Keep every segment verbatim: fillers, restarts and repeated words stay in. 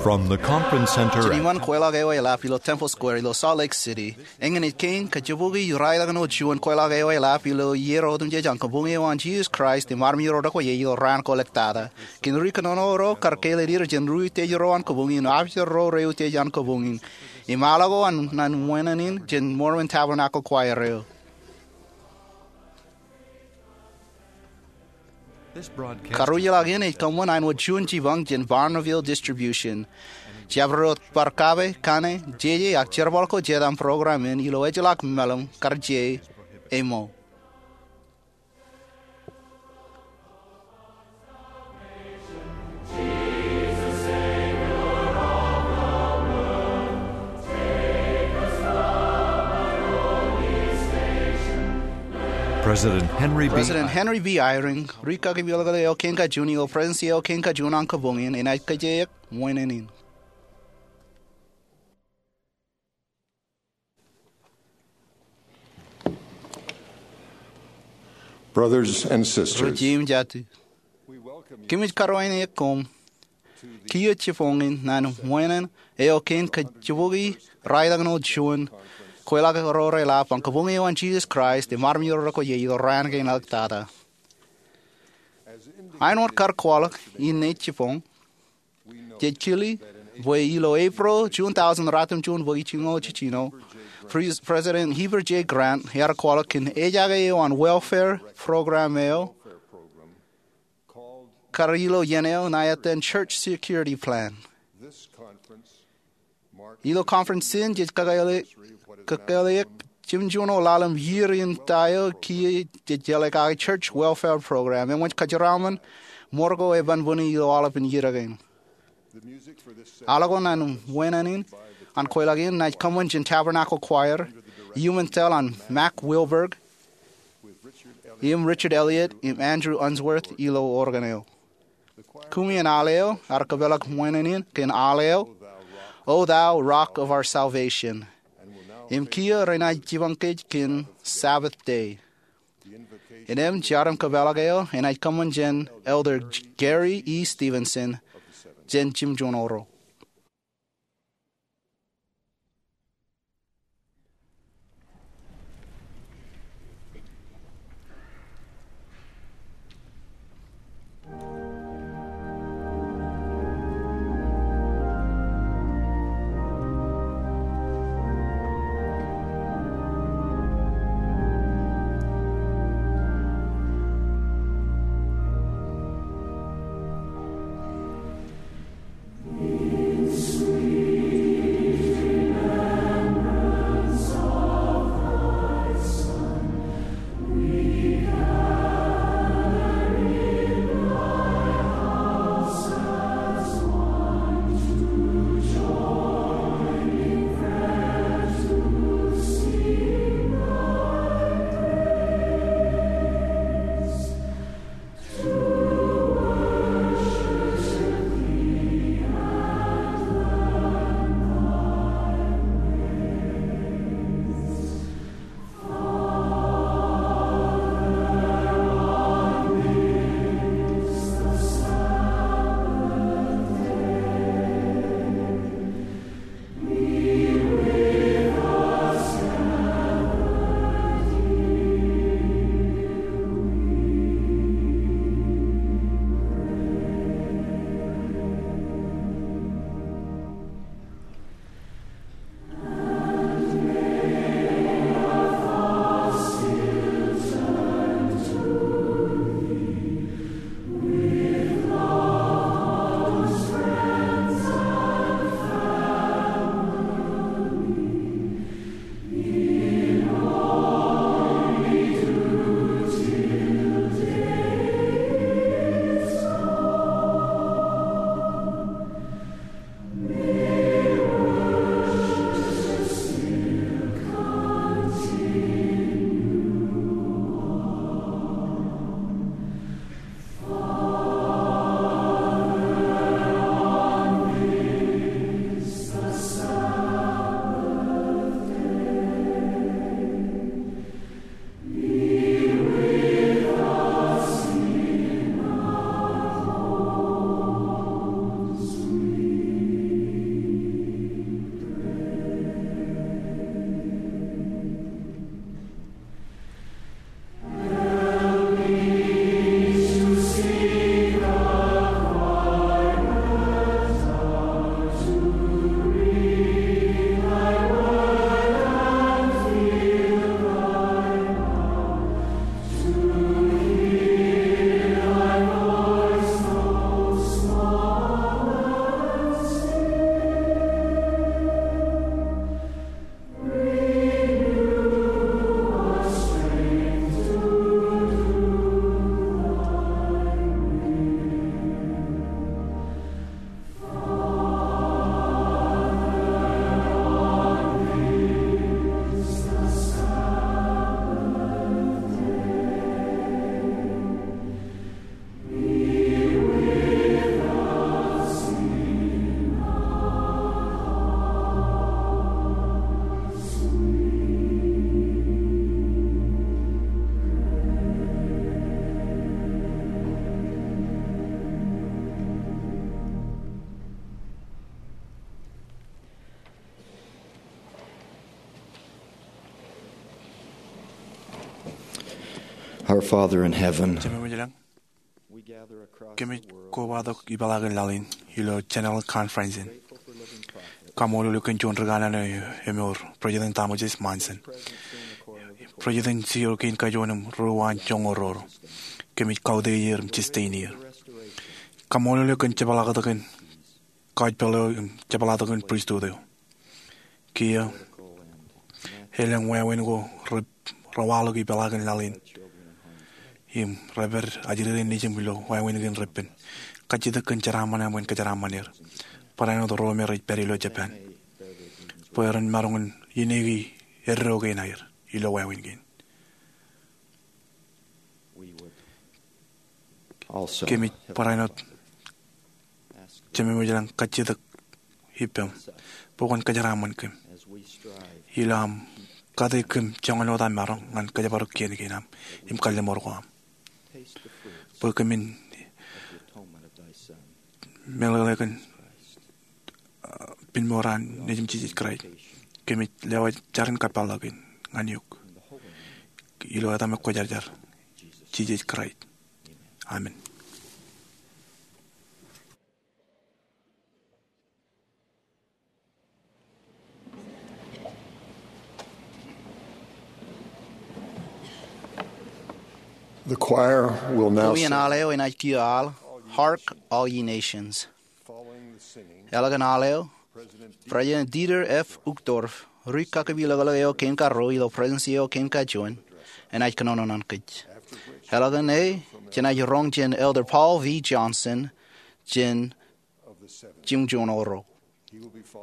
From the conference center jān iṃaan kweilọk eo eḷap ilo Temple Square ilo Salt Lake City, eñin ej kein kajibukwi raelọkin juon kweilọk eo eḷap ilo iiō otemjej an kabuñ eo an Jesus Christ im armej ro rekwōj ilo raan ko ḷọk tata. Kōn ri kōnono ro kar kāālōt er jān ri utiej ro an kabuñ in, im officer ro rej utiej an kabuñ in, im ḷọk ko an naan wānōk in jān Mormon Tabernacle Choir eo. Karuj ḷọk in ej kōṃṃan āinwōt juon jipañ jān Bonneville Distribution. Jabdewōt bar kape, kanne, jeje ak jerbal ko jet aṃ program in ilo ejjeḷọk meḷeḷe kar je ṃōk. President Henry B. President Henry B. Eyring, rikaki meḷeḷe eo kein kajuon ilo Presidency eo kein kajuon an kabuñ in, enaaj kōjeañ wānōk in. Brothers and sisters, Ri jeiū im jatū, kōmij karuwaineke koṃ kiiō jipañ in naan wānōk eo kein kajibukwi raelọkin juon kweilọk ro reḷap an kabuñ eo an Jesus Christ im armej ro rekwōj ilo raan kein ḷọk tata. Āinwōt kar kwaḷọk in ej jipañ, jej kile bwe ilo Ippaḷ, June thousand, ratimjuon bōki jiljino, Pres-, President Heber J. Grant ear kwaḷọk kōn ejake eo an welfare program eo kar ilo iien eo ṇa etan Church Security Plan. Ilo conference in jej kakāāle, kakāāle jimjuon ḷalem iiō in ta eo kiiō jej jeḷā kake Church Welfare Program, eṃōj kōjeraṃṃan ṃor ko eban bōne ilo aolepān iiō kein. Aḷọk ko naan wānōk in an kweilọk in enaaj kōṃṃan jān Tabernacle Choir, iuṃwin tōl an Mack Wilberg, im Richard Elliott, im Andrew Unsworth ilo organ eo. Kumi in aḷ eo ear kōpeḷḷọk wānōk in kōn aḷ eo, O Thou Rock of Our Salvation. Im kiiō renaaj jipañ kōj kōn Sabbath Day. Innām jar im kōpeḷḷọk eo enaaj kōṃṃan jān Elder Gary E. Stevenson jān jimjuonñoul. Our Father in heaven, kōmij kobatok ipeḷaakin laḷ in ilo General Conference in. Kaṃṃoolol eok kōn juon ri kanaan eo emour, President Thomas S. Monson, President Senior kein kajoor im ri waan joñoul ruo. Kōmij kautiej er im sustain er. Kaṃṃoolol eok kōn jepḷaaktok in kajjeḷā eo im jepḷaaktok in pristut eo. Kiiō elōñ wāween ko re, rewaḷọk ipeḷaakin laḷ in im rej pād ajri rein nejūṃ ilo wāween kein reppen. Kajjitōk kōn jeraaṃṃan eo bwe en kōjeraaṃṃan er. Barāinwōt ro me rej pād ilo Japan bwe ren maroñ in ineeki eddo kein aer ilo wāween kein. Kōmij barāinwōt jememej ilañ kajjitōk ippaṃ bwe kwōn kōjeraaṃṃan kōm ilo aṃ kate kōm joñan wōt aṃ maroñ ñan kōjparok kien kein aṃ im kalliṃur ko aṃ bwe kōmin meḷeḷe kōn, uh, pinmour an Nejiṃ Jisōs Kraist. Kōmij lewōj jar in kapeḷḷọk in ñan eok ilo etaṃ eo kwōjarjar, Jisōs Kraist. Amen. The choir will now sing. Kowien aḷ eo enaaj kiiō aḷ, Hark, All Ye Nations. Following the singing, eḷap an aḷ eo, President Dieter F. Uchtdorf, ri kaki ilōkḷọk eo kein karuo ilo Presidensi eo kein kajuon, enaaj kōnono ñan kōj. Eḷap an e, jenaaj roñ jān Elder Paul V. Johnson, jān jimjuon oro.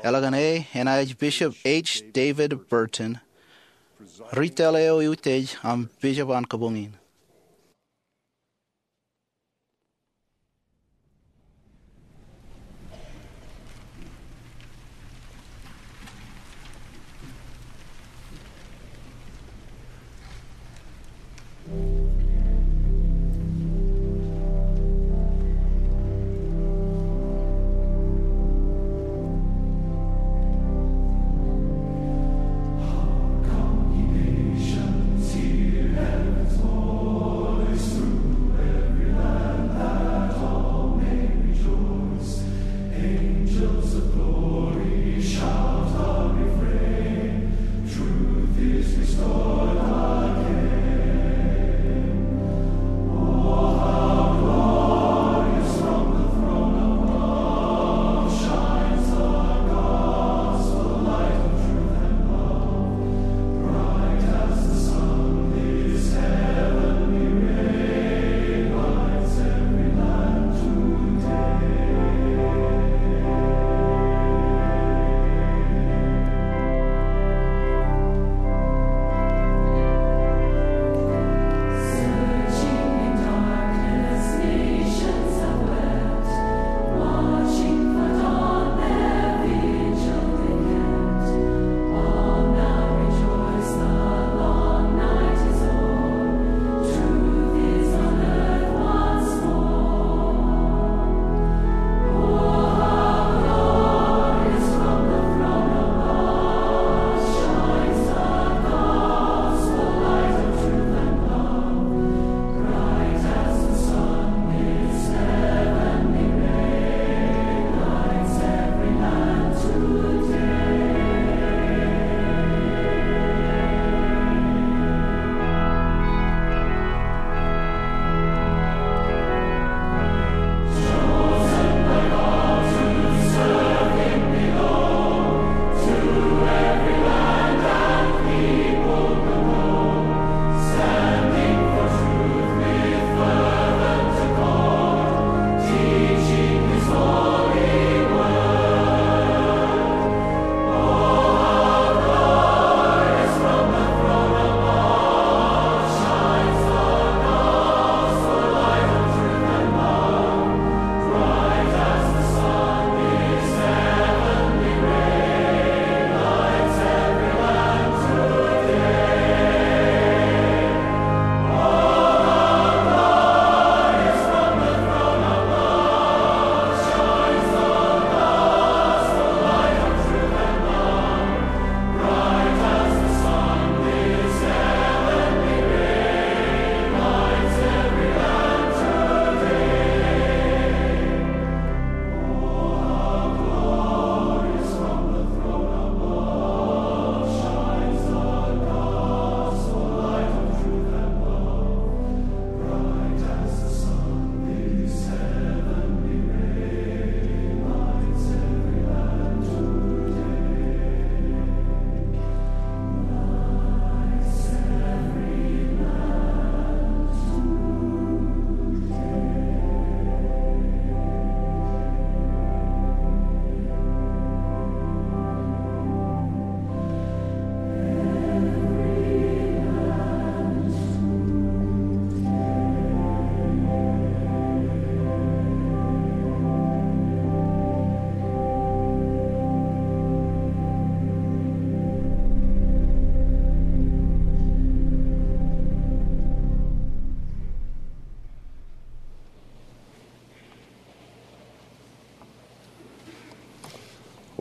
Eḷap an e enaaj Bishop H. David Burton, ri tōl eo eutiej aṃ bishop an kōbuñ in.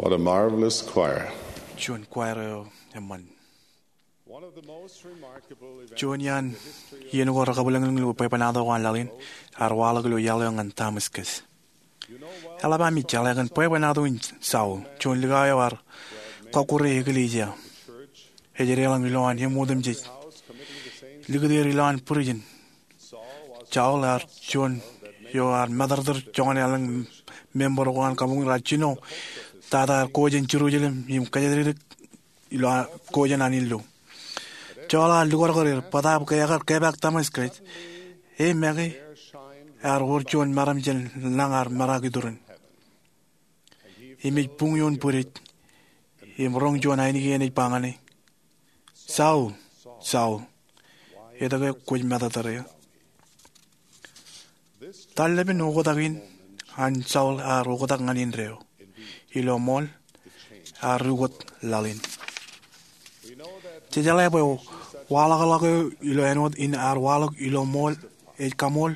What a marvelous choir. Juon choir eo eṃṃan. Juon iaan iien ko rekabwilōñlōñ ilo bwebwenato ko an laḷ in ear waḷọk ilo iaḷ eo ñan Tamaskas. Eḷap ami jeḷā kōn bwebwenato in Saul, juon likao eo ear kọkkure eklejia. Ej deḷọñ ilowaan eṃ otemjej, likūt er ilowaan būrijin. Saul ear juon eo ear matōrtōr joñan elōñ member ko an kabuñ raar jino tata ear ko jān Jerusalem im kōjatdikdik ilo ko jān an illu. Saul ear lukakar er, bōtaab ke ekar kepaak Tamaskas, e make ear wōr juon meram jān lañ ear meraak iturin. Im ej buñ ioon bwidej im roñ juon ainikien ej ba ñan e, Saul, Saul, etke kwōj matōrtōr eō? Tallepen oktak in an Saul ear oktak ñan indeeo. Ilo ṃool, ear ukōt laḷ in. Jej jeḷā bwe waḷọkḷọk eo ilo āinwōt in ear waḷọk ilo ṃool ej kaṃool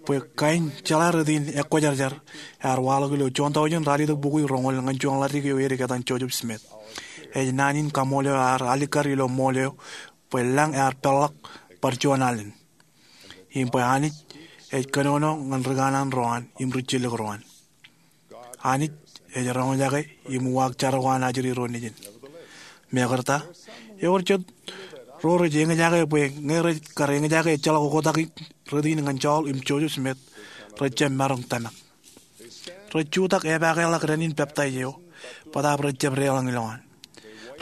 bwe kain jeḷā rot in ekwōjarjar ear waḷọk ilo juon taujin ralitōk bukwi roñoul ñan juon ḷaddik eo edik etan Joseph Smith. Ej naan in kaṃool eo ear alikkar ilo ṃool eo bwe lañ ear peḷḷọk bar juon alen im bwe Anij ej kōnono ñan ri kanaan ro an im ri jillōk ro an. Anij ej roñjake im uwaak jar ko an ajri ro nejin. Mekarta, ewōr jet ro rej eñjake bwe ñe rej kar eñjake ejjeḷọk oktak rot in ñan Saul im Joseph Smith, rej jab maroñ tōmak. Rej jutak epaakḷọk dān in peptaij eo, bōtaab rej jab deḷọñ ilowaan.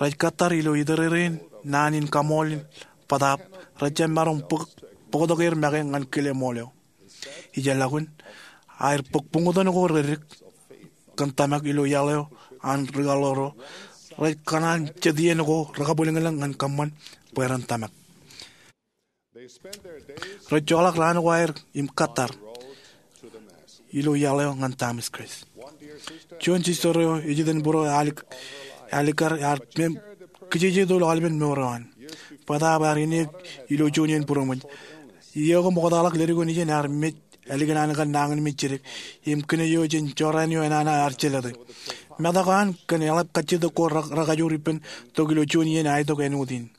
Rej kōttar ilo itōrereen naan in kaṃool in, bōtaab rej jab maroñ bōk, bōktok er make ñan kile ṃool eo. Ijellọkun, aer bōk buñtōn ko reddik kōn tōmak ilo iaḷ eo an ri kaḷoor ro, rej kōṇaan jet iien ko rekabwilōñlōñ ñan kōṃṃan bwe ren tōmak. Rej joḷọk raan ko aer im kōttar ilo iaḷ eo ñan Tamaskas. Juon sister eo ej itok būruō eo ālikkar ear mem kijejeto ilo aolepen mour eo an. Bōtaab ear ineek ilo juon iien būroṃōj. Iiō ko ṃoktaḷọk ledik eo nejin ear mej ālikin an kar nañinmej jidik im kine eo jān jorrāān eo enana ear jelōte. Metak eo an kōn eḷap kajjitōk ko rekajoor ippān tok ilo juon iien aetok āinwōt in.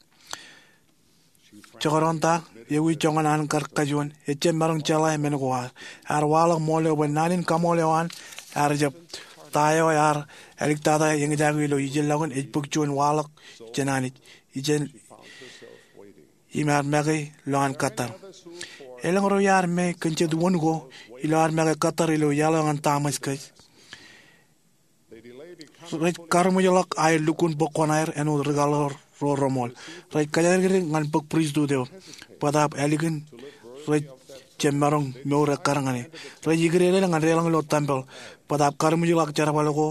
Jekdọọn ta, ewi joñan an kar kajuon, ejjab maroñ jeḷā men ko ad. Ear waḷọk ṃool eo bwe naan in kaṃool eo an ear jab ta eo ear āliktata eñjake ilo ijellọkun ej bōk juon waḷọk jān Anij. Ijin im ear make ilo an kōttar. Elōñ ro iar me kōn jet wōn ko ilo ad make kōttar ilo iaḷ eo ñan Tamaskas. Rej karuṃwijḷọk aer lukkuun bōk kuṇaer āinwōt ri kaḷoor ro reṃool. Rej kōjatdikdik ñan bōk pristut eo. Bōtaab ālikin rej jab maroñ mour ekkar ñan e. Rej ikdedel ñan deḷọñ ilo tempel. Bōtaab karuṃwijḷọk jerbal ko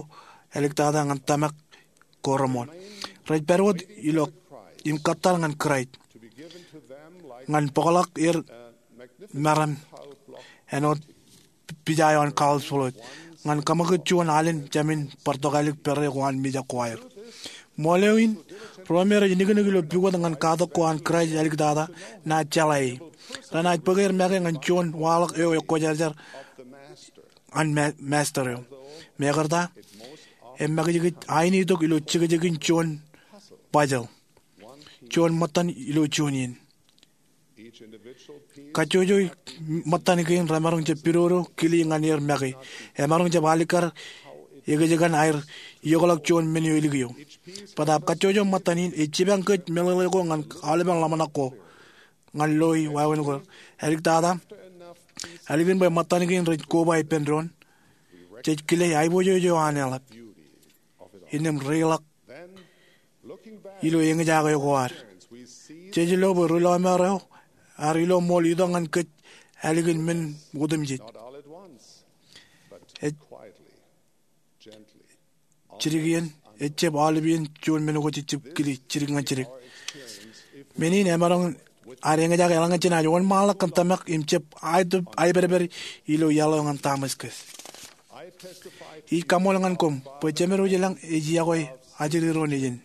āliktata ñan tōmak ko reṃool. Rej pād wōt ilo im kōttar ñan Kraist ñan bōkḷọk er meram āinwōt pija eo an George Floyd, ñan kōṃakūt juon alen jāmin bar tokālik pere ko an mijak ko aer. Ṃool eo in, ro me rej niknik ilo pukot ñan katak ko an Kraist āliktata, naaj jeḷā e. Renaaj bōk er make ñan juon waḷọk eo ekwōjarjar an ma-, Master eo. Mekarta, emakijkij ainitok ilo jekjekin juon puzzle. Juon ṃōttan ilo juon iien. Kajjojo ṃōttan kein remaroñ jab pidodo kile ñan er make. Emaroñ jab alikkar ekōjkan aer iokḷọk juon men eo elik eo. Bōtaab kajjojo ṃōttan in ej jipañ kōj meḷeḷe ko ñan aolepen ḷōmṇak ko ñan loi wāween ko. Āliktata, ālikin bwe ṃōttan kein rej koba ippān doon, jej kile aiboojoj eo an eḷap. Innām reiḷọk ilo eñjake ko ad, jej lo bwe ri lọmọọr eo ear ilo ṃool itok ñan kōj ālikin men otemjej. Ej jidik iien, ejjab aolep iien juon men ko jej jab kile jidik ñan jidik. Men in emaroñ ad eñjake eḷaññe jenaaj wōnṃaanḷọk kōn tōmak im jab aetōp aipedped ilo iaḷ eo ñan Tamaskas. Ij kaṃool ñan koṃ bwe Jemedwōj i lañ ej iọkwe ajri ro nejin.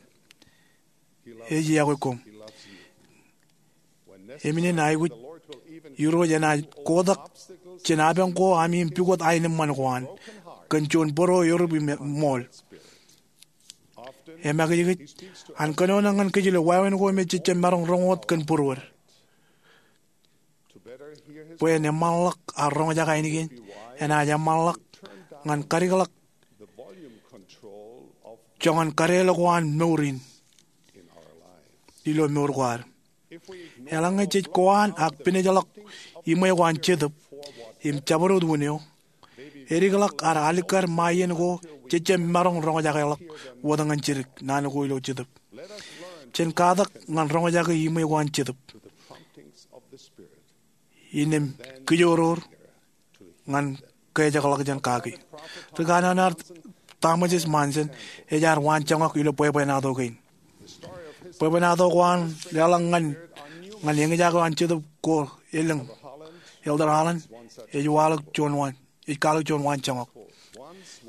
Ej iọkwe koṃ. Im inen aikuj, Irooj enaaj kotak jān apañ ko ami im pukot aenōṃṃan ko an kōn juon bōro erup im ṃool. emakijkij an kōnono ñan kōj ilo wāween ko me jej jab maroñ roñ wōt kōn būruod. Bwe en eṃṃanḷọk ad roñjake ainikien, enaaj eṃṃanḷọk ñan kadikḷọk joñan kadeḷọk ko an mour in ilo mour ko ad. Eḷaññe jej kowaan ak pinejḷọk iṃwe ko an Jetōb im jabdewōt wūn eo, edikḷọk ad alikkar ṃae iien ko jej jab maroñ roñjakeḷọk wōt ñan jidik naan ko ilo Jetōb. Jen katak ñan roñjake iṃwe ko an Jetōb innām kijoror ñan kejakḷọkjeṇ kaki. Ri-kanono eo an Thomas S. Monson ej ad waanjoñak ilo bwebwenato kein. Bwebwenato ko an leḷọk ñan, ñan eñjake eo an Jetōb ko elōñ, Elder Holland ej kwaḷọk juon waan, ej kwaḷọk juon waanjoñak.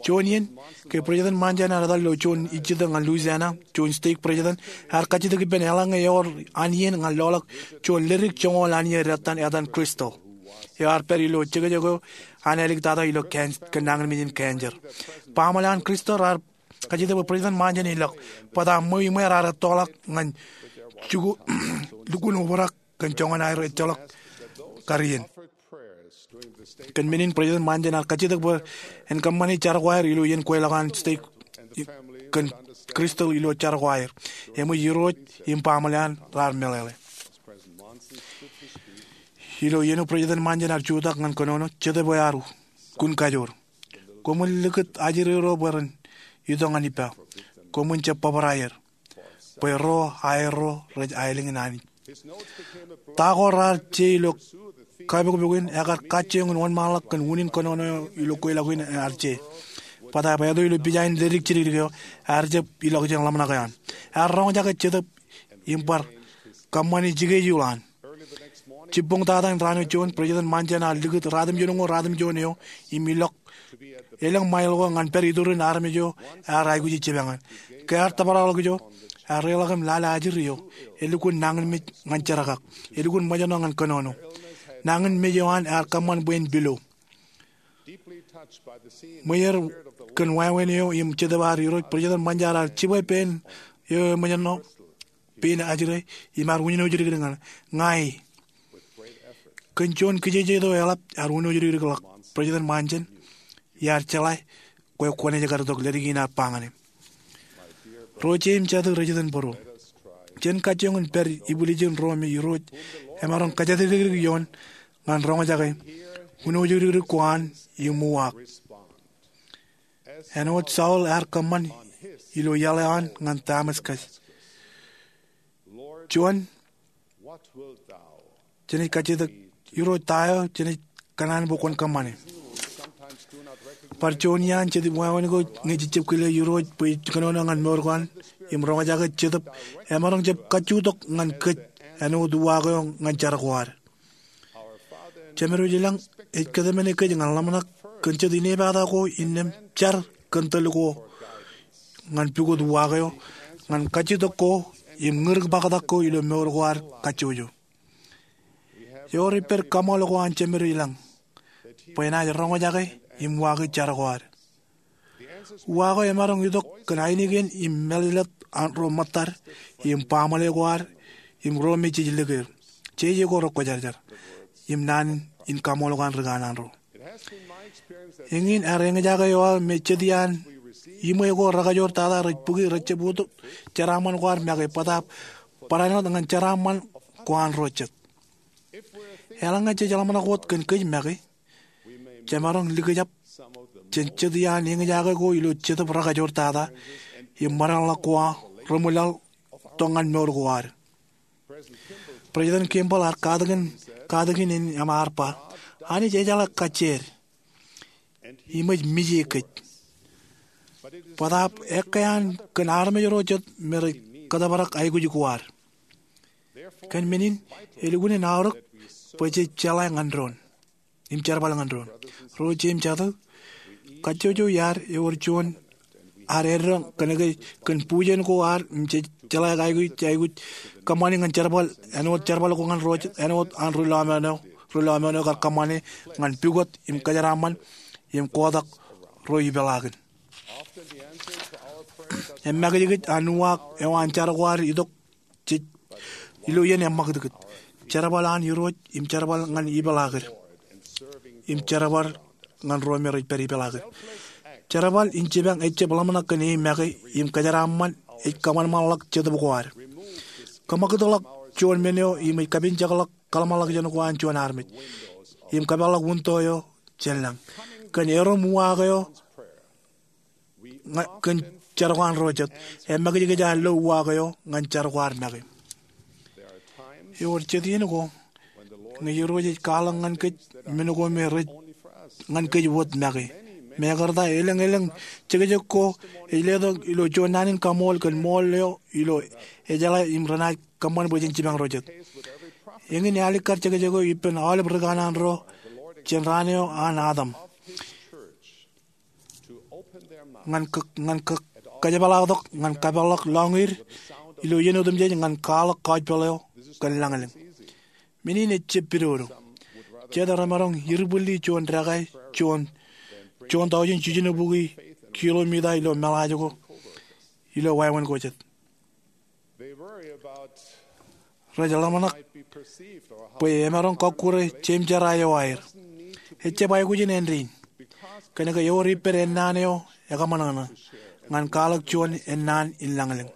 Juon iien ke President Monson ear etal ilo juon ijjitōk ñan Louisiana, juon stake president, ear kajjitōk ippān eḷaññe ewōr an iien ñan loḷọk juon ledik joñoul an iien ettan etan Crystal, eo ear pād ilo jekjek eo an āliktata ilo kōn nañinmej in cancer. Baaṃle an Crystal raar kajjitōk bwe President Monson en ilọk, bōtab ṃweo iṃwe raar ettoḷọk ñan lukkuun obrak kōn joñan aer ejjeḷọk kar iien. Kōn men in President Monson ear kajjitōk bwe en kōṃṃani jar ko aer ilo iien kweilọk an stake kōn Crystal ilo jar ko aer. Eṃōj Irooj im baaṃle an raar meḷeḷe. Ilo iien eo President Monson ear jutak ñan kōnono, Jetōb eo ear kun kajoor. Koṃwin likūt ajri ro bwe ren itok ñan ippa. Koṃwin jab bōbrae er, bwe ro aerro rej aelōñ in Anij. Ta ko raar je ilo kapokpok in ekar kajjioñ in wōnṃaanḷọk kōn unin kōnono eo ilo kweilọk in ear je. Bōtab eto ilo pija in ledik jidikdik eo, ear jab ilọk jān ḷōmṇak eo an. Ear roñjake Jetōb im bar kōṃṃani jikejuul an. Jibboñ tata in raan eo juon, President Monson ear likūt ratimjuonñoul ratimjuon eo im ilọk elōñ ṃail ko ñan pād iturin armej eo ear aikuji jipañ in. Ke ear tōprak ḷọk ijo, ear reḷọk im lale ajri eo elukkuun nañinmej ñan jerkak, elukkuun ṃōjṇọ ñan kōnono. Nañinmej eo an ear kōṃṃan bwe en pilo. Ṃweer kōn wāween eo im Jetōb ad Irooj, President Monson ear jibwe pein eo eṃōjṇọ, pein ajri, im ear wūnoujidikdik ñan ña e. Kōn juon kijeje eo eḷap ear wūnoujidikdik ḷọk, President Monson, iar jeḷā kwe kwōnaaj kar itok ledik in aō ba ñan e. Ro jeiū im jatū rej itōn bōro, jen kajjioñ in pād ibwiljin ro me Irooj emaroñ kōjatdikdik ioon ñan roñjake wūnoujidikdik ko an im uwaak, āinwōt Saul ear kōṃṃan ilo iaḷ eo an ñan Damascus. Juon, jenaaj kajjitōk, Irooj, ta eo jenaaj kōṇaan bwe kwōn kōṃṃane? Bar juon iaan jet wāween ko ñe jej jab kile Irooj bwe ej kōnono ñan mour ko an im roñjake Jetōb, emaroñ jab kajjutok ñan kōj āinwōt uwaak eo ñan jar ko ad. Jemedwōj ilañ ej kōtmāne kōj ñan ḷōmṇak kōn jet inepata ko innām jar kōn tōl ko ñan pukot uwaak eo, ñan kajjutok ko im ñūrik ṃaktak ko ilo mour ko ad kajjojo. Ewōr ippād kaṃool ko an Jemedwōj ilañ bwe enaaj roñjake im uwaake jar ko ad. Uwaak eo emaroñ itok kōn ainikien im mālōtlōt an ro ṃōttad im baaṃle ko ad im ro me jej lik er. Jeje ko rekwōjarjar im naan in kaṃool ko an ri kanaan ro. Eñin ear eñjake eo aō me jet iaan iṃwe ko rekajoor tata rej bōki rej jab utōt jeraaṃṃan ko ad make bōtab barāinwōt ñan jeraaṃṃan ko an ro jet. Eḷaññe jej ḷōmṇak wōt kōn kōj make, jemaroñ likjab jān jet iaan eñjake ko ilo Jetōb rekajoor tata im ṃōdeḷọk ko reṃwilaḷ tok ñan mour ko ad. President Kimball ear katakin, katakin in im ear ba, Anij ejeḷā kajjieed im ej mije kōj, bōtab ekkā an kōn armej ro jet me rej kōtōprak aikuj ko ad. Kōn men in, elukkuun en aorōk bwe jej jeḷā ñan doon im jerbal ñan doon. Ro jeiū im jatū, kajjojo iaad ewōr juon ad eddoñ kōnke kōn bujen ko ad im jej jeḷā aikuj, aikuj kōṃṃani ñan jerbal, āinwōt jerbal ko ñan ro jet, āinwōt an ri lọmọọr eo, ri lọmọọr eo kar kōṃṃane ñan pukot im kōjeraaṃṃan im kotak ro ipeḷaakin. Emakijkij an uwaak eo an jar ko ad itok jej ilo iien eṃṃakūtkūt. Jerbal an Irooj im jerbal ñan ipeḷaakin im jerbal ñan ro me rej pād ipeḷaakin. Jerbal in jipañ ejjab ḷōmṇak kōn e make im kōjeraaṃṃan ej kōṃanṃanḷọk jetōb ko ad. Kōṃakūtḷọk juon men eo im ej kapinjekḷọk kōḷmānḷọkjeṇ ko an juon armej im kōpeḷḷọk winto eo jān lañ. Kōn erom uwaak eo kōn jar ko an ro jet, emakijkij ad lo uwaak eo ñan jar ko ad make. Ewōr jet iien ko ñe Irooj ej kwaḷọk ñan kōj men ko me rej ñan kōj wōt make. Mekarta elōñ elōñ jekjek ko ej letok ilo juon naan in kaṃool kōn ṃool eo ilo ejeḷā im renaaj kōṃṃan bwe jen jipañ ro jet. Eñin ealikkar jekjek eo ippān aolep ri kanaan ro jān raan eo an Adam ñan kōjepḷaaktok ñan kapeḷḷọk lọñiid ilo iien otemjej ñan kwaḷọk kọjpeḷ eo kōn lañlōñ. Men in ejjab pidodo. Jet remaroñ iribwilli juon dekā juon taujin jiljino bukwi kilomita ilo meḷaaj ko ilo wāween ko jet. Rej ḷōmṇak bwe emaroñ kọkkure jeṃjerā eo aer. Ejjab aikuj in āindein kōnke ewōr ippād ennaan eo ekaṃōṇōṇō ñan kwaḷọk juon ennaan in lañlōñ.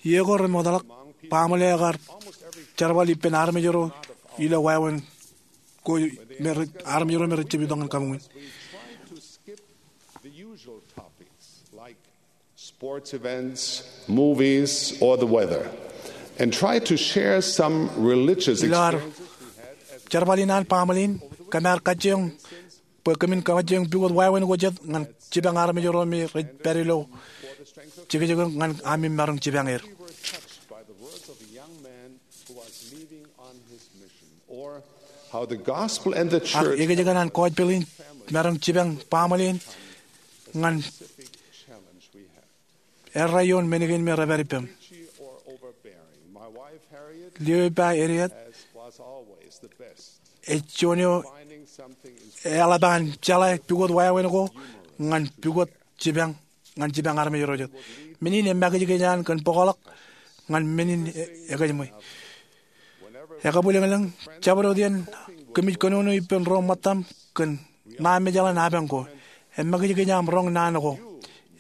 Iiō ko remootḷọk, baaṃle eo kar jerbal ippān armej ro ilo wāween ko, armej ro me rej jab itok ñan kabuñ in. Sports events, movies, or the weather, and try to share some religious experiences we had as jerbal in an baaṃle in, kōm ar kajjioñ bwe kōmin kajjioñ pukot wāween ko jet ñan jipañ armej ro me rej pād ilo jekjek eo ñan ami maroñ jipañ er. How the gospel and the ak church ekōjkan an kọjpeḷ in maroñ jipañ baaṃle in ñan errā ioon men kein me rej pād ippem. Lio ippa Harriet ej juon eo eḷap an jeḷā pukot wāween ko ñan pukot jipañ ñan jipañ armej ro jet. Men in emakijkij an kōn bōkḷọk ñan men in e- ekōjṃwe. Ekabwilōñlōñ, jabdewōt iien kōmij kōnono ippān ro ṃōttaṃ kōn ṇa mejaḷ in apañ ko. Emakijkij aṃ roñ naan ko.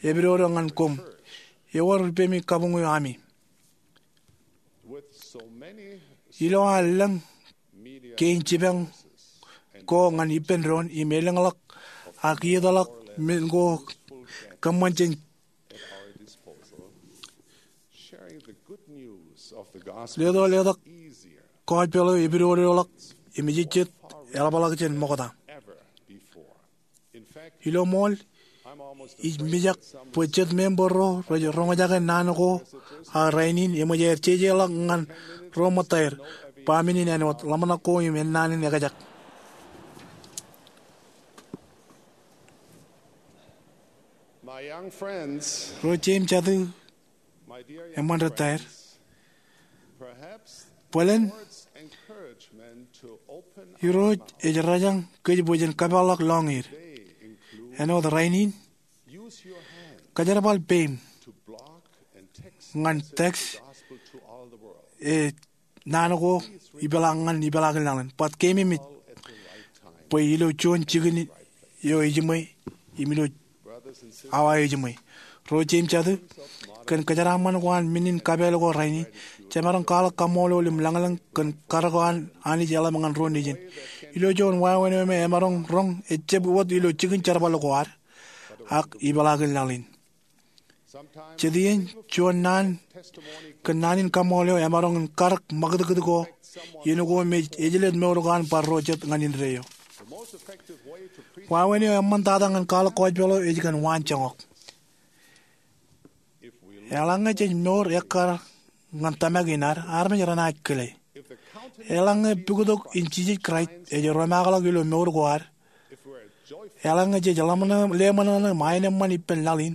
Epidodo ñan koṃ. Ewōr ippemi kabuñ eo ami. Ilo an lōñ kein jipañ ko ñan ippān doon im elōñḷọk ak iietḷọk men ko kōṃṃan jān leto letok kọjpeḷ eo epidodoḷọk im ejejjet eḷapḷọk jān ṃokta. Ilo ṃool, ij mijak bwe jet member ro rej roñjake naan ko aō rainin eṃōj aer jejeḷọk ñan ro ṃōttaer ba men in āinwōt ḷōmṇak ko im ennaan in ekajak. Ro jeim jatū, eṃṃan rej taer. Bōlen Irooj ej rōjañ kōj bwe jen kapeḷḷọk lọñiid. Āinwōt rainin, kōjerbal peim ñan text e naan ko ipeḷaak ñan ipeḷaakin lañlōñ. Bōk keememej bwe ilo juon jikin eo ejiṃwe im ilo awa eo ejiṃwe. Ro jeim jatū, kōn kōjeraaṃṃan ko an men in kapeel ko rainin, jemaroñ kwaḷọk kaṃṃoolol im lañlōñ kōn karōk eo an Anij eḷap ñan ro nejin. Ilo juon wāween eo me emaroñ roñ ejjab wōt ilo jikin jerbal ko ad, ak ipeḷaakin laḷ in. Jet iien juon naan kōn naan in kaṃṃool eo emaroñ in karōk ṃakūtkūt ko iien ko me ejlel mour ko an bar ro jet ñan indeeo. Wāween eo eṃṃantata ñan kwaḷọk kọjpeḷ eo ej kōn waan joñak. Eḷaññe jej mour ekkar ñan tōmak in ad, armej renaaj kile. Eḷaññe puktok in Jisōs Kraist ej romaakḷọk ilo mour ko ad, eḷaññe jej ḷōmṇak im aenōṃṃan ippān laḷ in,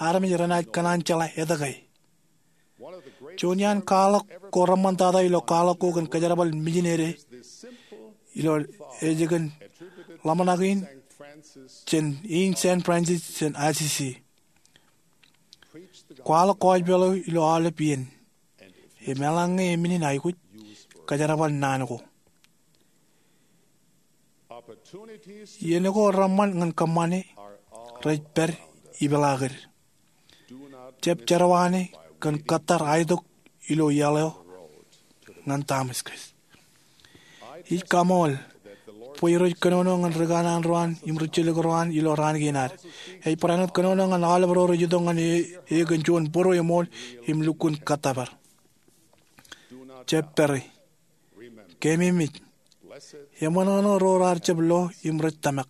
armej renaaj kōṇaan jeḷā etke. Juon iaan kwaḷọk ko reṃṃantata ilo kwaḷọk ko kōn kōjerbal mijinede ilo ej kōn ḷōmṇak in jān in San Francisco jān Assisi. Kwaḷọk gospel eo ilo aolep iien. Im eḷaññe eṃṃan in aikuj, kōjerbal naan ko. Iien ko reṃṃan ñan kōṃṃane rej pād ipeḷaakid. Jab jerọwiwi kōn kōttar aetok ilo iaḷ eo ñan Damascus. Ij kaṃool bwe Irooj kōnono ñan ri kanaan ro an im ri jilkinro an ilo raan kein ad. Ej barāinwōt kōnono ñan aolep ro rej itok ñan e, e kōn juon būrueṃool im lukkuun kōttōpar. Jab pere. Keememej. Eṃṃanṃan ro raar jab lo im rej tōmak.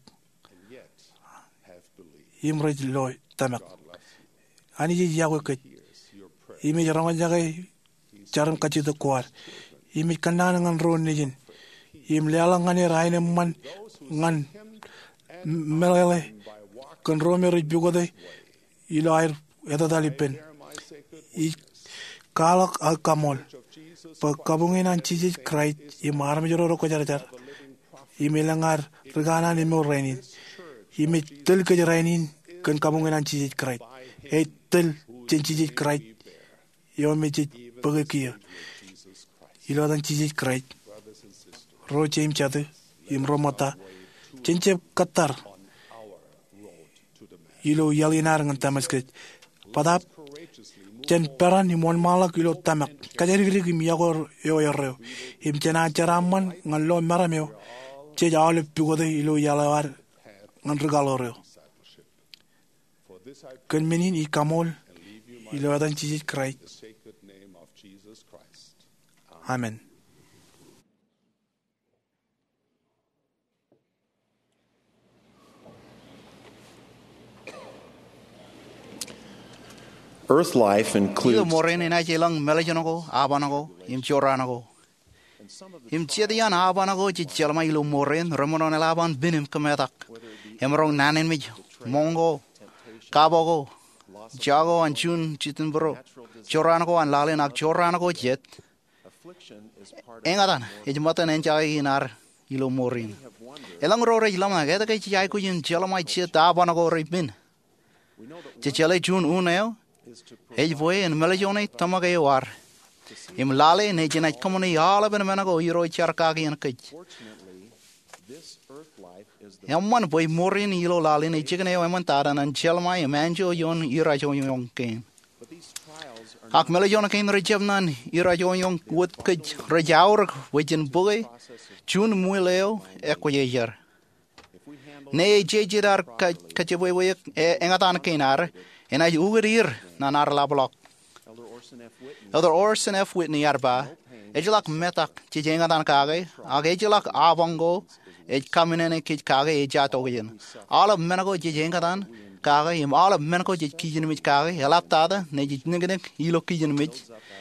Im rej lo tōmak. Anij ej iọkwe kōj. Im ej roñjake jarin kajjitōk ko ad. Im ej kōnnaan ñan ro nejin. Im leḷọk ñan er aenōṃṃan ñan meḷeḷe kōn ro me rej pukote ilo aer etetal ippān. Ij kwaḷọk aō kaṃool bwe kabuñe in an Jisōs Kraist im armej ro rekwōjarjar im elōñ ad ri kanaan emour rainin. Im ej tōl kōj rainin kōn kabuñe in an Jisōs Kraist. Ej tōl jān Jisōs Kraist eo me jej bōke kiiō. Ilo etan Jisōs Kraist, ro jeiū im jatū im ro ṃōtta, jen jab kōttar ilo iaḷ in ad ñan Damascus. Bōtaab, jen peran im wōnṃaanḷọk ilo tōmak, kōjatdikdik im iọkwe eo erreo. Im jen jeraaṃṃan ñan lo meram eo jej aolep pukote ilo iaḷ eo ad ñan ri kaḷoor eo. Kōn men in ij kaṃool ilo etan Jisōs Kraist. Amen. Earth life includes Ilo mour in enaaj elōñ mālejjōn ko, aban ko, im jorrāān ko. Im jet iaan aban ko jej jeḷā ilo mour in remaroñ eḷap an pen im kōmetak. Emaroñ naan in mej, ṃōñ ko, kabo ko, jako an juon jitōnbōro, jorrāān ko an laḷ in ak jorrāān ko jet. Eñtaan ej ṃōttan enjake in ad ilo mour in. Elōñ ro rej ḷōmṇak etke jej aikuj in jeḷā jet aban ko repen. Jej jeḷā juon unin eo ej bwe en mālejjoñe tōmak eo ad im lale nejin ej kōṃṃane aolepen men ko Irooj jar kaki ñan kōj. Eṃṃan bwe mour in ilo laḷ in ej jikin eo eṃṃantata ñan jeḷā im anjọ ioon irajoñoñ kein. Ak mālejjoñ kein rej jab ñan irajoñoñ wōt kōj rej aorōk bwe jen bōke juon ṃwiel eo ekwōjarjar. Ñe ej jeje ad kajepwepwe eñtaan kein ad, enaaj ukōt er ñan ad ḷapḷọk. Elder Orson F. Whitney ear ba, ejjeḷọk metak jej eñtaan kake, ak ejjeḷọk aban ko ej kaminene kōj kake ejja tokjān. Aolep men ko jej eñtaan kake im aolep men ko jej kijenmej kake eḷaptata ñe jej niknik ilo kijenmej,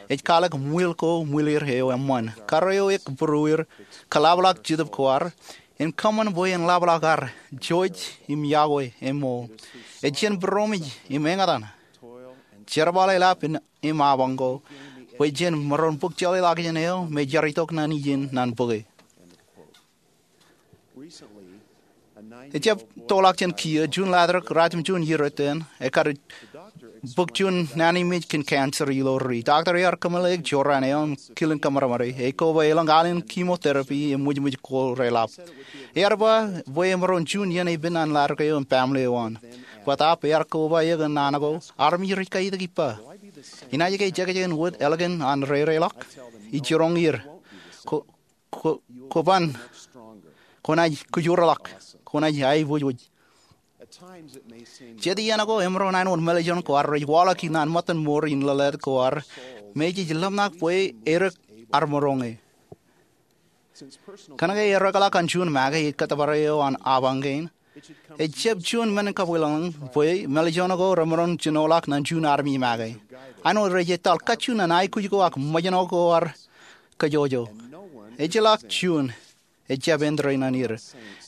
ej kwaḷọk ṃwiel ko ṃwiler eo eṃṃan, karreo eok būruer, kōḷapḷọk jetōb ko ad, im kōṃṃan bwe en ḷapḷọk ad jouj im yokwe im ṃool. Ej jen būroṃōj im eñtaan jerbal eḷap im aban ko bwe jen maroñ bōk jeḷāḷọkjeṇ eo me jar itok ñan ijin ñan bōke. Ejab toḷọk jān kiiō juon ḷatrōk ratimjuon iiō iten, ekar bōk juon naan in mej kōn cancer ilo ri. Doctor ear kōmeḷeḷeik jorrāān eo im kilin kōṃadṃōde, ekoba elōñ alen chemotherapy im ṃwijṃwij ko reḷap. Ear ba bwe emaroñ juon iien epen an ḷatrōk eo im baaṃle eo an. Bōtaab ear koba eō kōn naan ko, armej rej kaitik ippa, inaaj ke jekjek in wōt ālikin an reireḷọk? Ij jiroñ er, ko, ko, koban, kwōnaaj kōjorḷọk, kwōnaaj aiboojoj. Jet iien ko emaroñ āinwōt mālejjoñ ko ad rej waḷọk ñan ṃōttan mour in lōḷātāt ko ad me jej ḷōmṇak bwe edik ad maroñe. Kōnke ear ekḷọk an juon make ej kōttōpar eo an aban kein, ejab juon men kabwilōñlōñ bwe mālejjoñ ko remaroñ jinoḷọk ñan juon armej make. Āinwōt rej etal kajju ñan aikuj ko ak ṃōjṇọ ko ad kōjọjo. Ejjeḷọk juon ejab āindein ñan er.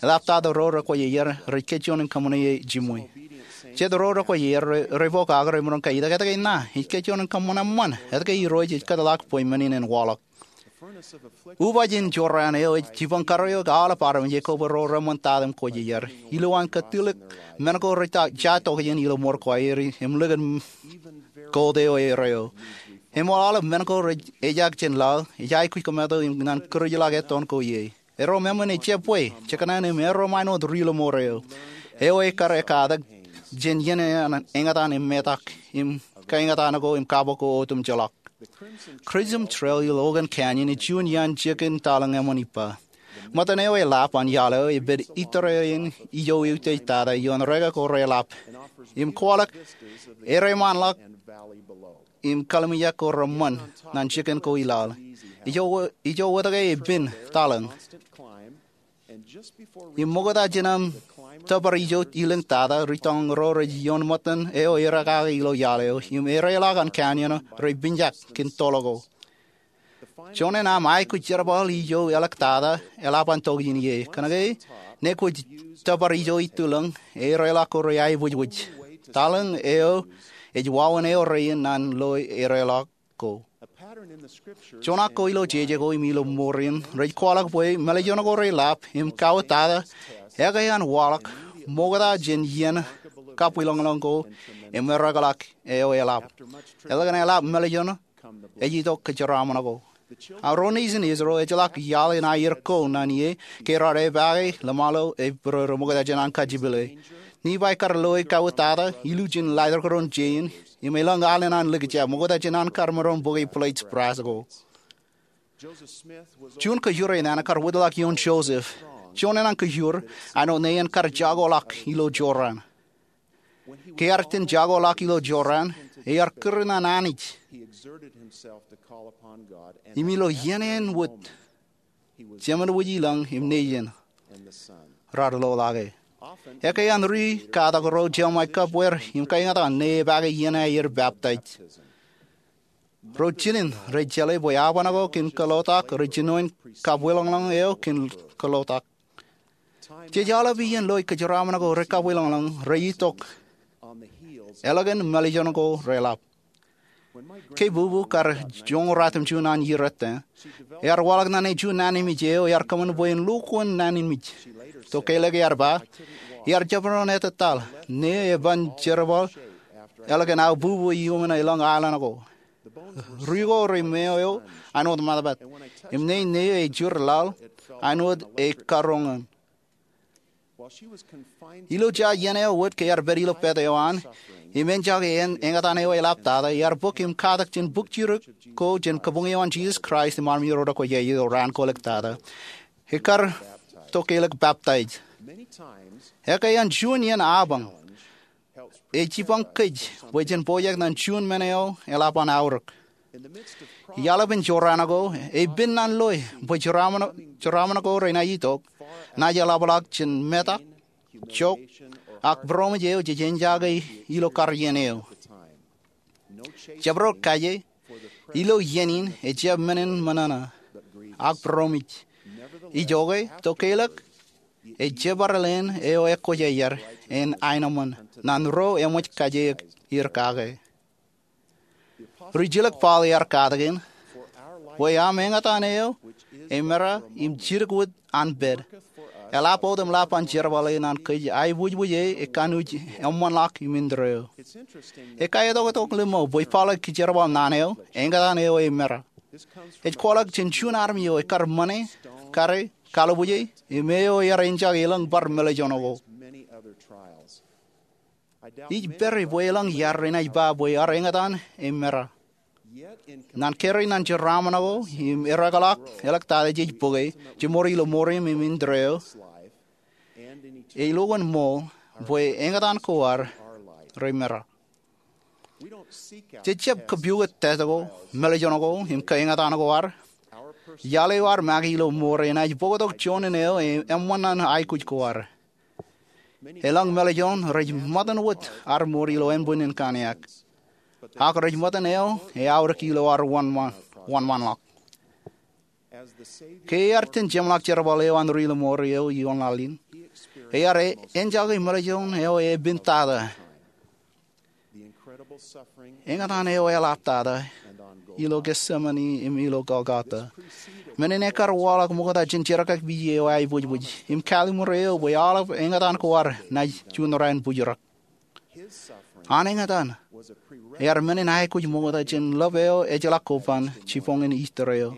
Eḷaptata ro rekwōjarjar rej kōjjuon in kōṃṃane e jiṃwe. Jet ro rekwōjarjar re, re bōk ak remaroñ kaitak etke ṇa, ij kōjjuon in kōṃṃan eṃṃan etke Irooj ej kōtḷọk bwe men in en waḷọk. Upaaj in jorrāān eo ej jipañ kar eok aolep armej ekobwe ro reṃṃan tata im kwōjarjar. Ilowaan kōttiḷọk, men ko rej ja tokjān ilo mour ko aer im likin gold eo erreo. Im aolep men ko rej ejaak jān laḷ ej aikuj kōmeto im ñan kūrijḷọk ettoon ko ie. Erro meṃṃan ejjab bwe jekōṇaan im erro ṃaanwōt ri-lọmọọr eo, eo ekar ekkatak jān iien an eñtaan im metak im kaeñtaan ko im kabok ko otemjeḷọk. Crimson Trail ilo Logan Canyon ej juon iaan jikin taḷōñ eṃṃan ippa. Ṃōttan eo eḷap an iaḷ eo ej pād itorrāān ijo eutiej tata ioon reka ko reḷap im kwaḷọk ereṃaanḷọk im kallimjek ko reṃṃan ñan jikin ko i laḷ. Ijo wōt ke ej pen taḷōñ. Im ṃokta jān aṃ tōpar ijo ilōñ tata, ri-tọñọñ ro rej ioon ṃōttan eo erā kake ilo iaḷ eo im ereḷọk an canyon rej pinjak kōn toḷ ko. Juon in aṃ aikuj jerbal ijo eḷak tata eḷap an tokjān ie. Kōnke ṇe kwōj tōpar ijo itulōñ, ereḷọk ko rej aebwijbwij. Taḷōñ eo ej wāween eo rein an lo ereḷọk ko. Joñak ko ilo jeje ko im ilo mour in rej kwaḷọk bwe mālejān ko reḷap im kawōt tata ekwe an waḷọk ṃokta jān iien kabwilōñlōñ ko im ereḷọk eo eḷap. Eḷak an eḷap mālejān, ej itok kōjeraaṃṃan ko. Ro nejin Israel ejjeḷọk iaḷ in aier ko ñan ie ke raar epaake ḷōṃaro im būrōrō ṃokta jān an kajjipele. Nephi kar loi kawōt tata, ilju jān laajrak ro jein, im elōñ alen an likjab ṃokta jān an kar maroñ bōke plates brass ko. Juon kōjure naan kar wōtlọk ioon Joseph. Juon naan kōjure, āinwōt ṇe en kar jakoḷọk ilo Jordan. Ke ear itōn jakoḷọk ilo Jordan, ear kūr ñan Anij im ilo iien eṇ wōt, Jemān wōj ilōñ im nejin raar loḷọke. Ekwe an ri-katak ro jeṃḷọk kab wōr im kaeñtaan ṇe epaake iien aier peptaij. Ro jinen rej jeḷā bwe aoban ko kōn kōḷotak rej jinoin kabwilōñlōñ eo kōn kōḷotak. Jej aolep iien loi kōjeraaṃṃan ko rekabwilōñlōñ rej itok eḷak an mālejān ko reḷap. Ke bubu kar joñoul ratimjuon an iiō ettā, ear waḷọk ñan e juon naanmej eo ear kōṃṃan bwe en lo kōn naanmej. Tokālik ear ba, iar jab maroñ ettataḷ ṇe eban jerbal eḷak an aō bubu iuṃwin elōñ alen ko. Ri ko rej meo eo āinwōt ṃadpāt, im ṇe eo ej jur laḷ āinwōt ekaroñ. Ilo ja iien eo wōt ke ear pād ilo pād eo an, im enjake eñtaan eo eḷaptata, ear bōk im katak jān bōk jidik ko jān kabuñ eo an Jesus Christ im armej ro rekwōjarjar ilo raan kōlōktata. Ekar tokālik peptaij. Ekwe an juon iien apañ ej jipañ kōj bwe jen pojak ñan juon men eo eḷap an aorōk. Iaḷ epen jorrāān ko, ej pen ñan loe bwe jeraaṃṃan ko renaaj itok, naaj eḷapḷọk jān metak, jook, ak būroṃōj eo jej enjake ilo kar iien eo. Jabdewōt kaje ilo iien in ejjab men in ṃōṇōṇō, ak būroṃōj. Ijoke, tokālik, ej jebar leen eo ekwōjarjar en aenōṃṃan ñan ro eṃōj kaje er kake. Ri-jilōk Paul ear katakin, bwe aṃ eñtaan eo emera im jidik wōt an pād, eḷap wōt im ḷap an jerbale ñan kōj aebwijbwije ekanooj eṃṃanḷọk im indeeo. Ekaitok tok lemñoul bwe Paul ej kōjerbal naan eo eñtaan eo emera. Ej kwaḷọk jān juon armej eo ekar ṃane, kare, kallibwije, im eo ear enjake elōñ bar mālejān ko. Ij pere bwe elōñ iaad renaaj ba bwe ear eñtaan emera. Ñan kōrā ñan jeraaṃṃan ko im ereḷọk eḷaktata jej bōke, jemour ilo mour in im indeeo, ej lo kōn ṃool bwe eñtaan ko ad remera. Jej jab kōpukot tōl ko, mālejān ko, im kaeñtaan ko ad. Iaḷ eo ad make ilo mour enaaj bōktok juon in eo eṃṃan ñan aikuj ko ad. Elōñ mālejān rej ṃōttan wōt ad mour ilo ānbwinnin kanniōk, ak rej ṃōttan eo eaorōk ilo ad wōnṃaanḷọk. Ke ear itōn jeṃḷọk jerbal eo an ri-lọmọọr eo ioon laḷ in, ear enjake mālejān eo epen tata. eñtaan eo eḷaptata ilo Getsemane im ilo Golgota. Men in ekkar waḷọk ṃokta jān jerkakpeje eo aebwijbwij im kaaliṃur eo bwe aolep eñtaan ko ad naaj juon raan bōjrak. An eñtaan ear men in aikuj ṃokta jān lōb eo ejjeḷọk koban jiboñin Ister eo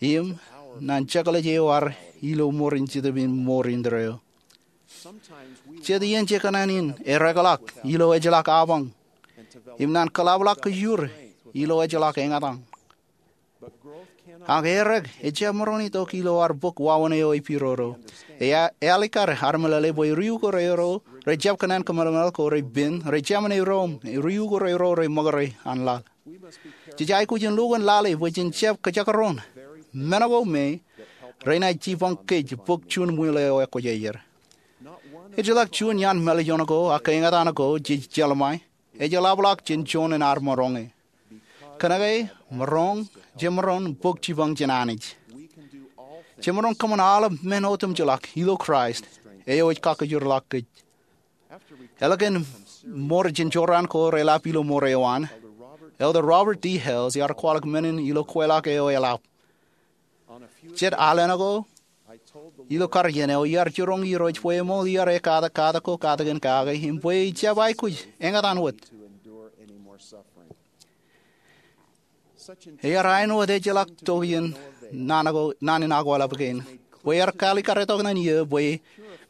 im ñan jekḷaj eo ad ilo ṃoor in Jetōb in mour indeeo. Jet iien je kōṇaan in erekḷọk ilo ejjeḷọk apañ im ñan kōḷapḷọk kōjur ilo ejjeḷọk eñtaan. Ak erek ejjab maroñ itok ilo ad bōk wāween eo epiro. Ealikkar armej lale bwe riukor eo rejjab kōṇaan kōmeḷeḷe ko repen, rej jāmin erom, riukor eo rej ṃōkaj an laḷ. Jej aikuj in lukkuun lale bwe jen jab kōjakrōn men ko me renaaj jipañ kōj bōk juon ṃwiin eo ekwōjarjar. Ejjeḷọk juon iaan mālejjoñ ko ak eñtaan ko jej jeḷmāe ejeḷapḷọk jān juon in ad maroñe. Kōnke jemaroñ bōk jipañ jān Anij, jemaroñ kōṃṃan aolep men otemjeḷọk ilo Kraist eo ej kakijorḷọk kōj. Ālikin ṃōr jān jorrāān ko reḷap ilo ṃōr eo an, Elder Robert D. Hales ear kwaḷọk men in ilo kweilọk eo eḷap. Jet alen ko ilo kar iien eo iar jiroñ Irooj bwe eṃool iar ekkatak katak ko katakin kake im bwe ejjab aikuj eñtaan wōt. Ear āinwōt ejjeḷọk tokjān naan in akwālap kein bwe ear kaalikkar tok ñan eō bwe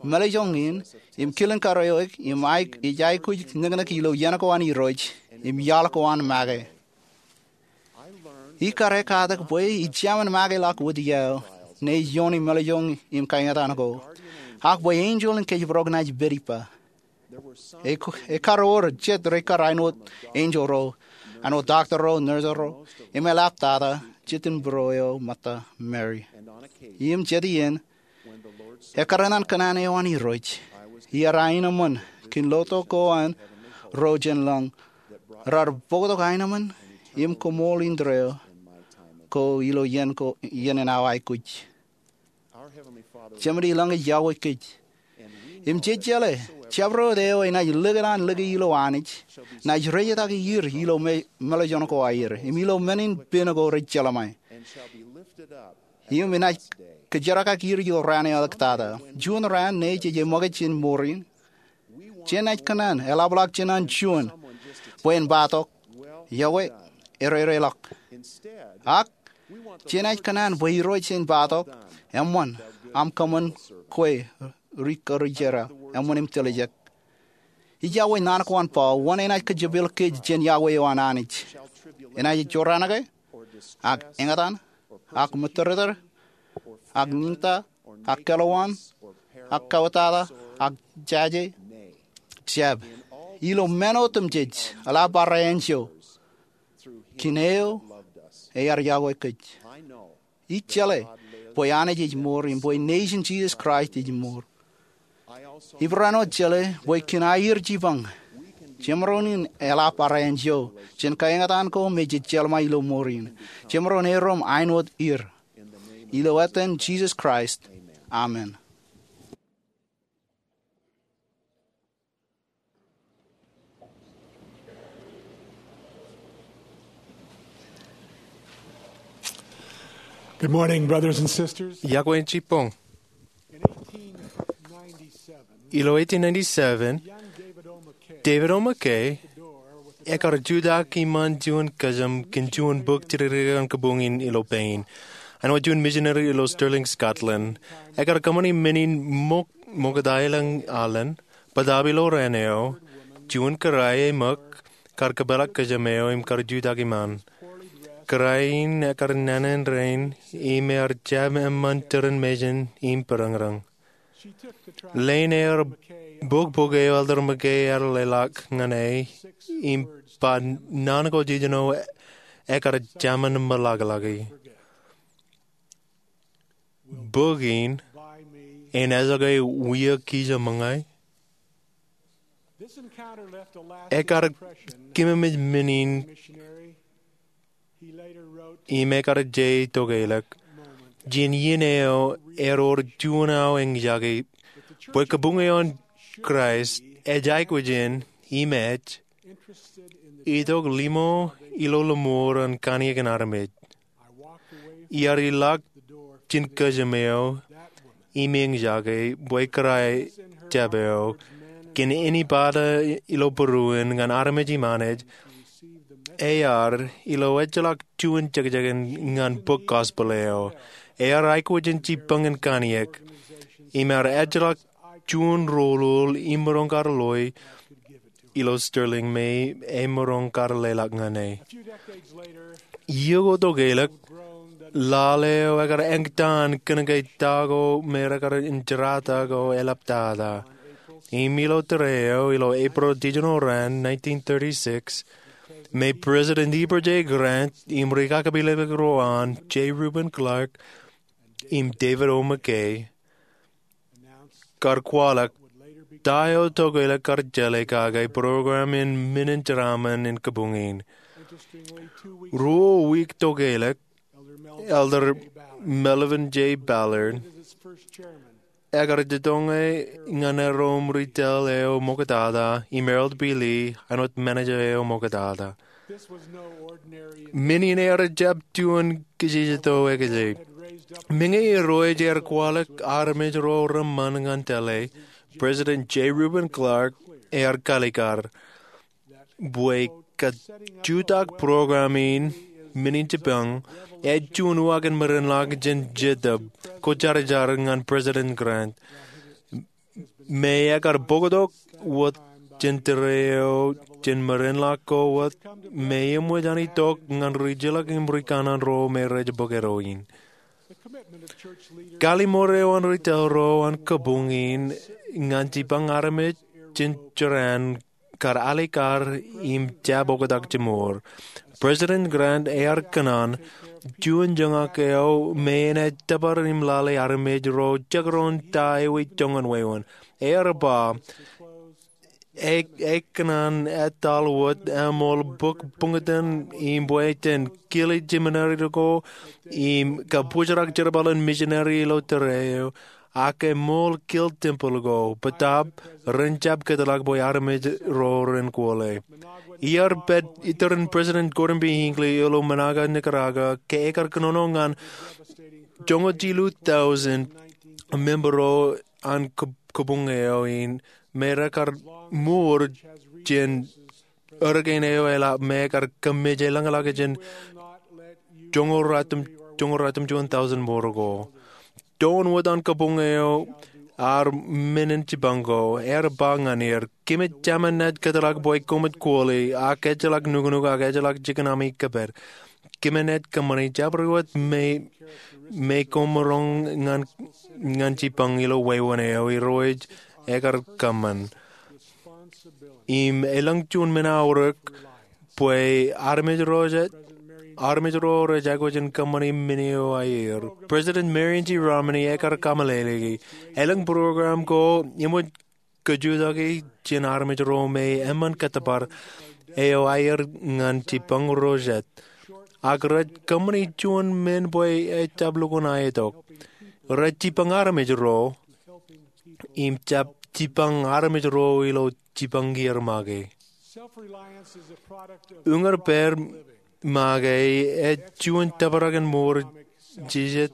mālejjoñ in im kilen karuo eo ej aikuj niknik ilo iien ko an Irooj im iaḷ ko an make. Ikar ekkatak bwe ij jāmin makeḷọk wōt iiō ṇe ioon mālejjoñ im kaeñtaan ko, ak bwe enjeḷ in kōjparok naaj pād ippa. Ekkar wōr jet rekar āinwōt enjeḷ ro, āinwōt doctor ro, nurse ro, im eḷaptata jet in būruō eo ṃōtta, Mary. Im jet iien ekkar ñan kōṇaan eo an Irooj, iar aenōṃṃan kōn lotok ko an ro jān lañ raar bōktok aenōṃṃan im koṃṃool indeeo ko ilo iien in aō aikuj. Jemān ilañ ej iọkwe kōj, im jej jeḷā jabdewōt eo enaaj likūt an lōke ilo Anij naaj rejetaki er ilo mālejjoñ ko aer im ilo men in pen ko rej jeḷmāe, im enaaj kōjerkaki er ilo raan eo eḷaptata. Juon raan ṇe jej ṃōkaj jān ṃoor in, jenaaj kōṇaan eḷapḷọk jān an juon bwe en ba tok, iọkwe, erereḷọk. Ak jenaaj kōṇaan bwe Irooj en ba tok, eṃṃan, aṃ kōṃṃan kwe ri karijer, eṃṃan im tiljek. Ij iọkwe naan ko an Paul, wōn enaaj kajepel kōj jān iọkwe eo an Anij? Enaaj jorrāān ke, ak eñtaan, ak mōttōrtōr, ak niñta, ak kelwaan, ak kautata, ak jaje? Jab. Ilo men otemjej, eḷap barāinwōt eo, kōn eo ear iọkwe kōj. Ij jeḷā bwe Anij ej ṃool im bwe nejin Jisōs Kraist ej ṃool. Ij barāinwōt jeḷā bwe kōn aer jipañ, jemaroñ in eḷap barāinwōt eo jān kaeñtaan ko me jej jeḷmāe ilo ṃoor in. Jemaroñ erom āinwōt er. Ilo etan Jisōs Kraist, amen. Good morning, brothers and sisters. Iọkwe jibboñ. In eighteen ninety-seven, ilo eighteen ninety-seven, young David O. McKay, David O. McKay, ekar jutak iṃaan juon kōjām kōn juon bōk jidikdik an kōbuñin ilo pein. Āinwōt juon misineri ilo Stirling, Scotland, ekar kōṃṃani men in ṃōk ṃokta ilañ alen, bōtaab ilo raan eo, juon kōrā eṃōk kar kōpeḷḷọk kōjām eo im kar jutak iṃaan. Kōrā in ekar naan in rein im ear jab eṃṃan tūrin mejān im bōrañrañ. Leen ear bōk bok eo Elder McKay ear leḷọk ñan e im ba naan ko jiljino ekar jāmin ṃōḷaḷḷọki. Bok in, En Ejjeḷọk Wiakijemōñā, ekar kememej men in im ekar je tokālik. Jān iien eo ewōr juon aō eñjake bwe kōbuñ eo an Kraist ej aikuj in im ej itok limo ilo lōṃoor an kanniōk in armej. Iar ilọk jān kōjām eo im eñjake bwe kōrā jab eo kōn āne bōtab ilo būruon ñan armej im Anij, ear ilo ejjeḷọk juon jekjek in ñan bok gospel eo. Ear aikuj in jipañ in kanniōk im ear ejjeḷọk juon rool im maroñ kar loi ilo Stirling me emaroñ kar leḷọk ñan e. Iiō ko tokālik, lale eo ekar eñtaan kōnke ta ko me rekar in jerata ko eḷaptata. Im ilo tōre eo ilo April jiljino raan nineteen thirty-six, me President Heber J. Grant im rikakpeḷḷọk ro an J. Reuben Clark im David O. McKay kar kwaḷọk ta eo tokālik kar jeḷā kake program in men in jeraaṃṃan in kabuñ in. Ruo wiik tokālik, Elder Melvin J. Ballard ekar jitōñe ñan erom ri tōl eo ṃoktata im Harold B. Lee āinwōt manager eo ṃoktata. Men in ear jab juon kajjitōk eo. Meñe irooj ear kwaḷọk armej ro reṃṃan ñan tōl e, President J. Reuben Clark ear kaalikkar bwe kajjutak program in men in jipañ ej juon uwaak in merenḷọk jān Jetōb Kwōjarjar ñan President Grant. Me ekar bōktok wōt jān tōre eo jān merenḷọk ko wōt me eṃōj an itok ñan ri jilkinḷọk im ri kanaan ro me rej bōktok in. Kallimur eo an ri tōl ro an kabuñ in ñan jipañ armej jān jorrāān kar alikkar im jab oktak jimour. President Grant ear kōṇaan juon joñak eo me enaaj tōpar im lale armej ro jekdọọn ta ewi joñan wāween. Ear ba, e, ekōṇaan etal wōt eṃool bōk buñtōn im bwe jen kile jeminare ko im kabōjrak jerbal in misineri ilo tōre eo, ak eṃool kile tempeḷ ko bōtab ren jab kōtḷọk bwe armej ro ren kwōle. Iar pād iturūṃ President Gordon B. Hinckley ilo Managua, Nicaragua, ke ekar kōnono ñan joñoul jilu tọujin member ro an kab-, kabuñ eo in me rekar mour jān hurricane eo eḷap me ekar kōmmeje lañlake jān joñoul ruatimjuon, joñoul ruatimjuon tọujin mour ko. Tōn wōt an kabuñ eo ar men in jipañ ko, ear ba ñan er, kōmij jāmin naaj kōtḷọk bwe koṃij kwōle, ak ejjeḷọk nuknuk, ak ejjeḷọk jikin ami kōpād. Kōmij naaj kōṃṃani jabdewōt me, me koṃ maroñ ñan, ñan jipañ ilo wāween eo, Irooj ekar kōṃṃan. Im elōñ juon men aorōk bwe armej ro rej, armej ro rej aikuj in kōṃṃani men eo aer. President Marion G. Romney ekar kameḷeḷeiki, elōñ program ko eṃōj kajutaki jān armej ro me eṃṃan kōttōpar eo aer ñan jipañ ro jet. Ak rej kōṃṃani juon men bwe ejjab lukkuun aetok. Rej jipañ armej ro im jab jipañ armej ro ilo jipañ kiiō make. Uññān pād make ej juon tōprak in mour jijet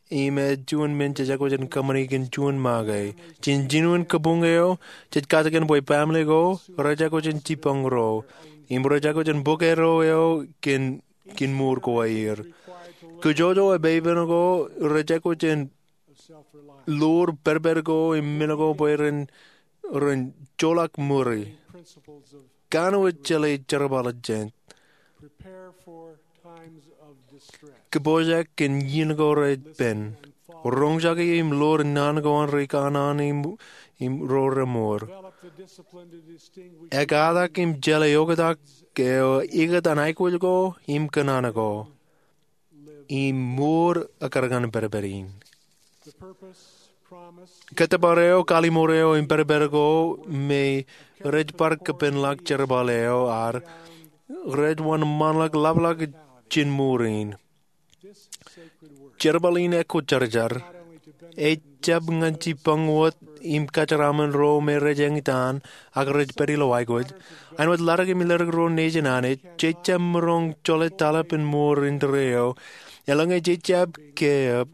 im ej juon men jej aikuj in kōṃṃani kōn juon make. Jān jinoin kabuñ eo, jej kajoor bwe family ko rej aikuj in jipañ ro im rej aikuj in bōk eddo eo kōn, kōn mour ko aer. Kōjwōj eo epeipen ko rej aikuj in lor pedped ko im men ko bwe ren, ren joḷọk ṃuri. Kanooj jeḷā jerbal jet. Kōpooj kōn iien ko rej pen. Roñjake im lor naan ko an ri kanaan im, im ro remour. Ekkatak im jeḷā oktak eo ikōtaan aikuj ko im kōṇaan ko. Im mour ekkar ñan pedped in. Kōttōpar eo, kallimur eo, im pedped ko me rej bar kōpenḷọk jerbal eo ad, rej wōnṃaanḷọk lapḷọk jān ṃuri in. Jerbal in ekwōjarjar ejjab ñan jipañ wōt im kōjeraaṃṃan ro me rej eñtaan ak rej pād ilo aikuj. Āinwōt Ḷaddik im Ḷaddik Ruo nejin Anij, jej jab maroñ jolōt aolep in mour indeeo, eḷaññe jej jab keeab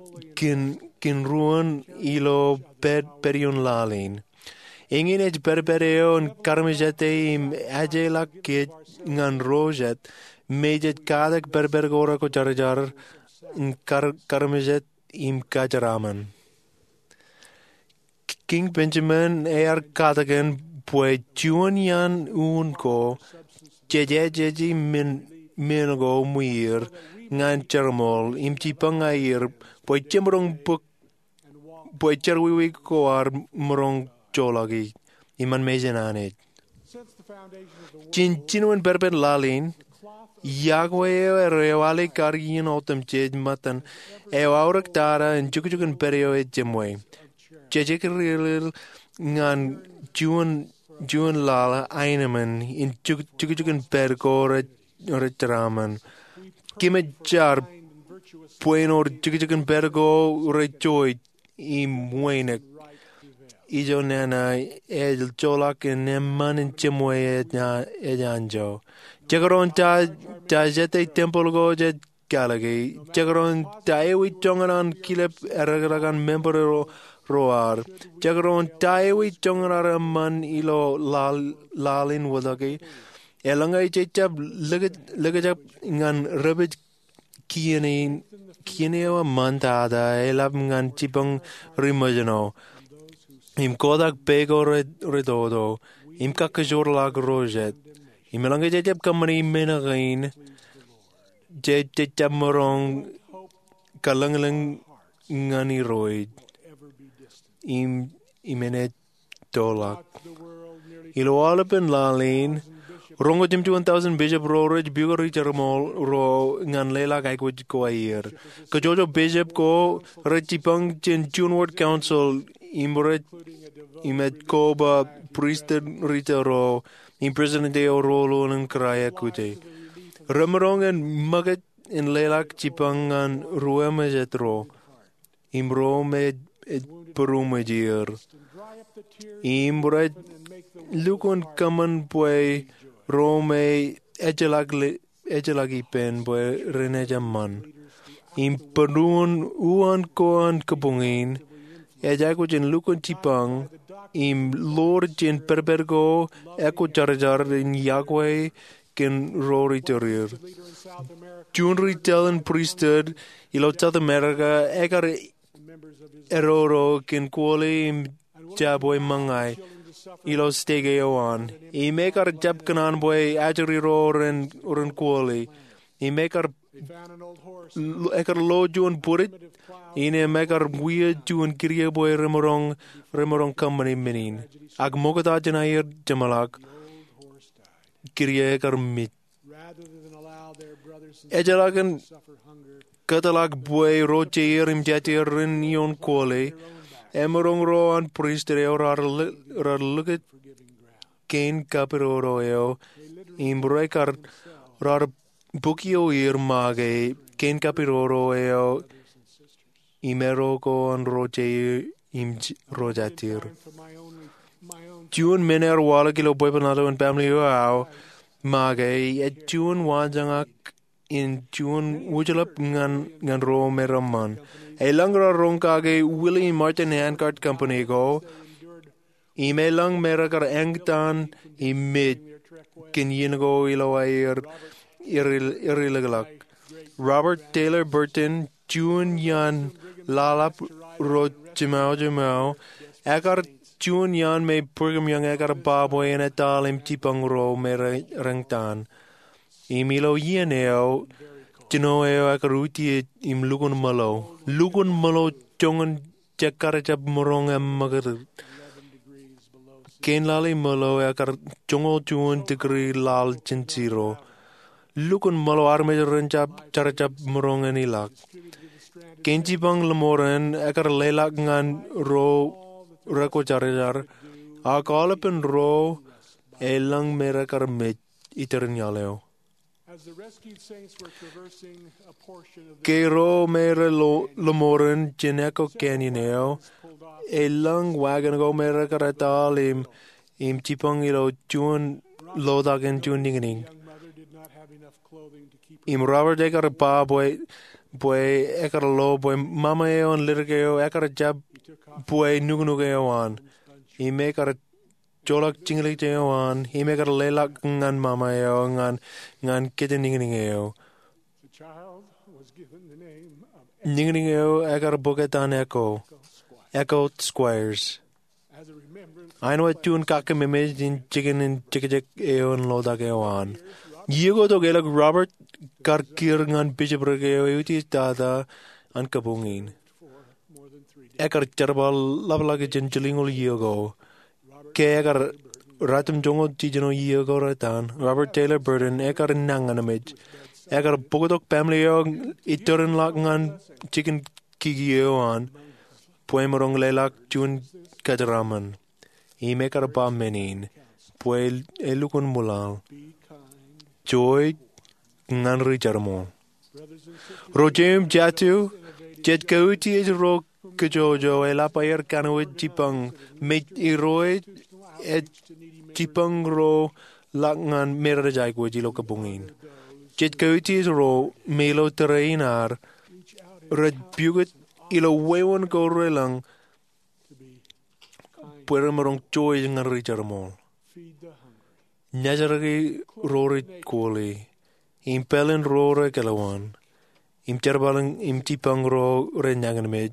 kōn ruōn ilo pād, pād ioon laḷ in. Eñin ej pād, pād eo in karamjete im ajeḷọk kōj ñan ro jet me jej katak pād, pād ko rekwōjarjar in kar, karamjet im kōjeraaṃṃan. Kiiñ Benjamin ear katakin bwe juon iaan uun ko jej ejjeḷọk men, men ko ṃwiir ñan jeramḷọk im jipañ aer bwe jemaroñ bōk bwe jerọwiwi ko ar maroñ joḷọk iṃaan mejān Anij. Jān jinoin pād, pād laḷ in, yokwe eo rej aolep kar iien otemjej ṃōttan eo aorōk tata in jukjuk in pād eo ej jeṃwe. Jej ekililil ñan juon, juon laḷ aenōṃṃan in juk, jukjuk in pād ko rej, rej jeraaṃṃan. Kōmij jar bwe en wōr jukjuk in pād ko rej joij im wānōk. Ijo nana ej joḷọk in eṃṃan in jeṃwe ej anjọ. Jekdọọn ta, ta jete tempel ko jej kalōke. Jekdọọn ta ewi joñan an kilep eḷḷọk an member ro, ro ad. Jekdọọn ta ewi joñan ad eṃṃan ilo laḷ, laḷ in wōtlọke. Eḷaññe jej jab likjab ñan rej pād kien, kien eo eṃṃan tata eḷap ñan jipañ ri-mejān eo im kotak pā ko rej, rej toto im kakkōjorḷọk ro jet. Im eḷaññe jej jab kōṃṃani men kein, jej, jej jab maroñ kalōñlōñ ñan Irooj im, im enaaj toḷọk. Ilo aolepān laḷ in, roñoul jimjuon tọujin bishop ro rej pukot ri-jeramḷọk ro ñan leḷọk aikuj ko aer. Kajjojo bishop ko rej jipañ jān juon ward council im rej, im ej koba pristut ri-tōl ro im president eo ro ḷoor in kōrā ekkute. Remaroñ in ṃōkaj in leḷọk jipañ ñan ruo emājet ro im ro me ej būruṃōj er. Im rej lukkuun kōṃṃan bwe ro me ejjeḷọk le, ejjeḷọk ippān bwe renaaj eṃṃan. Im būruon uwaan ko an kabuñ in, ej aikuj in lukkuun jipañ im ḷoor jān pādpād ko ekwōjarjar in yokwe kōn ro ri-tōl er. Juon ri-tōl in pristut ilo South America ekar eddo ro kōn kuwōle im jabwe ṃōñā ilo stake eo an. Im ekar jab kōṇaan bwe ajri ro ren, ren kuwōle. Im ekar, ekar lo juon bwidej in im ekar wia juon kidiō bwe remaroñ, remaroñ kōṃṃani men in. Ak ṃokta jān aer jeṃḷọk, kidiō ekar mej. Ejjeḷọk in kōtḷọk bwe ro jeir im jatieir ren ioon kuwōle, emaroñ ro an pristut eo raar likjab kein kapidodo eo im rekar, raar bukio er make kein kapidodo eo im eddo ko an ro jeir im ro jatieir. Juon men ear waḷọk ilo bwebwenato in baaṃle eo aō make ej juon waanjoñak in juon wūjlepḷọk ñan, ñan ro me reṃṃan. Elōñ raar roñ kake Willie Martin Handcart Company ko, im elōñ me rekar eñtaan im mej kōn iien ko ilo aer erilōklōk. Robert Taylor Burton, juon iaan laḷap ro jiṃao jiṃao, ekar juon iaan me Brigham Young ekar ba bwe en etal im jipañ ro me re, reñtaan. Im ilo iien eo, jino eo ekar utiej im lukkuun ṃōḷo. Lukkuun ṃōḷo joñan jekar jab maroñ eṃṃakūt. Kein laḷ in ṃōḷo ekar joñoul juon degree laḷ jān zero. Lukkuun ṃōḷo armej ren jab, jar jab maroñ en ilọk. Kein jipañ ḷōṃoran ekar leḷọk ñan ro rekwōjarjar, ak aolepān ro elōñ me rekar mej iterin iaḷ eo. As the rescued saints were traversing a portion of the Ke ro me rej lo-, lọmọọren jān echo canyon eo, elōñ wagon ko me rekar etal im, im jibboñ ilo juon lotak in juon niñniñ. Young mother did not have enough clothing to keep her Im Robert ekar ba bwe, bwe ekar lo bwe mama eo an ledik eo ekar jab bwe nuknuk eo an. Im ekar joḷọk jiñlij eo an, im ekar leḷọk ñan mama eo ñan, ñan kōjniñniñ eo. The child was given the name of Niñniñ eo ekar bōk etan Echo, Echo Squires. As a remembrance Āinwōt juon kakkememej in jikin in jekjek eo an lotak eo an. Iiō ko tok elōñ Robert kar kiiō ñan bishopric eo eutiej tata an kabuñ in. Ekar jerbal ḷapḷọk jān jilñuul iiō ko. Ke ekar ratimjuonñoul jiljino iiō ko retan, Robert Taylor Burton ekar nañinmej. Ekar bōktok baaṃle eo iturinḷọk ñan jikin kiki eo an, bwe emaroñ leḷọk juon kōjeraaṃṃan. Im ekar ba men in, bwe elukkuun ṃwilaḷ. Joij ñan ri jerbal. Ro jeiū im jatū, jej kautiej ro kōjwōjwō eḷap aer kanooj jibboñ, me irooj ej jibboñ ro ḷọk ñan me rej aikuj ilo kabuñ in. Jej kautiej ro me ilo tōre in ad, rej pukot ilo wāween ko relōñ bwe remaroñ joij ñan ri jerbal. Nōjraki ro rej koli, im pālen ro rej kōḷḷaḷḷaḷ, im jerbal im jibboñ ro rej nañinmej,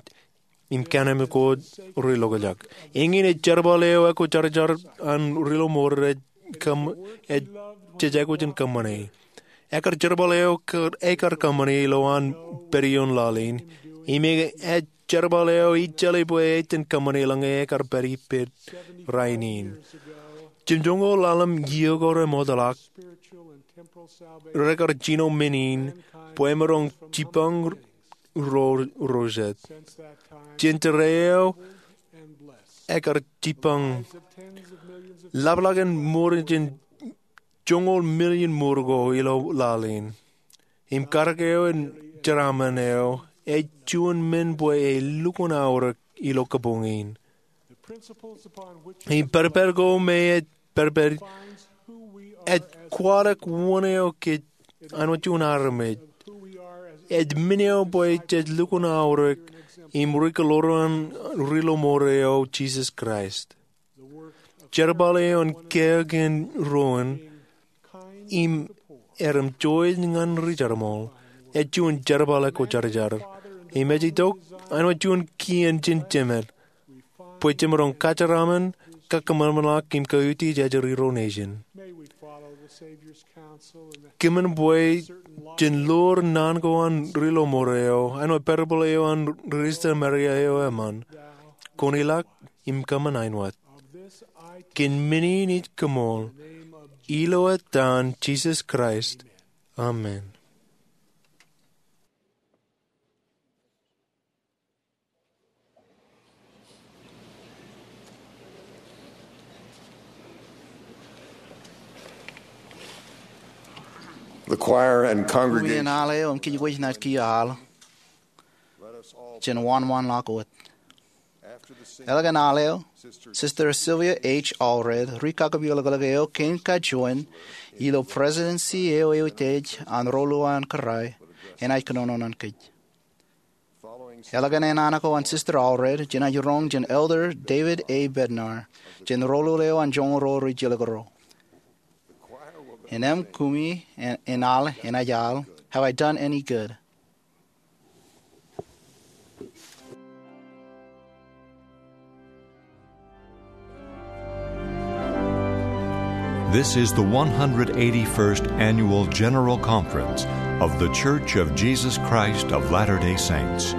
im kōn aṃ kōj ri lokjak. Eñin ej jerbal eo ekwojarjar an ri lọmọọr rej kōm, ej jej aikuj in kōṃṃane. Ekar jerbal eo kar, ekar kōṃṃane ilowaan pād ioon laḷ in. Im ej jerbal eo ij jeḷā bwe ej iten kōṃṃane eḷaññe ekar pād ippād rainin. Jimjuonñoul ḷalem iiō ko remootḷọk, rekar jino men in bwe emaroñ jibboñ ro, ro jet. Jān tōre eo ekar jibboñ ḷapḷọk in ṃour jān joñoul million ṃour ko ilo laḷ in. Im karōk eo an jeraaṃṃan eo ej juon men bwe elukkuun aorōk ilo kabuñ in. Im pedped ko me ej pedped ej kwaḷọk wōn eo kōj āinwōt juon armej. Ej men eo bwe jej lukkuun aorōk im ri kōḷoor an ri lọmọọr eo Jisōs Kraist. Jerbal eo an kiiō kōn ro in im erom joij ñan ri jerbal ej juon jerbal ekwojarjar. Im ej itok āinwōt juon kien jān Jemed bwe jemaroñ kajeraaṃṃan, kakōṃanṃanḷọk im kautiej ej ri ro nation. Kōmin bwe jen ḷoor naan ko an ri lọmọọr eo, āinwōt parable eo an ri Samaria eo eṃṃan, kwōn ilọk im kōṃṃan āinwōt. Kōn men in ij koṃṃool, ilo etan Jisōs Kraist, amen. The choir and congregation. Uñien al eo im kōjwōj naaj kiiō al jān wānwānḷọk wōt. Eḷak an al eo, Sister Sylvia H. Allred, ri kakapiolkalōk eo kein kajoin ilo presidency eo eutiej an Rōlul an Kōrā, enaaj kōnono ñan kōj. Eḷak an naan ko an Sister Allred, jenaaj roñ jān Elder David A. Bednar jān Rōlul eo an Joñoul Ruo Rijilōk Ruo. Innām kumi in, in al, enaaj al, Have I Done Any Good? This is the one hundred eighty-first Annual General Conference of The Church of Jesus Christ of Latter-day Saints.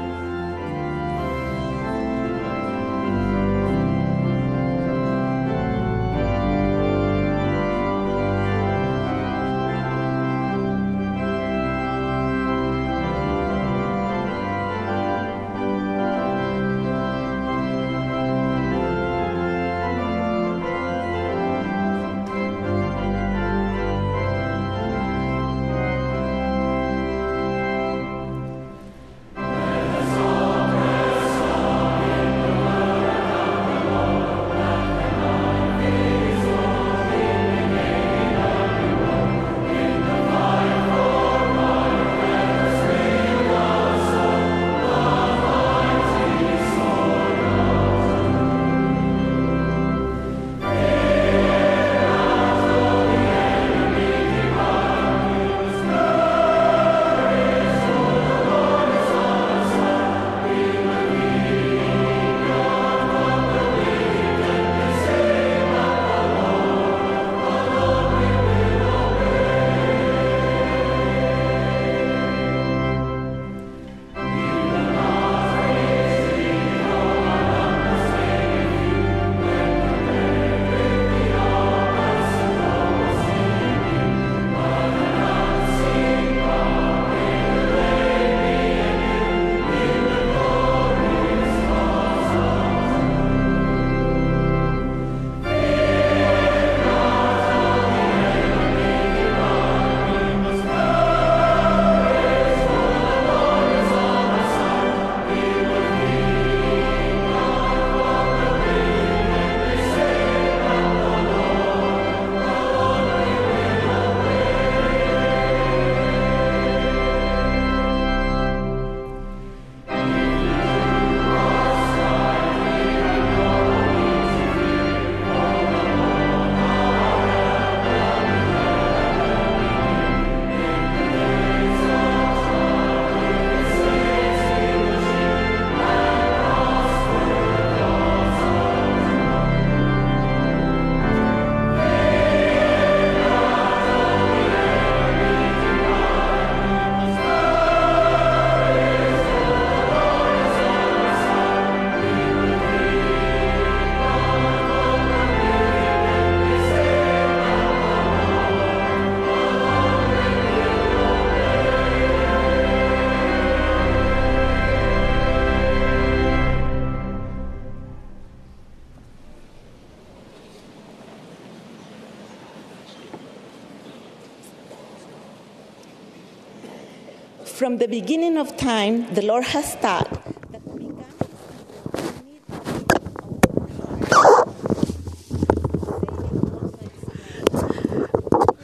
From the beginning of time, the Lord has taught that to become a people who need to keep our hearts.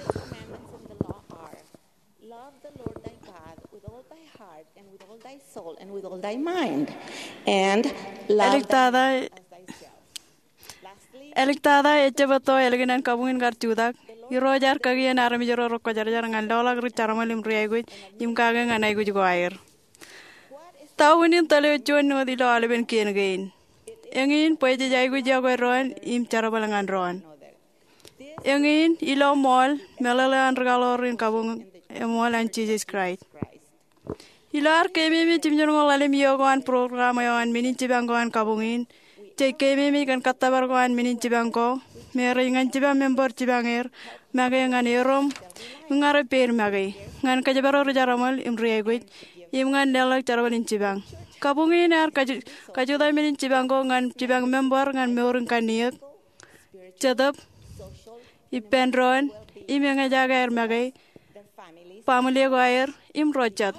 The commandments in the law are, love the Lord thy God with all thy heart and with all thy soul and with all thy mind, and love thy neighbor as thyself. Āliktata, ejjab etto ālikin an kabuñ in kar jutak. Irooj ear kakien armej ro rekwōjarjar ñan loḷọk ri jerbal im ri aikuj im kake ñan aikuj ko aer. Ta unin tōl eo juon wōt ilo aolepen kien kein? Eñin bwe jej aikuj yokwe doon im jerbal ñan doon. Eñin ilo ṃool meḷeḷe an rikaḷoor in kabuñ eṃool an Jisōs Kraist. Ilo ad keememej im jino ḷalem iiō ko an program eo an men in jipañ ko an kabuñ in, jej keememej kōn kōttōpar ko an men in jipañ ko, me rej ñan jipañ member jipañ er, make ñan erom, im ña rej peid make, ñan kōjparok ri jerbal im ri aikuj, im ñan leḷọk jerbal in jipañ. Kabuñ in ear kaju-, kajutak men in jipañ ko ñan jipañ member ñan mour in kanniōk, jetōb, ippān doon, im eñjake aer make, baaṃle ko aer, im ro jet.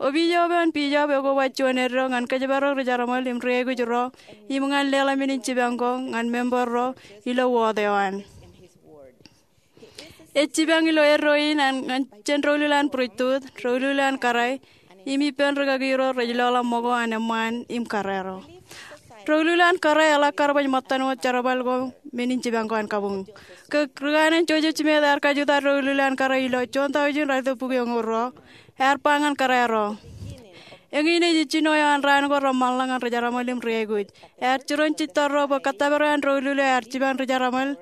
Opiij eo an Bishop ekoba juon eddo ñan kōjparok ri jerbal im ri aikuj ro, im ñan leḷọk men in jipañ ko ñan member ro ilo wōt eo an. Ej jipañ ilo eddo in an ñan jān doulul an būrijtut, doulul an kōrā, im ippān rikaki ro rej loḷọk ṃōko an eṃṃaan im kōrā ro. Doulul an kōrā eḷak kar baj ṃōttan wōt jerbal ko men in jipañ ko an kabuñ. Kōn ri kanaan Joseph Smith ear kajutak doulul an kōrā ilo juon taujin ralitōk bukwi eñoul ruo, ear ba ñan kōrā ro. Eñin ej jino eo an raan ko reṃṃanḷọk ñan ri jerbal im ri aikuj. Ear jiroñ jitōl ro bwe kōttōpar eo an doulul eo ear jipañ ri jerbal,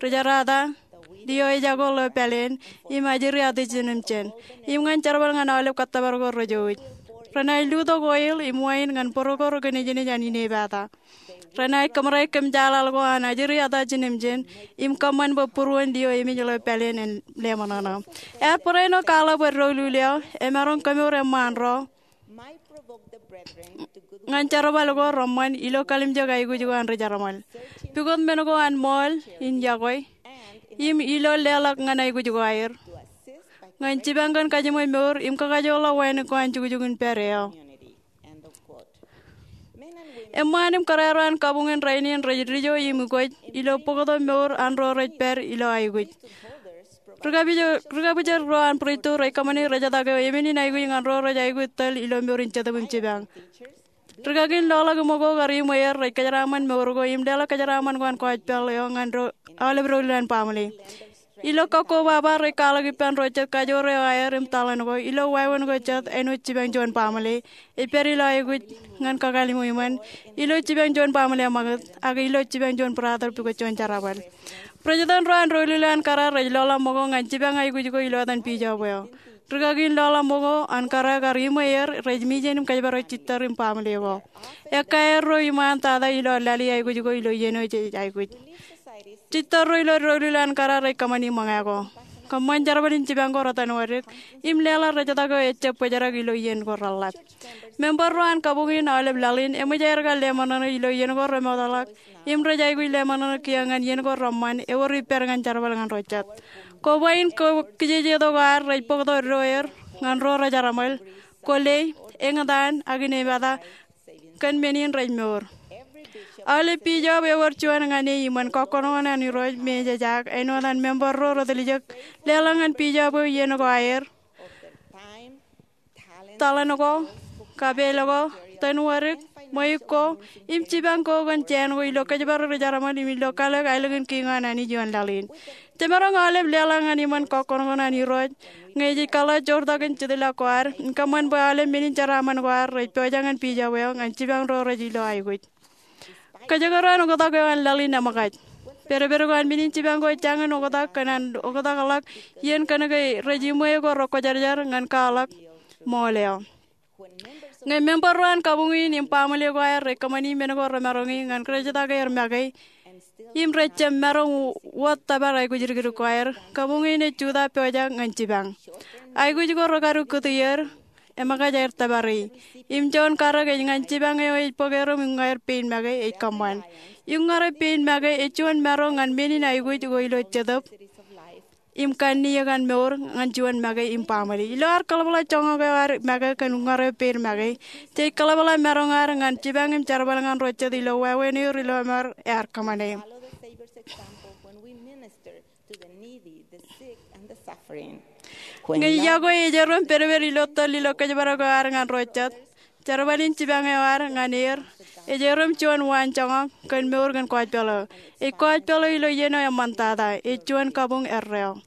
ri jerata, lio ejako ḷeo pāleen, im ajri ata jinōmjin, im ñan jerbal ñan aolep kōttōpar ko rejouj. Renaaj lutōk oil im wain ñan bōro ko rekōnejnej an inepata. Renaaj kōṃṃane kōmjaaḷaḷ ko an ajri ata jinōmjin, im kōṃṃan bwe būruon lio emej ḷeo pāleen en leṃōṇōṇō. Ear barāinwōt kwaḷọk bwe doulul eo emaroñ kemour eṃṃaan ro ñan jerbal ko reṃṃan ilo kalimjek aikuj ko an ri jerbal, pukot men ko an ṃool in yokwe, im ilo leḷọk ñan aikuj ko aer, ñan jipañ kōn kajiṃwe mour im kakajoorḷọk wānōk ko an jukjuk in pād eo. Eṃṃaan im kōrā ro an kabuñ in rainin rej dijo im ukwōj ilo bōktok mour an ro rej pād ilo aikuj. Ri kabwijer, ri kabwijer ro an būrijtut rej kōṃṃani rejetak eo emen in aikuj ñan ro rej aikuj tōl ilo mour in jetōb im jipañ. Rikakin loḷọk ṃōko kar iṃwe er rej kōjeraaṃṃan mour ko im leḷọk kōjeraaṃṃan ko an gospel eo ñan ro aolep doulul an baaṃle. Ilo kakkobaba rej kwaḷọk ippān ro jet kajoor eo aer im taḷan ko, ilo wāween ko jet āinwōt jipañ juon baaṃle ej pād ilo aikuj ñan kakaliṃwe iṃōn, ilo jipañ juon baaṃle eṃṃakūt, ak ilo jipañ juon brother pukot juon jerbal. President ro an doulul an kōrā rej loḷọk ṃōko ñan jipañ aikuj ko ilo etan bishop eo. Rikakin loḷọk ṃōko an kōrā kar iṃwe er rej mijen im kōjparok jitōr im baaṃle ko. Ekkā erro iṃaan tata ilo lale aikuj ko ilo iien eo jej aikuj. Jitōrro ilo doulul an kōrā rej kōṃṃani ṃōñā ko. Kōṃṃan jerbal in jipañ ko retanwōdik, im leḷọk rejetak eo ejjab bōjrak ilo iien ko reḷap. Member ro an kabuñ in aolep laḷ in eṃōj aer kar leṃōṇōṇō ilo iien ko remootḷọk, im rej aikuj leṃōṇōṇō kiiō ñan iien ko reṃṃan, ewōr ippād ñan jerbal ñan ro jet. Koba in ko kijejeto ko ad rej bōktok eddo er ñan ro rej jerbal, kwōle, eñtaan, ak inepata, kōn men in rej mour. Aolep bishop ewōr juon ñan e iṃōn kọkkọṇoṇoṇ an Irooj me ejejak āinwōt an member ro retiljek leḷọk ñan bishop eo iien ko aer, taḷan ko, kapeel ko, tanwōdik, ṃweiuk ko, im jipañ ko kōn jāān ko ilo kōjparok ri jerbal im ilo kalōk aelōñ in kiiñ an Anij ioon laḷ in. Jemaroñ aolep leḷọk ñan iṃōn kọkkọṇoṇoṇ an Irooj ñe jej kaḷoor joortak in jitḷọk ko ad im kōṃṃan bwe aolep men in jeraaṃṃan ko ad rej pojak ñan bishop eo ñan jipañ ro rej ilo aikuj. Kōjekdọọn oktak eo an laḷ in eṃōkaj. Pedped ko an men in jipañ ko ejjañin oktak kōn an oktakḷọk iien kōnke rej iṃwe ko rekwōjarjar ñan kwaḷọk ṃool eo. Ñe member ro an kabuñ in im baaṃle ko aer rej kōṃṃani men ko remaroñi ñan rejetak er make, im rej jab maroñ wōt tōpar aikuj dikdik ko aer, kabuñ in ej jutak pojak ñan jipañ. Aikuj ko rekadu kūti er, eṃōkaj aer tōpari. Im juon karōk ej ñan jipañ eo ej bōk erom im ñe aer pein make ej kōṃṃan. Im ñe rej pein make ej juon maroñ ñan men in aikuj ko ilo jetōb. im kanniōk an mour ñan juon make im baaṃle. Ilo ad kōḷapḷọk joñak eo ad make kōn uññār eo peid make, jej kōḷapḷọk maroñ ad ñan jipañ im jerbal ñan ro jet ilo wāween eo ri lọmọọr ear kōṃṃane. Ñe iọkwe ej erom pedped ilo tōl ilo kōjparok eo ad ñan ro jet, jerbal in jipañ eo ad ñan er ej erom juon waanjoñak kōn mour kōn gospel eo. Ej gospel eo ilo iien eo eṃṃantata, ej juon kabuñ erreo.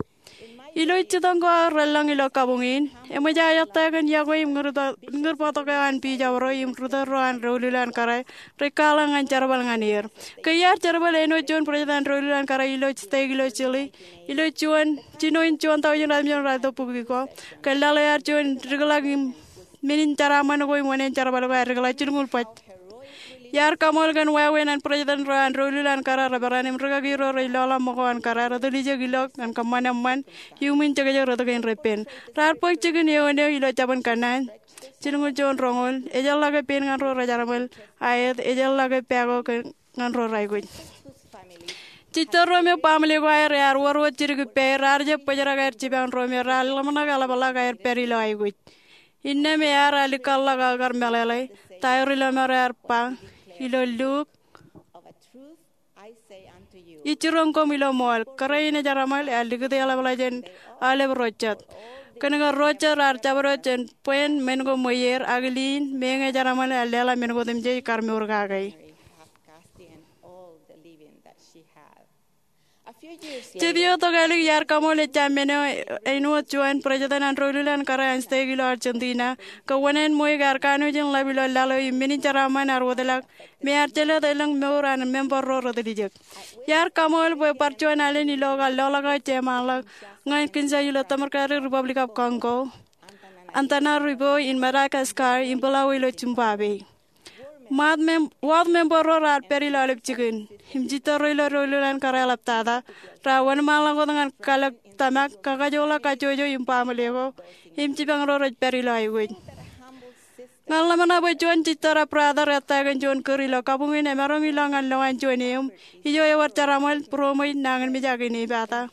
Ilo jitōñ ko aō relōñ ilo kabuñ in, eṃōj aō ettā kōn iọkwe im ñūr bōktok eo an Bishop ro im ri tōl ro an doulul an kōrā rej kwaḷọk ñan jerbal ñan er. Ke iar jerbal āinwōt juon president an doulul an kōrā ilo stake ilo Chile, ilo juon, jino in juon taujin ratimjuon ratimjuon bukwi ko, kōn laḷ eo ear juon dikḷọk im men in jeraaṃṃan ko im wōṇāān jerbal ko ear dikḷọk jilñuul bōjrak. Iar kaṃool kōn wāween an president ro an doulul an kōrā rej peran im rikaki ro rej lọḷọk ṃōko an kōrā rej tōl ijek ilo ñan kōṃṃan eṃṃan iuṃwin jekjek rot kein repen. Raar bōk jikin eoon eo ilo jabōn kōnnaan. Jilñuul juon roñoul, ejjeḷọke pein ñan ro rej jerbal aet, ejjeḷọke pako ñan ro rej aikuj. Jistōr ro me baaṃle ko aer ear wōr wōt jidik ippāer, raar jab bōjrak aer jipañ ro me raar ḷōmṇak eḷapḷọk aer pād ilo aikuj. Innām ear alikkar ḷọk aō kar meḷeḷe ta eo ri lọmọọr ear ba ilo Luk, ij jiroñ koṃ ilo ṃool, kōrā in ej jerbal ear likūt eḷapḷọk jān aolep ro jet. Kōnke ro jet raar jabdewōt jān bwāān men ko ṃweier, ak liin, meñe ej jerbal ear leḷọk men ko otemjej kar mour kake. Jet ioon tokālik iar kaṃool ejja men eo āinwōt juon president an doulul an kōrā an stake ilo Argentina, ke wōṇāān ṃweiuk ear kanooj in ḷap ilo laḷ eo im men in jeraaṃṃan ear wōtlọk, me ear jelōt elōñ mour an member ro rej tōl ijek. Iar kaṃool bwe bar juon alen ilo kar loḷọk aō jeṃaanḷọk ñan kinsaj ilo Democratic Republic of Congo, Antananarivo in Madagascar, im Bulawayo ilo Zimbabwe. Wōt member ro raar pād ilo aolep jikin, im jistōr ro ilo doulul an kōrā eḷaptata, raar wōnṃaanḷọk wōt ñan kalōk tōmak, kakajoḷọk kajjojo im baaṃle ko, im jipañ ro rej pād ilo aikuj. Ña ḷōmṇak bwe juon jistōr brother ettā kōn juon kūr ilo kabuñ in emaroñ ilọk ñan lowaan juon eō, ijo ewōr jerbal, būroṃōj, nañinmej ak inepata,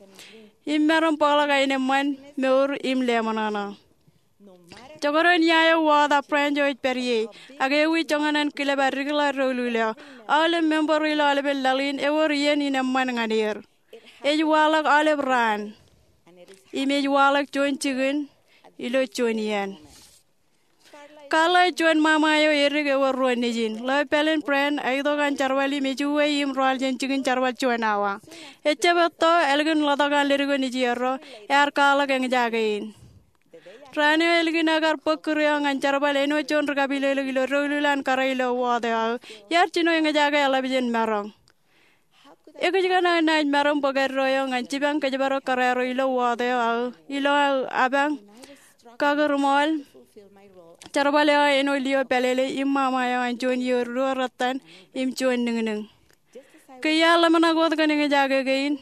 im maroñ bōkḷọk aenōṃṃan, mour im leṃōṇōṇō. Jekdọọn ia eo wōt ak branch eo ej pād ie, ak ewi joñan an kilep ad dikḷọk doulul eo, aolep member ro ilo aolepen laḷ in ewōr iien in eṃṃan ñan er. Ej waḷọk aolep raan, im ej waḷọk juon jikin ilo juon iien. Carla ej juon ṃaṃa eo edik ewōr ruo nejin. Ḷeo pāleen Brent, ej itok an jerbal im ej uwe im roaḷ jān jikin jerbal juon awa. Ejjab etto, ālikin ḷotak an ledik eo nejierro, ear kwaḷọk eñjake in. Raan eo ālikin ekar bōk kūr eo ñan jerbal āinwōt juon ri kapilōklōk ilo doulul an kōrā ilo wōt eo aō, iar jino eñjake eḷap jān maroñ. Ekōjkan aō naaj maroñ bōk eddo eo ñan jipañ kōjparok kōrā ro ilo wōt eo aō ilo aō apañ kakūrṃool jerbal eo aō āinwōt lio pālele im ṃaṃa eo an juon iiō ruo rettan im juon niñniñ. Ke iar ḷōmṇak wōt kōn eñjake kein,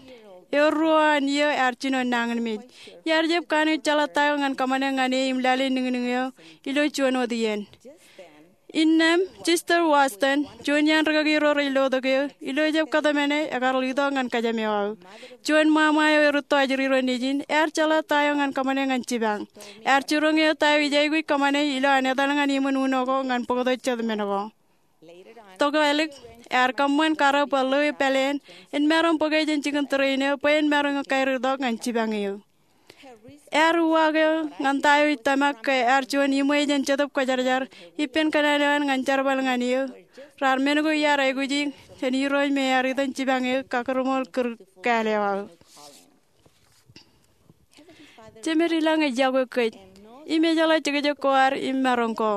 ewōr ruo an iiō ear jino nañinmej. Iar jab kanooj jeḷā ta eo ñan kōṃṃane ñan e im lale niñniñ eo ilo juon wōt iien. Innām, Sister Watson, juon iaan rikaki ro rej lotok eō, ilo ejjab kōtmāne, ekar itok ñan kōjām eo aō. Juon ṃaṃa eo erūtto ajri ro nejin, ear jeḷā ta eo ñan kōṃṃane ñan jipañ. Ear jiroñ eō ta eo ij aikuj kōṃṃane ilo an etal ñan iṃōn uno ko ñan bōktok jet men ko. Tokālik, ear kōṃṃan karōk bwe ḷeo pāleen en maroñ bōke jān jikin train eo bwe en maroñ kaiur itok ñan jipañ eō. Ear uwaak eō ñan ta eo ij tōmak ke ear juon iṃwe jān Jetōb Kwōjarjar ippān kōṇaan eo an ñan jerbal ñan eō. Raar men ko iar aikuji jān Irooj me ear itok jipañ eō kakūrṃool kūr kāāl eo aō. Jemedlañ ej yokwe kōj im ejeḷā jekjek ko ad im maroñ ko.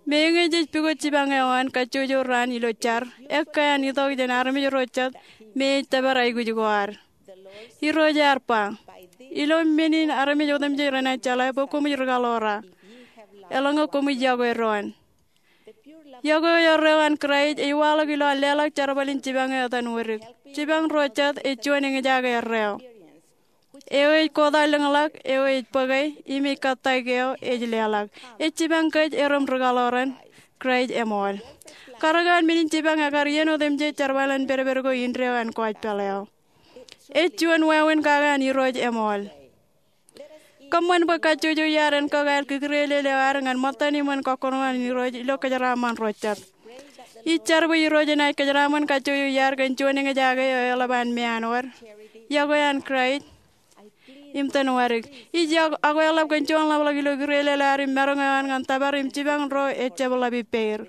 Meñe jej pukot jipañ eo an kajjojo raan ilo jar, ekkā an itok jān armej ro jet me ej tōpar aikuj ko ad. Irooj ear ba, ilo men in armej otemjej renaaj jeḷā bwe koṃij rikaḷoor, eḷaññe koṃij yokwe doon. Yokwe eo erreo an Kraist ej waḷọk ilo an leḷọk jerbal in jipañ eo etan wōdik. Jipañ ro jet ej juon eñjake erreo eo ej kōtḷọk lōñḷọk eo ej bōke im ej kōttāik eo ej leḷọk. Ej jipañ kōj erom rikaḷoor an Kraist eṃool. Karōk an men in jipañ ekar iien otemjej jerbal an pedped ko indeeo an gospel eo. Ej juon wāween kake an Irooj eṃool. Kōṃṃan bwe kajjojo iaad en kōkāāl kōkūrelel eo ad ñan ṃōttan iṃōn kọkkure an Irooj ilo kōjeraaṃṃan ro jet. Ij jar bwe Irooj enaaj kōjeraaṃṃan kajjojo iaad kōn juon eñjake eo eḷap an meanwōd, yokwe an Kraist im tōn wadik. Ij yokwe, ak eḷap kōn juon ḷapḷọk ilo kūrelel ad im maroñ eo an ñan tōpar im jipañ ro ejjab ḷap ippāer,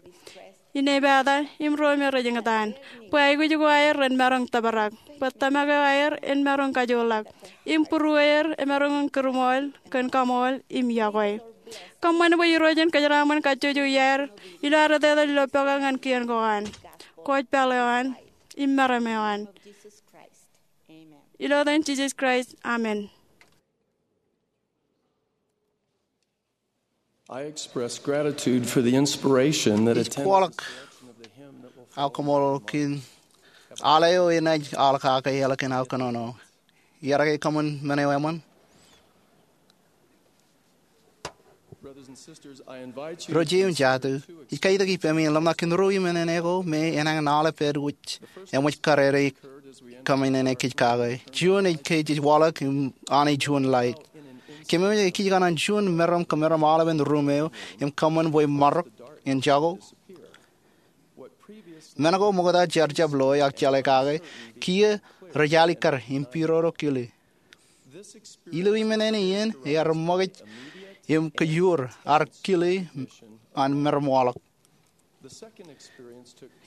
inepata, im ro me rej eñtaan, bwe aikuj ko aer ren maroñ tōprak, bwe tōmak eo aer en maroñ kajoorḷọk, im būrueer emaroñ in kūrṃool kōn kaṃool im yokwe. Kōṃṃan bwe Irooj en kōjeraaṃṃan kajjojo iaad ilo ad etetal ilo pokake ñan kien ko an, kōjpaḷ eo an, im meram eo an. Ilo etan Jisōs Kraist, amen. I express gratitude for the inspiration that Ij attended kwōḷak aokaṃool kōn al eo enaaj al kake eḷap kōn aō kōnono. Iar ke kōṃṃan men eo eṃṃan? Brothers and sisters, I invite you Ro jeje im jatū, ij kaitōk ippemi in ḷōmṇak kōn ruo iṃōṇōṇō ko me enañin aolep ālikin wōj eṃōj karere kōmānḷọkḷọk kōj kake. Juon ej ke jej waḷọk im Anij juon laid. Kōmānḷọkḷọk kōj kōn an juon meram kōmeram aolepen ruum eo im kōṃṃan bwe marok en jako. Men ko ṃokta jar jab loe ak jeḷā kake, kiiō rej alikkar im pidodo kili. Ilo iṃōṇōṇō in ear ṃōkaj im kōjur ad kili an meram waḷọk.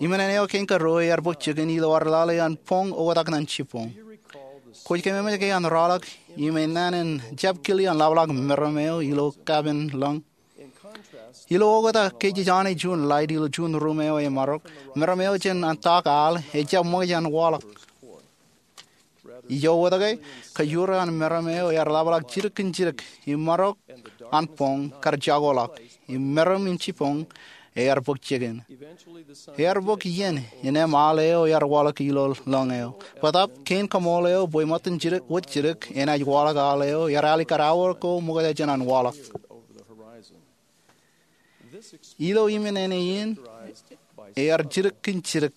Iṃōṇōṇō eo kein karuo ear bōk jikin ilo ad lale an boñ oktak ñan jibboñ. Kwōj kōmemej ke an rọọlḷọk im enana en jab kili an ḷapḷọk meram eo ilo kapen lōñ? Ilo oktak ke jej Anij juon laid ilo juon ruum eo emarok, meram eo jān an tak al ejjab ṃōkaj an waḷọk. Ijo wōt ke, kōjur an meram eo ear ḷapḷọk jidik kōn jidik, im marok an boñ kar jakoḷọk, im meram in jibboñ ear bōk jikin. Ear bōk iien in eṃ al eo ear waḷọk ilo lōñ eo. Bōtab, kein kaṃool eo bwe ṃōttan jidik wōt jidik enaaj waḷọk al eo ear alikkar aor ko ṃokta jān an waḷọk. Ilo iṃōṇōṇō in, ear jidik kōn jidik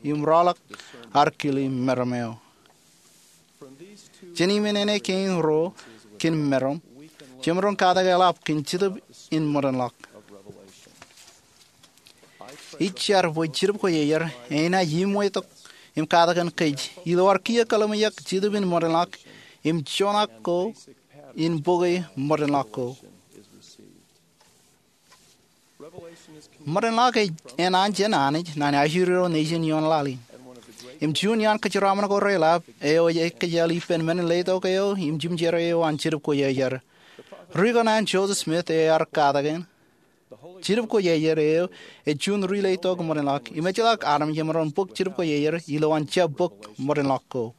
im rọọlḷọk ad kili meram eo. Jān iṃōṇōṇō kein ruo kōn meram, jemaroñ katak eḷap kōn Jetōb in ṃōdenḷọk. Ij jar bwe Jetōb Kwōjarjar enaaj iṃwetok im katakin kōj ilo ad kiiō kōḷmānḷọkḷọk Jetōb in ṃōdenḷọk im joñak ko in bok e ṃōdenḷọk ko. Ṃōdenḷọk ej enaaj jān Anij ñan ajri ro nejin ioon laḷ in. Im juon iaan kōjeraaṃṃan ko reḷap eo ej ekkejel ippān men in letok eo im jimjere eo an Jetōb Kwōjarjar. Ri ko an Joseph Smith ear katakin, Jetōb Kwōjarjar eo ej juon ri letok ṃōdenḷọk, im ejjeḷọk armej emaroñ bōk Jetōb Kwōjarjar ilowaan jab bōk ṃōdenḷọk ko.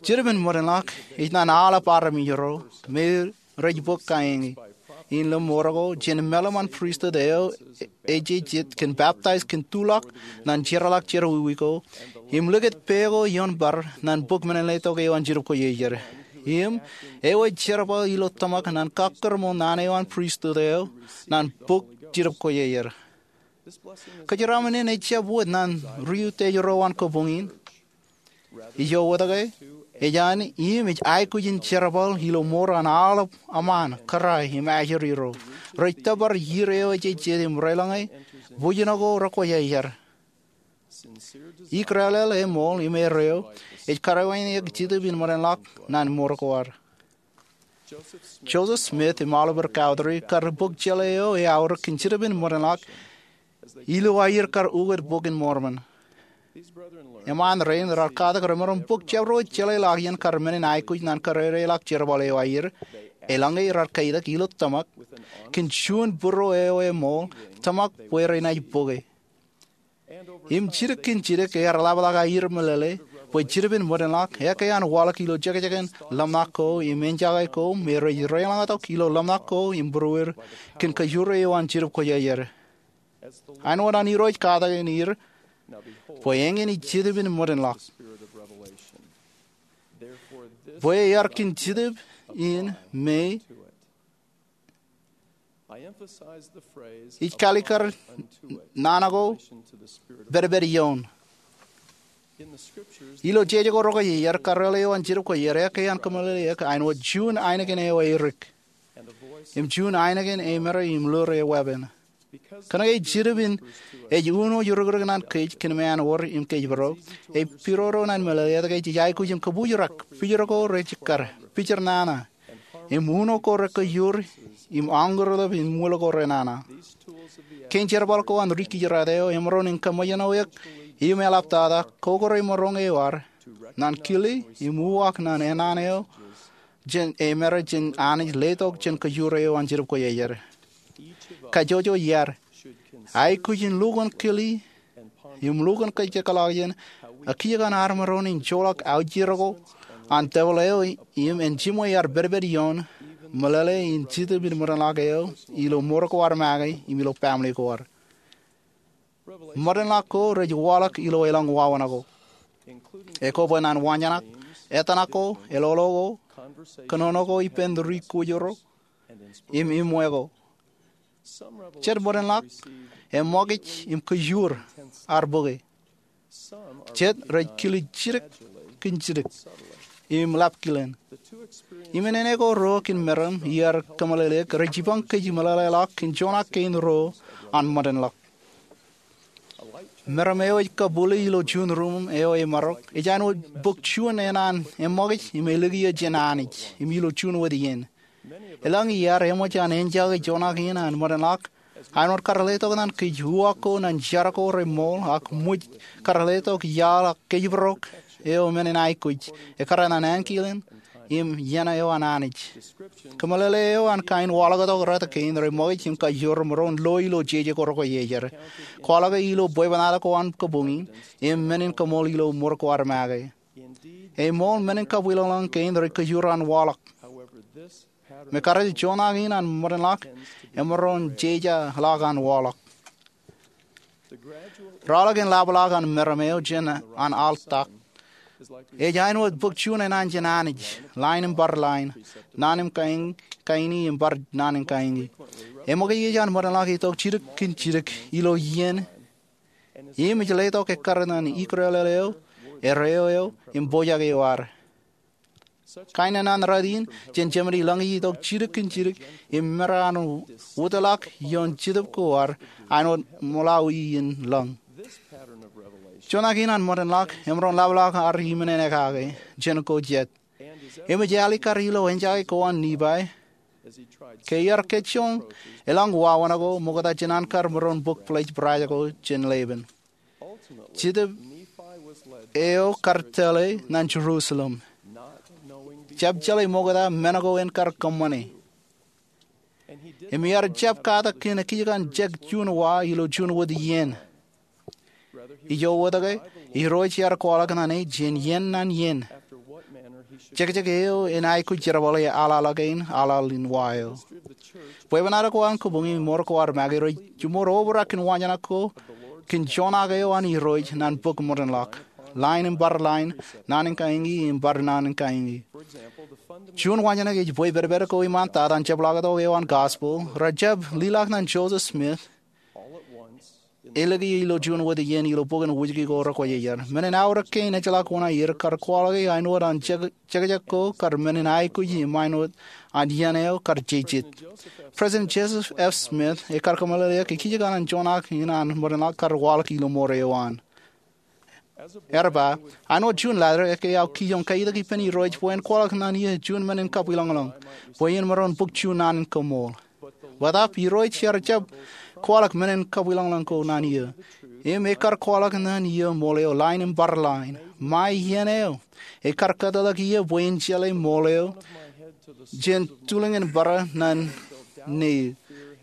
Jetōb in ṃōdenḷọk ej ñan aolep armej ro me rej bōk kaeñe in lọmọọr ko jān meḷeḷe in pristut eo ej jet kōn baptize kōn tuḷọk ñan jerọḷọk jerọwiwi ko im likūt pā ko ioon bar ñan bōk men in letok eo an Jetōb Kwōjarjar. Im eo ej jerbal ilo tōmak ñan kakkōrṃōl naan eo an pristut eo ñan bōk Jetōb Kwōjarjar. Kōjeraaṃṃan in ejjab wōt ñan ri utiej ro an kabuñ in. Ijo wōt ke, ej an im ej aikuj in jerbal ilo mour an aolep eṃṃan, kōrā im ajri ro rej tōpar iiō eo ej jet im reḷọñe bwijin ko rekwōjarjar. Ikdeḷeḷe eṃool im erreo ej karuwaineik Jetōb in ṃōdenḷọk ñan mour ko ad. Joseph Smith im Oliver Cowdery kar bōk jeḷā eo eaorōk kōn Jetōb in ṃōdenḷọk ilo aer kar ukōt Bok in Mormon. Eṃṃan rein raar katak remaroñ bōk jabdewōt jeḷā ḷọk iien kar men in aikuj ñan kōrā ḷọk jerbal eo aer, eḷaññe raar kaitak ilo tōmak kōn juon būruo eo eṃool, tōmak bwe renaaj bōke. Im jidik kōn jidik ear ḷapḷọk aer meḷeḷe bwe Jetōb in ṃōdenḷọk ekkā an waḷọk ilo jekjek in ḷōmṇak ko im enjake ko me rej reḷọñtok ilo ḷōmṇak ko im būrueir kōn kōjro eo an Jetōb Kwōjarjar. Āinwōt an Irooj katakin er, bwe eñin ej Jetōb in ṃōdenḷọk. Bwe ear kōn Jetōb in me ij kalikkar naan ko pedped ioon. Ilo jeje ko rekwojarjar, karreoḷ eo an Jetōb Kwōjarjar ekkā an kōmeḷeḷe eō āinwōt juon ainikien eo erik im juon ainikien eo emād im ḷoor e weeppān. Kōnke Jetōb in ej uno iurōkrōk ñan kōj kōn ṃaan wōr im kōjparok, ej pidodo ñan meḷeḷe etke jej aikuj im kōbuuj rak pijor ko rej kar, pijor nana, im uno ko rej kōjjoor, im añkūrḷap im ṃwil ko renana. Kein jerbal ko an ri kijirāt eo emaroñ in kōṃṃojoḷ eok im eḷaptata kōkōrā maroñ eo ad ñan kile im uwaak ñan ennaan eo ej emād jān Anij letok jān kōjjoor eo an Jetōb Kwōjarjar. Kajjojo iar aikuj in lukkuun kile im lukkuun kajekḷọk jān ekkā an ad maroñ in joḷọk aujero ko an tepil eo im en jiṃwe ad pedped ioon meḷeḷe in Jetōb in ṃōdenḷọk eo ilo mour ko ad make im ilo baaṃle ko ad. Ṃōdenḷọk ko rej waḷọk ilo elōñ wāween ko, ekobwe ñan wañžanak, etōṇak ko, eḷoḷo ko, kōnono ko ippān ri kwōjarjar, im iṃwe ko. Jet ṃōdenḷọk eṃṃakūt im kōjjoor ad bōke. Jet rej kile jidik kōn jidik im ḷap kilen. Im āne ko ruo kōn meram iar kōmeḷeḷe eō rej jipañ kōj meḷeḷeḷọk kōn joñak kein ruo an ṃōdenḷọk. Meram eo ej kabwilōñ ilo juon ruuṃ eo emarok ej āinwōt bōk juon ennaan eṃṃakūt im ālōke eō jān Anij im ilo juon wōt iien. Elōñ iar eṃōj an enjake joñak in an ṃōdenḷọk āinwōt kar letok ñan kōj uwaak ko ñan jar ko reṃool ak ṃōj kar letok iaḷ ak kōjparok eo men in aikuj ekkar ñan ankilen im iien eo an Anij. Kōmeḷeḷe eo an kain waḷọktok rot kein reṃakūt im kajjoor maroñ lo ilo jeje ko rekwojarjar, kwaḷọke ilo bwebwenato ko an kabuñ in, im men in kaṃool ilo mour ko ad make. Eṃool, men in kabwilōñlōñ kein rej kōjjoor an waḷọk. Im ekkar joñak in an ṃōdenḷọk emaroñ jejeḷọk an waḷọk. Ralitōk in ḷapḷọk an meram eo jān an aḷ tak ej āinwōt bōk juon ennaan jān Anij, lain im bar lain, naan in kain, kain im bar naan in kain. Eṃōkaj eo an ṃōdenḷọk itok jidik kōn jidik ilo iien im ej letok ekkar ñan ikdeḷeḷ eo, erreo eo, im pojak eo ad. Kain ennaan rot in jān jemān ilōñ itok jidik kōn jidik im mera an wōtlọk ioon Jetōb ko ad āinwōt ṃōḷaḷ in lōñ. Joñak in an ṃōdenḷọk emaroñ ḷapḷọk ad iṃōn en ekake jān ko jet. Im ej alikkar ilo enjake ko an Nifai ke iar kōjjoñ elōñ wāween ko ṃokta jān an kar maroñ bōk pledge price ko jān Leban. Jetōb eo kar tōl e ñan Jerusalem, jab jeḷā ṃokta men ko en kar kōṃṃane. Im iar jab katak kōn ekkā an jek juon wa ilo juon wōt iien. Ijo wōt ke, Irooj ear kwaḷọk ñan e jān iien ñan iien jekjek eo en aikuj jerbale aḷaḷ kein aḷaḷ in wa eo. Bwebwenato ko an kabuñ im mour ko ad make rej jiṃor obrak kōn wañžanak ko kōn joñak eo an Irooj ñan bōk ṃōdenḷọk, lain im bar lain, naan in kain im bar naan in kain. Juon wañžanak ej bwe pedped ko iṃaan tata an jepḷaaktok eo an Gospel rejjab leḷọk ñan Joseph Smith ālōke ilo juon wōt iien ilo bok in Wūjke ko rekwōjarjar. Men in aorōk kein ejjeḷọk oṇāer kar kwaḷọke āinwōt an jekjek ko kar men in aikuj im āinwōt an iien eo kar jejet. President Joseph F. Smith ekar kōmeḷeḷe eō ke kijjien an joñak in an ṃōdenḷọk kar waḷọk ilo mour eo an. Ear ba, āinwōt juon laḷ eo, ekkā aō kijoñ kaitok ippān Irooj bwe en kwaḷọk ñan eō juon men in kabwilōñlōñ bwe en maroñ bōk juon naan in kaṃool. Bōtaab Irooj ear jab kwaḷọk men in kabwilōñlōñ ko ñan eō. Im ekar kwaḷọk ñan eō ṃool eo lain im bar lain. Ṃae iien eo ekar kōtḷọk eō bwe en jeḷā ṃool eo jān tulōñ in bar ñan ṇe.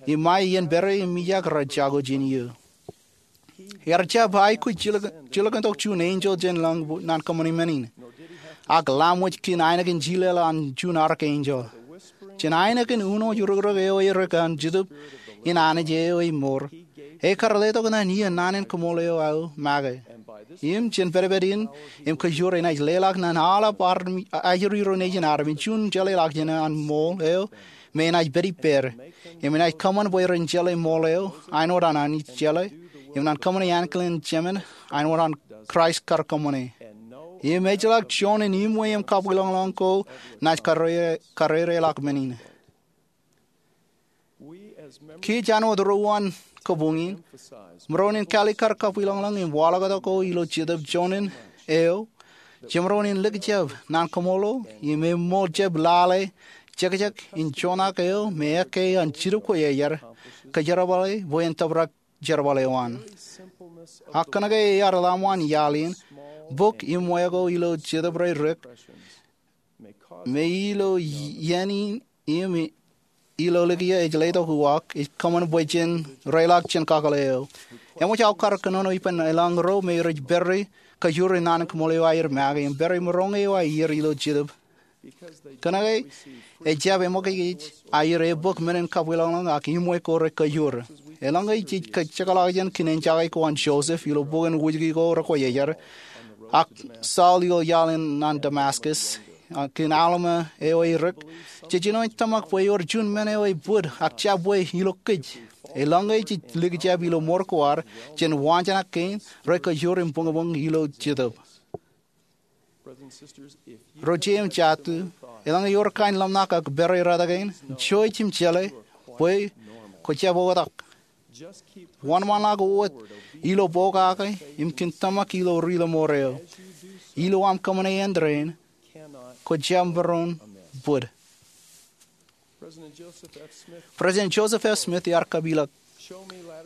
Im ṃae iien pād im ijak rej jako jān eō. Ear jab aikuj jilkintok juon enjeḷ jān lañ ñan kōṃṃani men in. Ak laṃōj kōn ainikien jilel an juon archangel. Jān ainikien uno iurōkrōk eo erik an Jetōb in Anij eo ej mour, ekar letok ñan eō naan in kaṃool eo aō make. Im jān pedped in im kōjjoor enaaj leḷọk ñan aolep ajri ro nejin armej juon jeḷāḷọkjeṇ an ṃool eo me enaaj pād ippād. Im enaaj kōṃṃan bwe ren jeḷā ṃool eo āinwōt an Anij jeḷā. im nan kōṃṃane ankilen Jemān āinwōt an Kraist kar kōṃṃane. Im ejjeḷọk juon in iṃwe im kabwilōñlōñ ko naaj karrereḷọk men in. Kij āinwōt ro an kabuñ in, maroñ in kalikkar kabwilōñlōñ im waḷọktok ko ilo Jetōb Joñan eo, jemaroñ in likjab naan kaṃṃoolol im eṃṃool jab lale jekjek in joñak eo me ekkā an Jetōb Kwōjarjar kōjerbale bwe en tōprak jerbal eo an. Ak kōnke ear ḷōmṇak iaḷ in, bok iṃwe ko ilo Jetōb Reirrik, me ilo iien in im ilo likjab ej letok uwaak, ej kōṃṃan bwe jen reiḷọk jān kakōḷḷe eo. Eṃōj aō kar kōnono ippān eḷañño ro me rej pād ri kōjur in naan in kaṃṃoolol eo aer make im pād ri maroñ eo aer ilo Jetōb. Kōnke ejjab eṃōkaj aer ebōk men in kabwilōñlōñ ak iṃwe ko rekōjur. Eḷaññe jej kōjekḷọk jān kōn enjake ko an Joseph ilo bok in Wūjki ko rekwōjarjar, ak Saul ilo iaḷ in an Damascus, ak kōn Alma eo erik, jej jino in tōmak bwe ewōr juon men eo ebōd ak jabwe ilo kōj. Eḷaññe jej likjab ilo mour ko ad, jen waanjoñak kein, rekōjur im buñbuñ ilo Jetōb. Ro jej im jatū, eḷaññe ewōr kain ḷōmṇak ak pād ri rot kein, jouj im jeḷā bwe kwōjab oktak. Wōnṃaanḷọk wōt ilo pokake im kōn tōmak ilo ri ḷōṃour eo. Ilo aṃ kōṃṃane āindein, kwōjab maroñ bōd. President Joseph F. Smith ear kapeḷḷọk,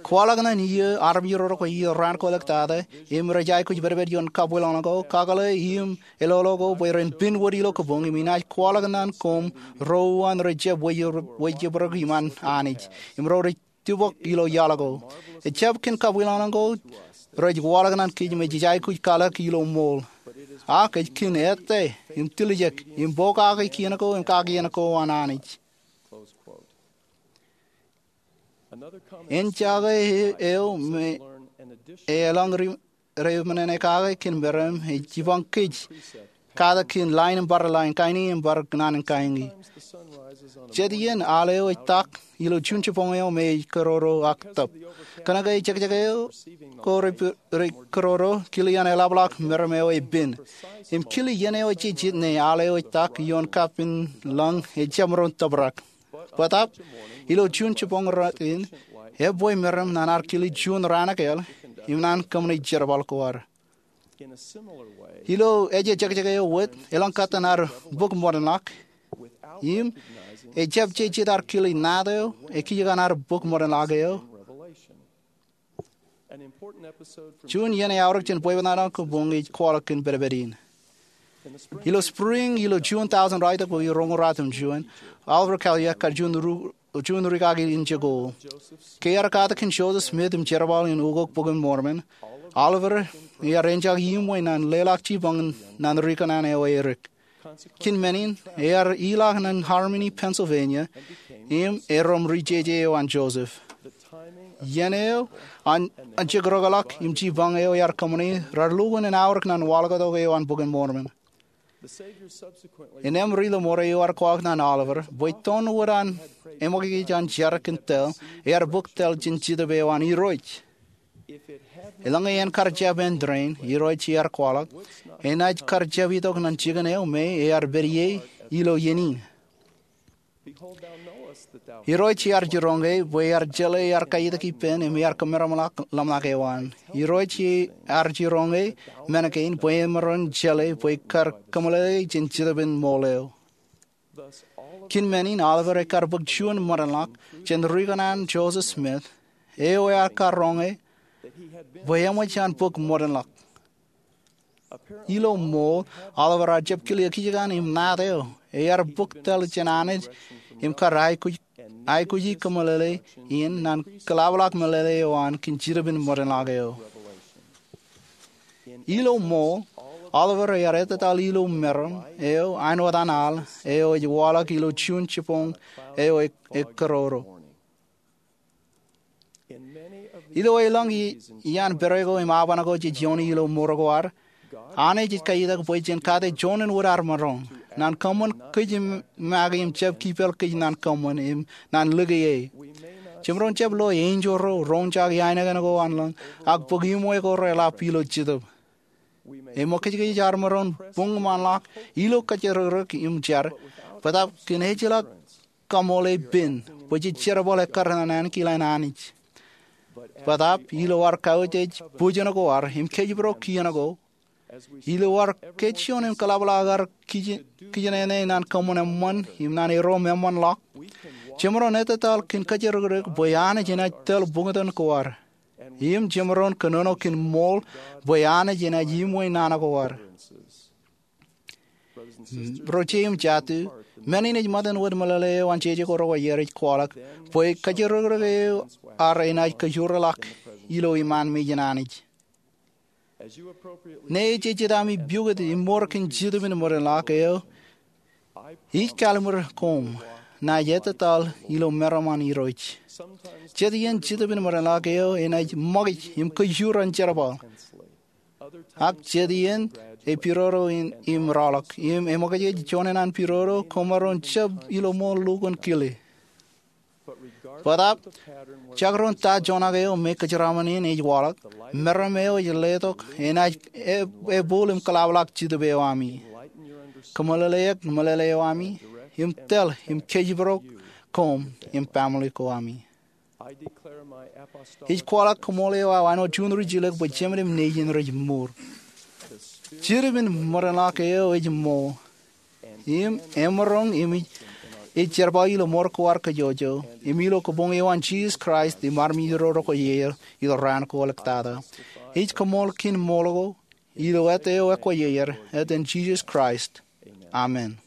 kwaḷọk ñan iiō armej ro rekwe iiō raan ko ḷọk tata im rej aikuj pedped ioon kabwilōñlōñ ko, kakōḷḷe im eḷoḷo ko bwe ren pinnwōt ilo kabuñ, im inaaj kwaḷọk ñan koṃ ro uwaan rej jab weijebōk iṃaan Anij im ro rej tibok ilo iaḷ ko. Ejjab kōn kabwilōñlōñ ko rej waḷọk ñan kōj me jej aikuj kwaḷọk ilo ṃool, ak ej kōn ettā im tiljek im pokake kien ko im kakien ko an Anij. Enjake eo me eḷaññe ri reemān en kake kōn meram ej jipañ kōj kate kōn lain im bar lain, kain im bar naan in kain. Jet iien al eo ej tak ilo juon jibboñ eo me ej kōroro ak tōp. Kōnke jekjek eo ko rej kōroro, kile iien eḷapḷọk meram eo ej pen. Im kile iien eo ejejjet ñe al eo ej tak ioon kapin lañ ejjab maroñ tōprak. Bōtab, ilo juon jibboñ rot in, ebwe meram ñan ad kile juon raan ekāāl im ñan kōṃṃane jerbal ko ad. Ilo ejejjet eo wōt, elōñ kōttan ad bok ṃōdenḷọk, im ejjab jejjet ad kile naat eo ekijjien ad bok ṃōdenḷọk eo. Juon iien eaorōk jān bwebwenato an kabuñ ej kwaḷọk kōn pedped in. Ilo spring ilo juon tọujin ruwaitōk bokwe roñoul ruatimjuon, Oliver Cowdery kar juon ri kaki in jekōḷḷe. Ke ear kate kōn Joseph Smith im jerbal in ukok Bok in Mormon, Oliver ear enjake iṃwe ñan leḷọk jibboñ ñan ri kōṇaan eo erik. Kōn men in, ear ilọk ñan Harmony, Pennsylvania, im erom ri jeje eo an Joseph. Iien eo an jekdọkḷọk im jibboñ eo ear kōṃṃane raar lukkuun en aorōk ñan waḷọktok eo an Bok in Mormon. Innem ri ḷōṃoor eo ear kwaḷọk ñan Oliver bwe toon wōt an eṃōkaj an jar kōn tōl, ear bōk tōl jān Jetōb eo an Irooj. Eḷaññe en kar jab āindein, Irooj ear kwaḷọk, enaaj kar jab itok ñan jikin eo me ear pād ie ilo iien in. Irooj ear jiroñe bwe ear jeḷā ear kaitik ippān im ear kōmeramḷọk ḷōmṇak eo an. Irooj ear jiroñe men kein bwe emaroñ jeḷā bwe kar kōmeḷeḷe jān Jetōb in ṃool eo. Kōn men in Oliver ekar bōk juon ṃōdenḷọk jān ri kōṇaan Joseph Smith, eo ear karoñe bwe eṃōj an bōk ṃōdenḷọk. Ilo ṃool, Oliver ear jab kile ekijjien im naat eo ear bōk tōl jān Anij im kar aikuji kōmeḷeḷe in ñan kōḷapḷọk meḷeḷe eo an kōn Jetōb in ṃōdenḷọk eo. Ilo ṃool, Oliver ear ettataḷ ilo meram eo āinwōt an al eo ej waḷọk ilo juon jibboñ eo ekōroro. Ilo elōñ iaan pere ko im aoban ko jej iioone ilo mour ko ad, Anij ej kaitak bwe jen kate juon in wōt ad maroñ, ñan kōṃṃan kōj make im jab kipel kōj ñan kōṃṃan im ñan lōke e. Jemaroñ jab lo enjeḷ ro roñjake ainikien ko an lañ ak bōk iṃwe ko reḷap ilo jetōb. Eṃōkajkōj armej ro buñ iṃaan ḷọk ilo kōjrōkrōk im jar, bōtab kōn ejjeḷọk kaṃool epen bwe jej jerbal ekkar naan kein an Anij. Bōtab ilo ad kautiej bōjjāān ko ad im kōjparok kien ko, ilo ad kōjjuon im kōḷapḷọk ad kijenene naan kōṃṃan eṃṃan im naan erom eṃṃan ḷọk, jemaroñ ettōtaḷ kōn kōjrōkrōk bwe Anij enaaj tōl buñtōn ko ad. Im jemaroñ kōnono kōn ṃool bwe Anij enaaj iṃwe naan ko ad. Ro je im jatū, men in ej ṃōttan wōt meḷeḷe eo an jeje ko rekwojarjar ej kwaḷọk bwe kōjrōkrōk eo ad enaaj kajoor ḷọk ilo iṃaan mejān Anij. Ñe ej jejjet ami pukot im mour kōn Jetōb in Ṃōrāinḷọk eo, ij kallimur koṃ naaj ettōtaḷ ilo meram an Irooj. Jet iien Jetōb in Ṃōrāinḷọk eo enaaj ṃōkaj im kajoor an jerbal. Ak jet iien e pidodo im rọọlḷọk, im eṃōkajkōj juon eṇ an pidodo koṃ maroñ jab ilo ṃool lukkuun kile. Bōtab, jekdọọn ta juon ak eo me kōjeraṃṃan in ej waḷọk, meram eo ej letok enaaj e-, ebooḷ im kōḷapḷọk Jetōb eo ami, kōmeḷeḷeik meḷeḷe eo ami, im tōl im kōjparok koṃ im family ko ami. Ij kwaḷọk koṃṃool eo aō āinwōt juon ri jilōk bwe jemān im nejin rej mour. Jetōb in Ṃōrāinḷọk eo ej ṃool. Im emaroñ im ej jerbal ilo mour ko ad kōjwōjwōj, im ilo kabuñ eo an Jisōs Kraist im armej ro rekwojarjar ilo raan ko ḷọk tata, ij koṃṃool kōn ṃool ko ilo āt eo ekwōjarjar, āt in Jisōs Kraist. Amen.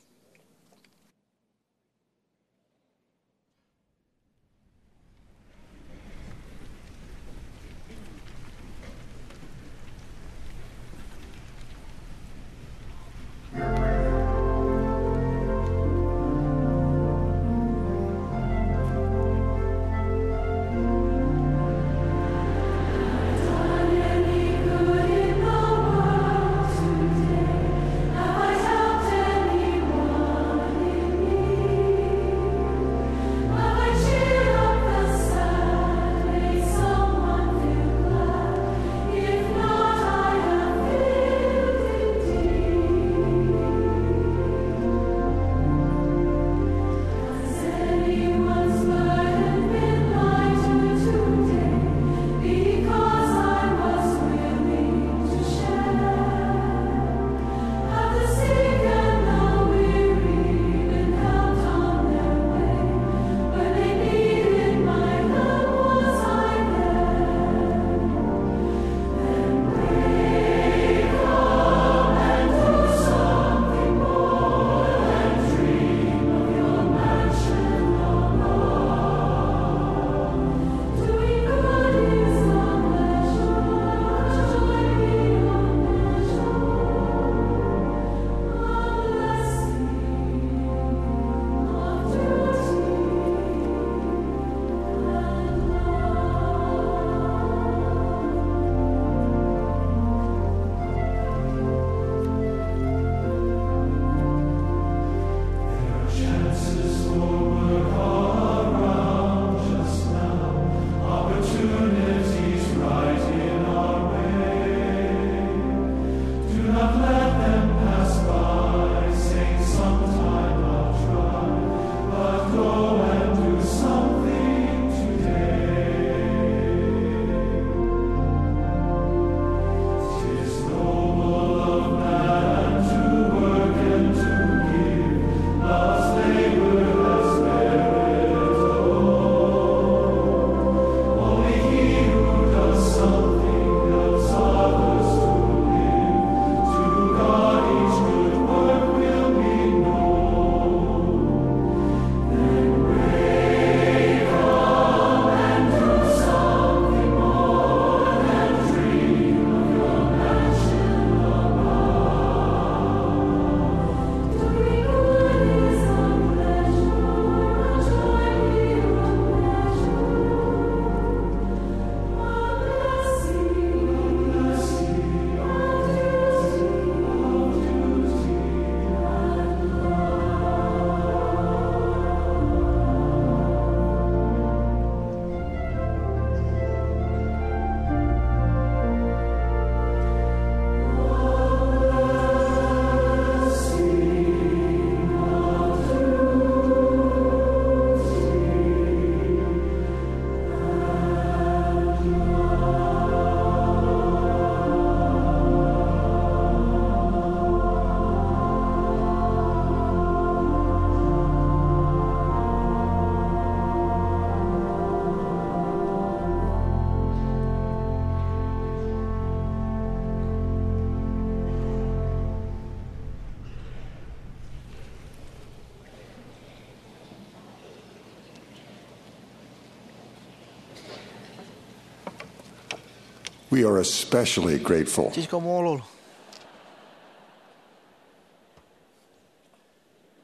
We are especially grateful. Jej kaṃṃoolol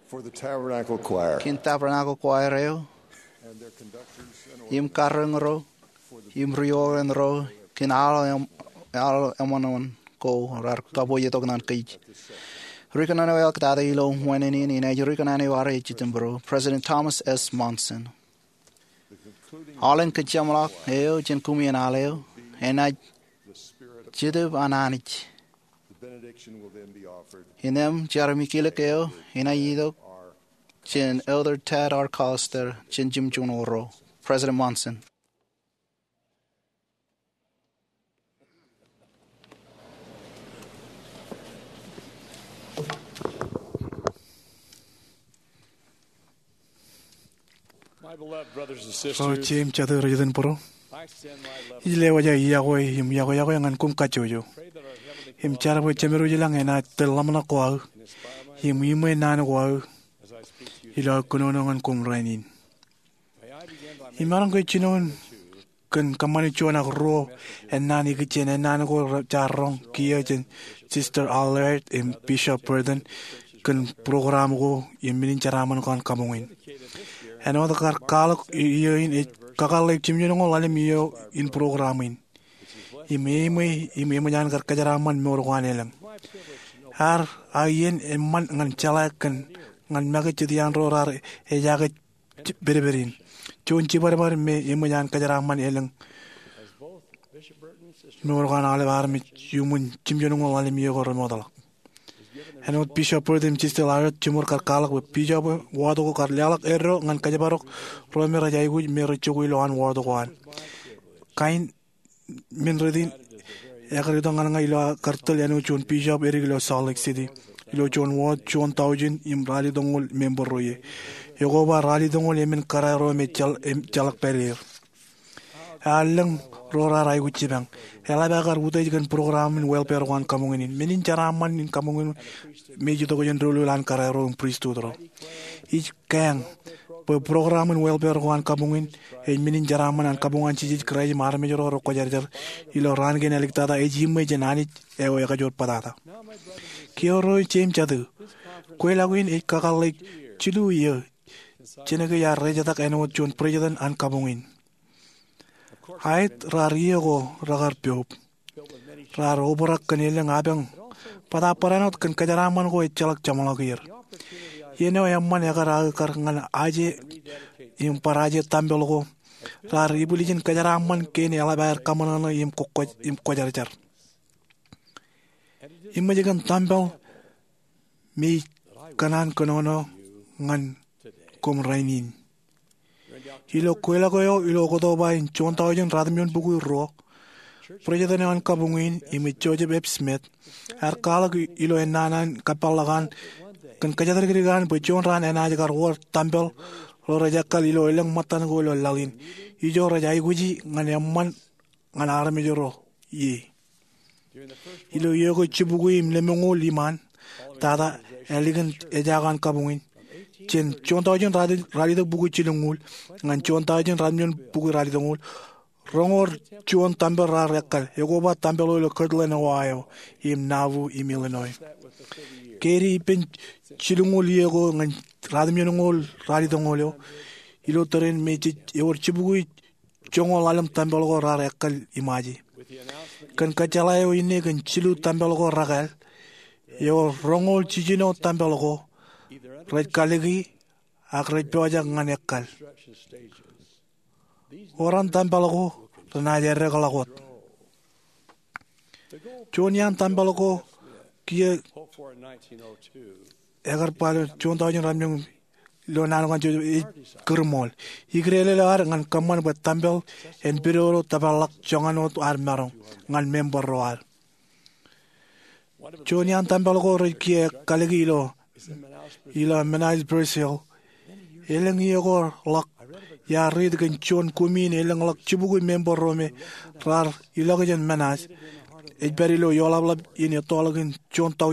for the Tabernacle Choir kein Tabernacle Choir eo and their conductors and im karreoñro im ri-oren ro kein aḷ eṃ-, aḷ eṃṃan ko raar kabwe itok ñan kōj. Ri kōnono eo eḷaptata ilo wāween in enaaj ri kōnono eo ear ej jitōmbro, President Thomas S. Monson. Aolepen kōjeṃḷọk eo jān kumi in aḷ eo enaaj Jetōb an Anij. Innām jar im ikilōk eo enaaj itok jān Elder Tad R. Callister jān jimjuon ro. President Monson. Ro jeiū im jatū rej itōn būruō, ij lewōj aō iọkwe im iọkwe iọkwe ñan koṃ kajjojo im jar bwe Jemedwōj ilañ enaaj tōl ḷōmṇak ko aō im iṃwe naan ko aō ilo aō kōnono ñan koṃ rainin. Imaroñ ke jinoin kōn kōṃṃani juon ak ruo ennaan ikijjien ennaan ko jaar roñ kiiō jān Sister Allred im Bishop Burton kōn program ko im men in jeraaṃṃan ko an kabuñ in. Āinwōt kar kwaḷọk iiō in, ej kakōḷḷe jimjuonñoul ḷalem iiō in program in im eṃṃan, im eṃōj an kar kōjeraaṃṃan mour ko an elōñ. Ear aō iien eṃṃan ñan jeḷā kōn ñan make jet iaan ro raar ejaake pedped in. Juon jibadbad me eṃōj an kōjeraaṃṃan elōñ mour ko an aolep armej iuṃwin jimjuonñoul ḷalem iiō ko remootḷọk. Āinwōt Bishop Burton im Sister Allred, jiṃor kar kwaḷọk bwe bishop ward ko kar leḷọk eddo ñan kōjparok ro me rej aikuj me rej jokwe ilowaan ward ko an. Kain men rein ekar itok ñan ña ilo aō kar tōl āinwōt juon bishop edik ilo Salt Lake City ilo juon ward juon taujin im ralitōñoul member ro ie. Ekoba ralitōñoul emān kōrā ro me ejjeḷọk pād er. Ear lōñ ro raar aikuj jipañ. Eḷap aō kar utiej kōn program in welfare ko an kabuñ in. Men in jeraaṃṃan in kabuñ in me ej itok jān doulul an kōrā ro im pristut ro. Ij kaeñ bwe program in welfare ko an kabuñ in ej men in jeraaṃṃan an kabuñ an Jisōs Kraist im armej ro rekwōjarjar ilo raan kein āliktata ej iṃwe jān Anij eo ekajoor bōtata. Kiiō ro jeiū im jatū, kweilọk in ej kakōḷḷe jilu iiō jān ke iar rejetak āinwōt juon president an kabuñ in. Aet, raar iiō ko rekar poub. Raar obrak kōn elōñ apañ, bōtaab barāinwōt kōn kōjeraaṃṃan ko ejjeḷọk jeṃḷọk er. Iien eo eṃṃan ekar aō kar ñan aje im bar aje tempel ko, raar ibwiljin kōjeraaṃṃan kein eḷap aer kaṃōṇōṇō im kwōjarjar. Eṃōj kōn tempel me ij kōṇaan kōnono ñan koṃ rainin. Ilo kweilọk eo ilo Oktoba in juon taujin ratimjuon bukwi ruo, president eo an kabuñ in im ej Joseph F. Smith ear kwaḷọk ilo ennaan an kōpeḷḷọk an kōn kōjatdikdik an bwe juon raan enaaj kar wōr tempel ro rej ekkal ilo elōñ ṃōttan ko ilo laḷ in ijo rej aikuji ñan eṃṃan ñan armej ro ie. Ilo iiō ko jibukwi im lemñoul iṃaan, tata ālikin ejaak an kabuñ in, jān juon taujin ralitōk bukwi jilñuul ñan juon taujin ratimjuon bukwi ralitōñoul, roñoul juon tempel raar ekkal, ekoba tempel eo ilo Kirtland, Ohio, im Nauvoo im Illinois. Ke ej ippān jilñuul iiō ko ñan ratimjuonñoul ralitōñoul eo, ilo tōre in me jej ewōr jibukwi joñoul ḷalem tempel ko raar ekkal im aje. Kōn kōjjeḷā eo inne kōn jilu tempel ko rekāāl, ewōr roñoul jiljino tempel ko rej kaliki ak rej pojak ñan ekkal. Wōran tempel ko renaaj eddekḷọk wōt. Juon iaan tempel ko kiiō ekar ba ilo juon taujin ratimjuon ilo naan ko an Joseph ej kūrṃool. Ikdeḷọñ eo ad ñan kōṃṃan bwe tempel en pidodo tōparḷọk joñan wōt ad maroñ ñan member ro ad. Juon iaan tempel ko rej kiiō kaliki ilo, ilo Manaus, Brazil. Elōñ iiō ko ḷọk iar riit kōn juon kumi in elōñḷọk jibukwi member ro me raar ilọk jān Manaus. Ej pād ilo ioḷapḷap in ettoḷọk in juon tau,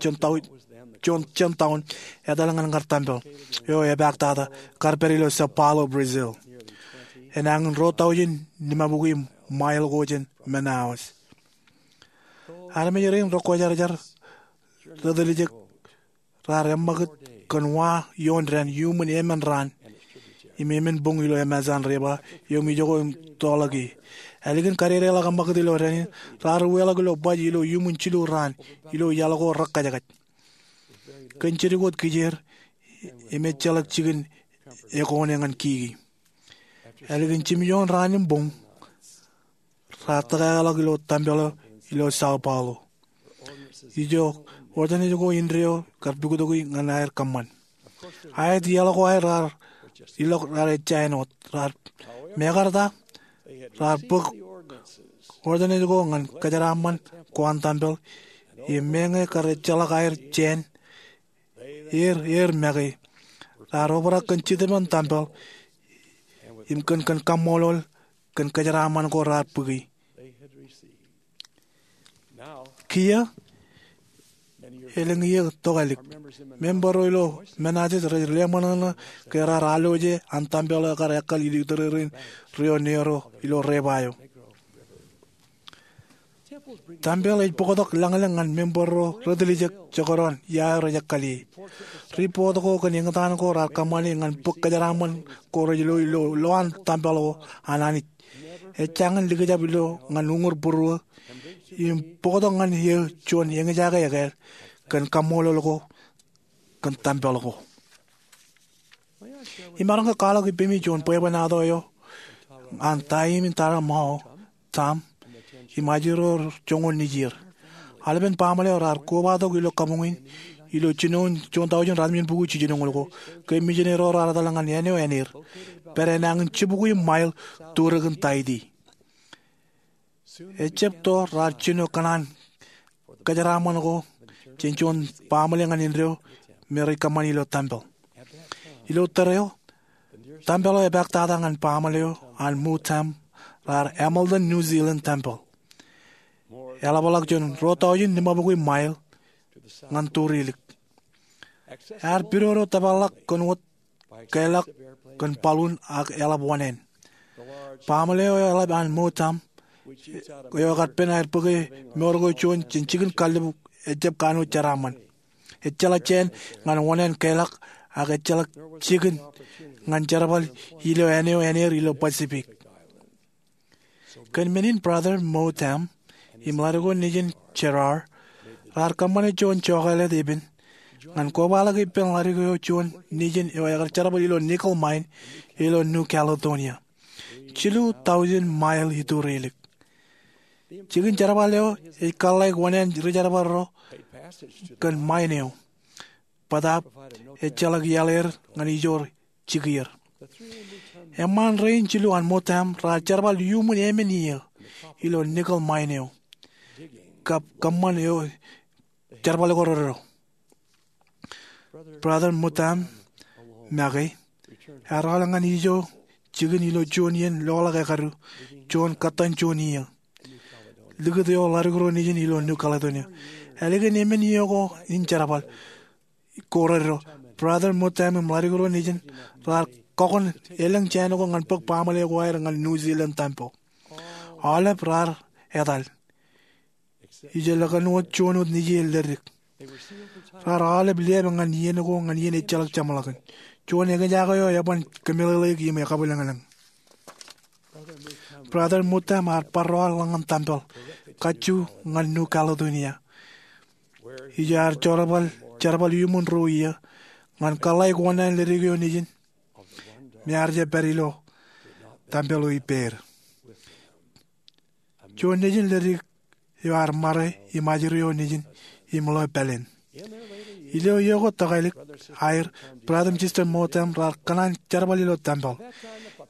juon tau, juon, juon taun etal ñan kar tempel eo epaak tata kar pād ilo São Paulo, Brazil, enañin ruo taujin limabukwi mile ko jān Manaus. Armej rein rekwōjarjar retiljek raar eṃṃakūt kōn wa ioon dān iuṃwin emān raan im emān boñ ilo Amazon River eo im ijoko im tọọrḷọk ie. Ālikin kadedeḷọk eṃṃakūt ilo dān in, raar uweḷọk ilo baj ilo iuṃwin jilu raan ilo iaḷ ko rekajekaj. Kōn jidik wōt kijeer im ejjeḷọk jikin ekone ñan kiki. Ālikin jimjuon raan im boñ, raar tōkeḷọk ilo tempel eo ilo São Paulo, ijo ordanes ko indeeo kar puktoki ñan aer kōṃṃan. Aet iaḷ ko aer raar ilọk raar ejja āinwōt, raar mekarta raar bōk ordanes ko ñan kōjeraaṃṃan ko an tempel im meñe kar ejjeḷọk aer jāān er, er make, raar obrak kōn jitōb in tempel im kōn, kōn kaṃṃoolol kōn kōjeraaṃṃan ko raar bōki. Kiiō, elōñ iiō tokālik, member ro ilo Manassas rej leṃōṇōṇō ke raar alwōje an tempel eo kar ekkal iturerein ri-oneero ilo Repa eo. Tempel ej bōktok lañlōñ ñan member ro retiljek jekdọọn ia eo rej ekkal ie. Ripot ko kōn eñtaan ko raar kōṃṃane ñan bōk kōjeraaṃṃan ko rej lo ilo lowaan tempel ko an Anij ejjañin likjab ilo ñan uñūr būruō im bōktok ñan eō juon eñjake ekāāl kōn kaṃṃoolol ko kōn tempel ko. Imaroñ ke kwaḷọk ippemi juon bwebwenato eo an Taim im Tara Mao, Tom, im ajri ro joñoul nejier. Aolepen baaṃle eo raar kobatok ilo kabuñ in ilo jinoin juon taujin ratimjuon bukwi jiljinoñoul ko ke mijineri ro raar etal ñan āne eo āneer, pād āne in jibukwi mail turōkin Tahiti. Ejjab to raar jino kōṇaan kōjeraaṃṃan ko jān juon baaṃle ñan indeeo me rej kōṃṃani ilo tempel. Ilo tōre eo, tempel eo epaak tata ñan baaṃle eo an Muttam raar Hamilton New Zealand Tempel, eḷapḷọk jān ruo taujin limabukwi mail ñan turilik. Ear pidodo tōparḷọk kōn wōt keḷọk kōn balloon ak eḷap oṇāān. Baaṃle eo eḷap an Muttam eo ekar pen aer bōke mour ko juon jān jikin kallib ejjab kanooj jeraaṃṃan. Ejjeḷọk jāān ñan oṇāān keḷọk ak ejjeḷọk jikin ñan jerbal ilo āne eo āneer ilo Pacific. Kōn men in Brother Muttam im ḷadik eo nejin Gerard raar kōṃṃane juon jokālet epen ñan kobaḷọk ippān ḷadik eo juon nejin eo ekar jerbal ilo nickel mine ilo New Caledonia, jilu taujin mail iturilik. Jikin jerbal eo ej kōḷḷāik oṇāān rijerbal ro kōn mine eo, bōtaab ejjeḷọk iaḷ er ñan ijoor jikier. Eṃṃaan rein jilu an Muttam raar jerbal iuṃwin emān iiō ilo nickel mine eo kab kōṃṃan eo jerbal ko reddo. Brother Muttam make ear aolep ñan ijo jikin ilo juon iien loḷọk ekadu, juon kōttan juon iiō, likūt eo ḷadik ro nejin ilo New Caledonia. Ālikin emān iiō ko in jerbal ko reddo, Brother Muttam im ḷadik ro nejin raar kọkoṇ elōñ jāān ko ñan bōk baaṃle ko aer ñan New Zealand Tempel. Aolep raar etal, ijellọkin wōt juon wōt nejier leddik. Raar aolep liāp ñan iien ko ñan iien ejjeḷọk jeṃḷọkin. Juon eñjake eo eban kōmeḷeḷeik im ekabwilōñlōñ. Brother Muttam ear bar ro ḷọk ñan tempel kajju ñan New Caledonia, ijo ear jerbal, jerbal iuṃwin ruo iiō ñan kōḷḷāik oṇāān leddik eo nejin me ear jab pād ilo tempel eo ippāer. Juon nejin leddik eo ear ṃare im ajri eo nejin im ḷeo pāleen. Ilo iiō ko tokālik aer, Brother im Sister Muttam raar kōṇaan jerbal ilo tempel.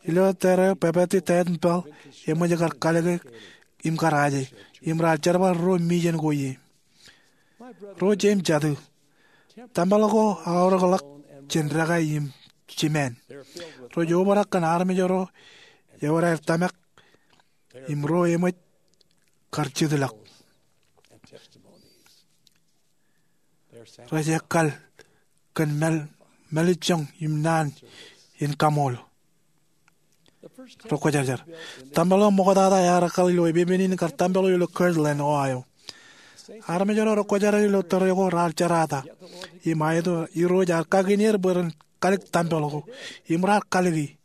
Ilo tōre eo, pāpati taet im peḷ eṃōj kar kalōke im kar aje, im raar jerbal ruo mijen ko ie. Ro jeiū im jatū, tempel ko aorōkḷọk jān dekā im jimāān. Rej obrak kōn armej ro ewōr aer tōmak im ro eṃōj kar jitḷọk. Rej ekkal kōn māl, mālejjoñ im naan in kaṃool. Rekwōjarjar. Tempel eo ṃoktata ear ekkal ilo epepen in kar tempel eo ilo Kirtland, Ohio. Armej ro rekwōjarjar ilo tōre ko raar jerata. Im aet, Irooj ear kakin er bwe ren kalōk tempel ko. Im raar kalōki.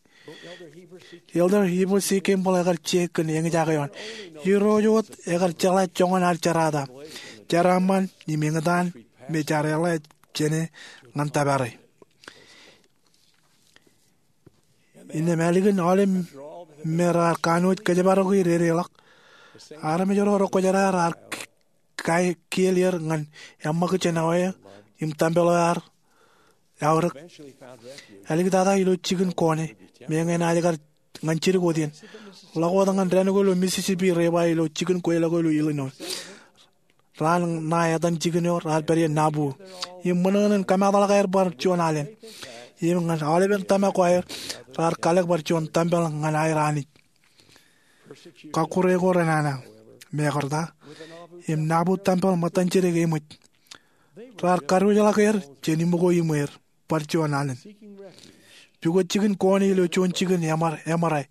Elder Heber C. Kimball ekar je kōn eñjake eo an. Irooj wōt ekar jeḷā joñan ad jerata, jeraaṃṃan im eñtaan me jaar eḷā jāne ñan tōpare. Innām ālikin aolep me raar kanooj kōjparok er edeḷọk, armej ro rekwōjarjar raar kiel er ñan eṃṃakūt jān awe im tempel eo ear aorōk. Āliktata ilo jikin Kone, meñe enaaj kar ñan jidik wōt iien. Ḷọk wōt ñan dān ko ilo Mississippi River ilo jikin kweilọk eo ilo Illinois. Raan ṇae etan jikin eo raar pād ie Nauvoo. Im ṃōṇōṇō in kōmeḷeḷeḷe aer bar juon alen. Im ñan aolepen tōmak ko aer, raar kalōk bar juon tempel ñan aer Anij. Kọkkure ko renana. Mekarta, im Nauvoo tempel ṃōttan jidik eṃōj. Raar kadiwōjḷọk er jān iṃōko iṃweer bar juon alen. Pukot jikin Kone ilo juon jikin eṃōrā,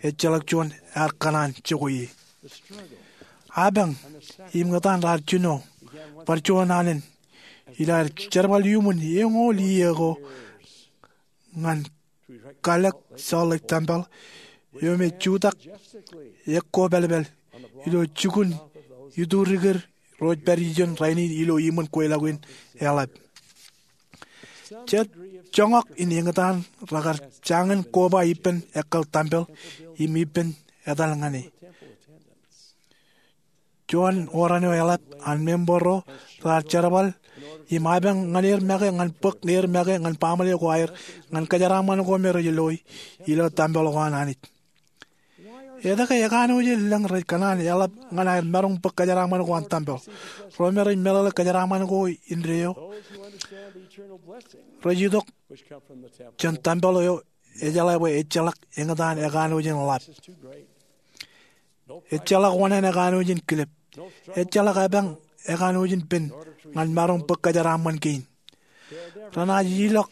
ejjeḷọk juon ear kōṇaan jokwe ie. Apañ im etan raar jino bar juon alen ilo aer jerbal iuṃwin eñoul iiō ko ñan kalōk Salt Lake tempel eo me jutak ekkōpelpel ilo jukun iturikid ro rej pād ijeṇ rainin ilo iṃōn kweilọk in eḷap. Jet joñak in eñtaan rekar jañin koba ippān ekkal tempel im ippān etal ñan e. Juon oran eo eḷap an member ro raar jerbal im apañ ñan er make ñan bōk er make ñan baaṃle ko aer ñan kōjeraaṃṃan ko me rej loi ilo tempel ko an Anij. Etke ekanooj in lōñ rej kōṇaan eḷap ñan aer maroñ bōk kōjeraaṃṃan ko an tempel? Ro me rej meḷeḷe kōjeraaṃṃan ko indeeo rej itok jān tempel eo ejeḷā bwe ejjeḷọk eñtaan ekanooj in ḷap. Ejjeḷọk oṇāān ekanooj in kilep. Ejjeḷọk apañ ekanooj in pen ñan maroñ bōk kōjeraaṃṃan kein. Renaaj ilọk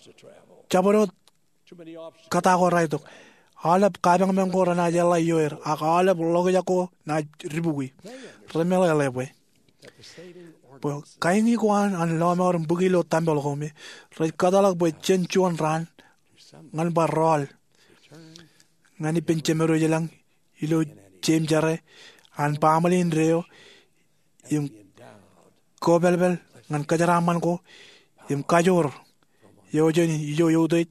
jabdewōt kōta ko raetok. Aolep kapañmañ ko renaaj eḷḷā ioer, ak aolep ḷokjak ko naaj dibukwi. Remeḷeḷe bwe, bwe kaini ko an lọmọọr im bōki ilo tempel ko me rej kōtḷọk bwe jen juon raan ñan bar rọọl ñan ippān Jemedwōj ilañ ilo jeiū jere an baaṃle indeeo im kōpelpel ñan kōjeraaṃṃan ko im kajoor eo jān ijo eutiej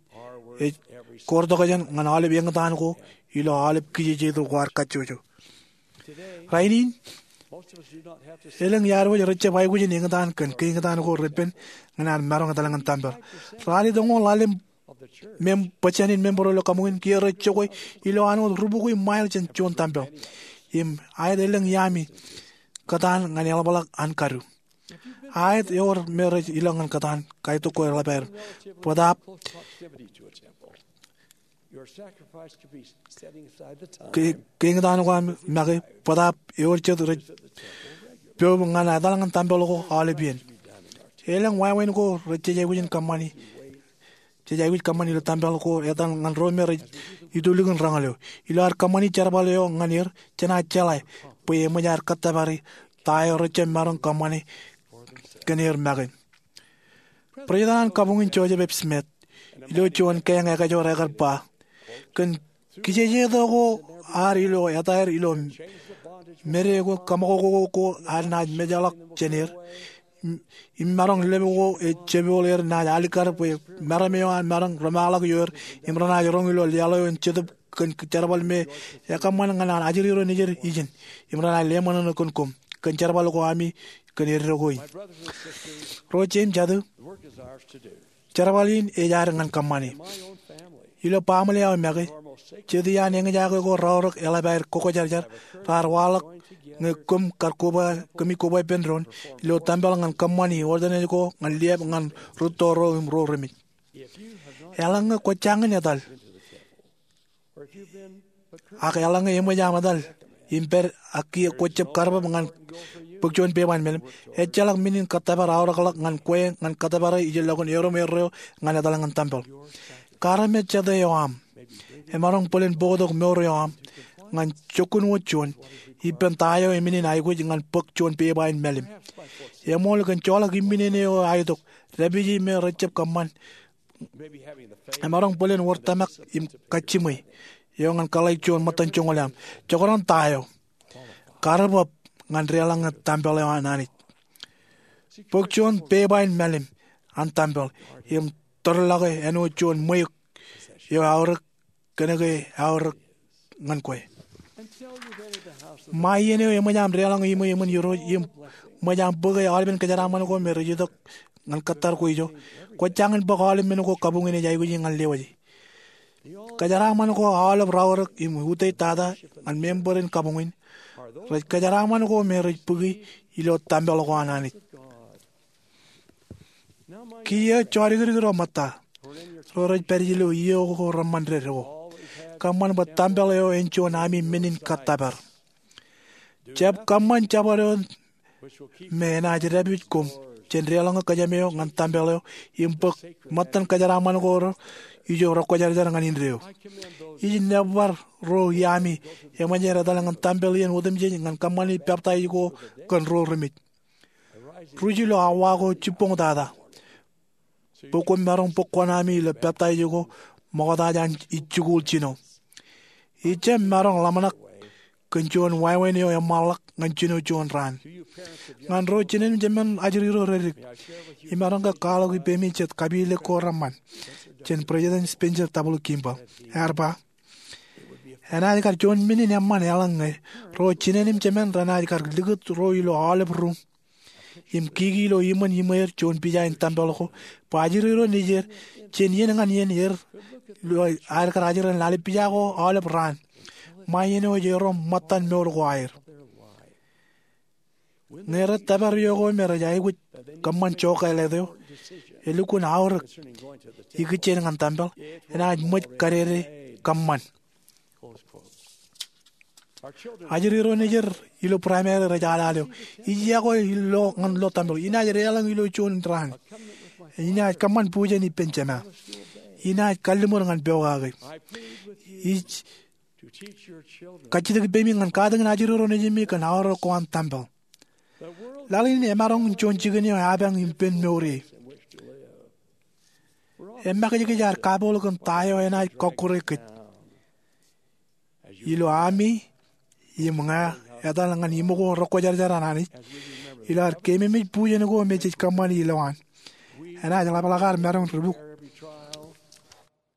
ej koortokjān ñan aolep eñtaan ko ilo aolep kijejeito ko ad kajjojo. Rainin, elōñ iar wōj rej jab aikuj in eñtaan kōn keeñtaan ko repen ñan ad maroñ etal ñan tempel. Ralitōñoul ḷalem mem-, bōjjān in member ro ilo kaṃōk in kiiō rej jokwe ilo āinwōt rubukwi mile jān juon tempel. Im aet elōñ iaami kōtaan ñan eḷapḷọk an kadu. Aet ewōr me rej ilọk ñan kōtaan, kaitok ko eḷap aer. Bōtaab ke-, keeñtaan ko aṃ make, bōtaab ewōr jet rej poob ñan etal ñan tempel ko aolep iien. Elōñ wāween ko rej jej aikuj in kōṃṃani, jej aikuj kōṃṃani ilo tempel ko etal ñan ro me rej itulikin roñoul eo. Ilo ad kōṃṃani jerbal eo ñan er, jenaaj jeḷā bwe eṃōj aer kōttōpare ta eo rej jab maroñ kōṃṃane kōn er make. President an kabuñ in Joseph F. Smith ilo juon keeñ ekajoor ekar ba, kōn kijejeto ko ad ilo etaer ilo mede ko kaṃakoko ko ad naaj mejḷọk jān er im, im maroñ lōb ko ej jepooḷ er naaj alikkar bwe meram eo an maroñ rōmaḷọk ioer im renaaj roñ ilo laḷ eo in jetōb kōn jerbal me ekōṃṃan ñan an ajri ro nejid ijin im renaaj leṃōṇōṇō kōn koṃ kōn jerbal ko ami kōn eddo ko in. Ro jeiū im jatū, jerbal in ej ad ñan kōṃṃane. Ilo baaṃle aō make, jet iaan eñjake ko raorōk eḷap aer kokwōjarjar, raar waḷọk ñe koṃ kar koba, kōmij koba ippān doon ilo tempel ñan kōṃṃani ordinance ko ñan liab ñan rūtto ro im ro remej. Eḷaññe kwōj jañin etal ak eḷaññe eṃōj aṃ etal im pād ak kiiō kwōj jab karbōb ñan bōk juon pepa in melim, ejjeḷọk men in kōttōpar aorōkḷọk ñan kwe ñan kōttōpare ijellọkin erom erreo ñan etal ñan tempel. Kar me jete eo aṃ emaroñ bōlen bōktok mour eo aṃ ñan jokkun wōt juon ippān ta eo emenin aikuj ñan bōk juon pepa in mālim. Eṃool kōn joḷọk imminene eo aetok, dāpiji me rejjab kōṃṃan. Emaroñ bōlen wōr tōmak im kajjimwe eo ñan kōḷḷāik juon ṃōttan joñoul eo aṃ. Jekdọọn ta eo. Karreoḷọk ñan deḷọñ ñan tempel eo an Anij. Bōk juon pepa in mālim an tempel im tōrḷọke āinwōt juon ṃweiuk eo eaorōk kōnke eaorōk ñan kwe. Ṃae iien eo eṃōj aṃ deḷọñ iṃwe eṃōn Irooj im ṃōj aṃ bōke aolepen kōjeraaṃṃan ko me rej itok ñan kōttar ko ijo, kwōj jañin bōk aolep men ko kabuñin ej aikuji ñan lewōje. Kōjeraaṃṃan ko aolep raorōk im utiej tata ñan member in kabuñin rej kōjeraaṃṃan ko me rej bōki ilo tempel ko an Anij. Kiiō jodikdik ro ṃōtta ro rej pād ilo iiō ko reṃṃan dedik ko, kōṃṃan bwe tempel eo en juon ami men in kōttōpar. Jab kōṃṃan jabdewōt me enaaj dāpij koṃ jān deḷọñe kōjām eo ñan tempel eo im bōk ṃōttan kōjeraaṃṃan ko ro ijo rekwōjarjar ñan indeeo. Ij nōbar ro iami eṃōj aer etal ñan tempel iien otemjej ñan kōṃṃani peptaij ko kōn ro remej. Ruj ilo awa ko jibboñ tata bwe koṃ maroñ bōk kuṇaami ilo peptaij ko ṃokta jān ij jikuuḷ jino. Ij jab maroñ ḷōmṇak kōn juon wāween eo eṃṃanḷọk ñan jino juon raan. Ñan ro jinen im jemān ajri ro redik, imaroñ ke kwaḷọk ippemi jet kapilōk ko reṃṃan jān President Spencer W. Kimball. Ear ba, enaaj kar juon men in eṃṃan eḷaññe ro jinen im jemān renaaj kar likūt ro ilo aolep ruum im kiki ilo iṃōn iṃweer juon pija in tempel ko bwe ajri ro nejier jān iien ñan iien er ilo aer kar ajri ḷalem pija ko aolep raan ṃae iien eo ej erom ṃōttan mour ko aer. Ñe rej tōpar iiō ko me rej aikuj kōṃṃan jokālet eo, elukkuun aorōk ikijjien ñan tempel enaaj ṃōj kadede kōṃṃan. Ajri ro nejier ilo primary rej alal eo, ij yokwe ilo ñan lo tempel, inaaj deḷọñ ilo juon raan, inaaj kōṃṃan bujen ippān jema, inaaj kalliṃur ñan pokake. Ij kajjitōk ippemi ñan katakin ajri ro nejimi kōn aorōk ko an tempel. Laḷ in emaroñ in juon jikin eo epañ im pen mour ie. Emakijkij ad kapool kōn ta eo enaaj kọkkure kōj. Ilo ami im ña etal ñan iṃō ko rekwōjarjar an Anij ilo ad keememej bujen ko me jej kōṃṃani ilowaan, enaaj ḷapḷọk ad maroñ ri buk.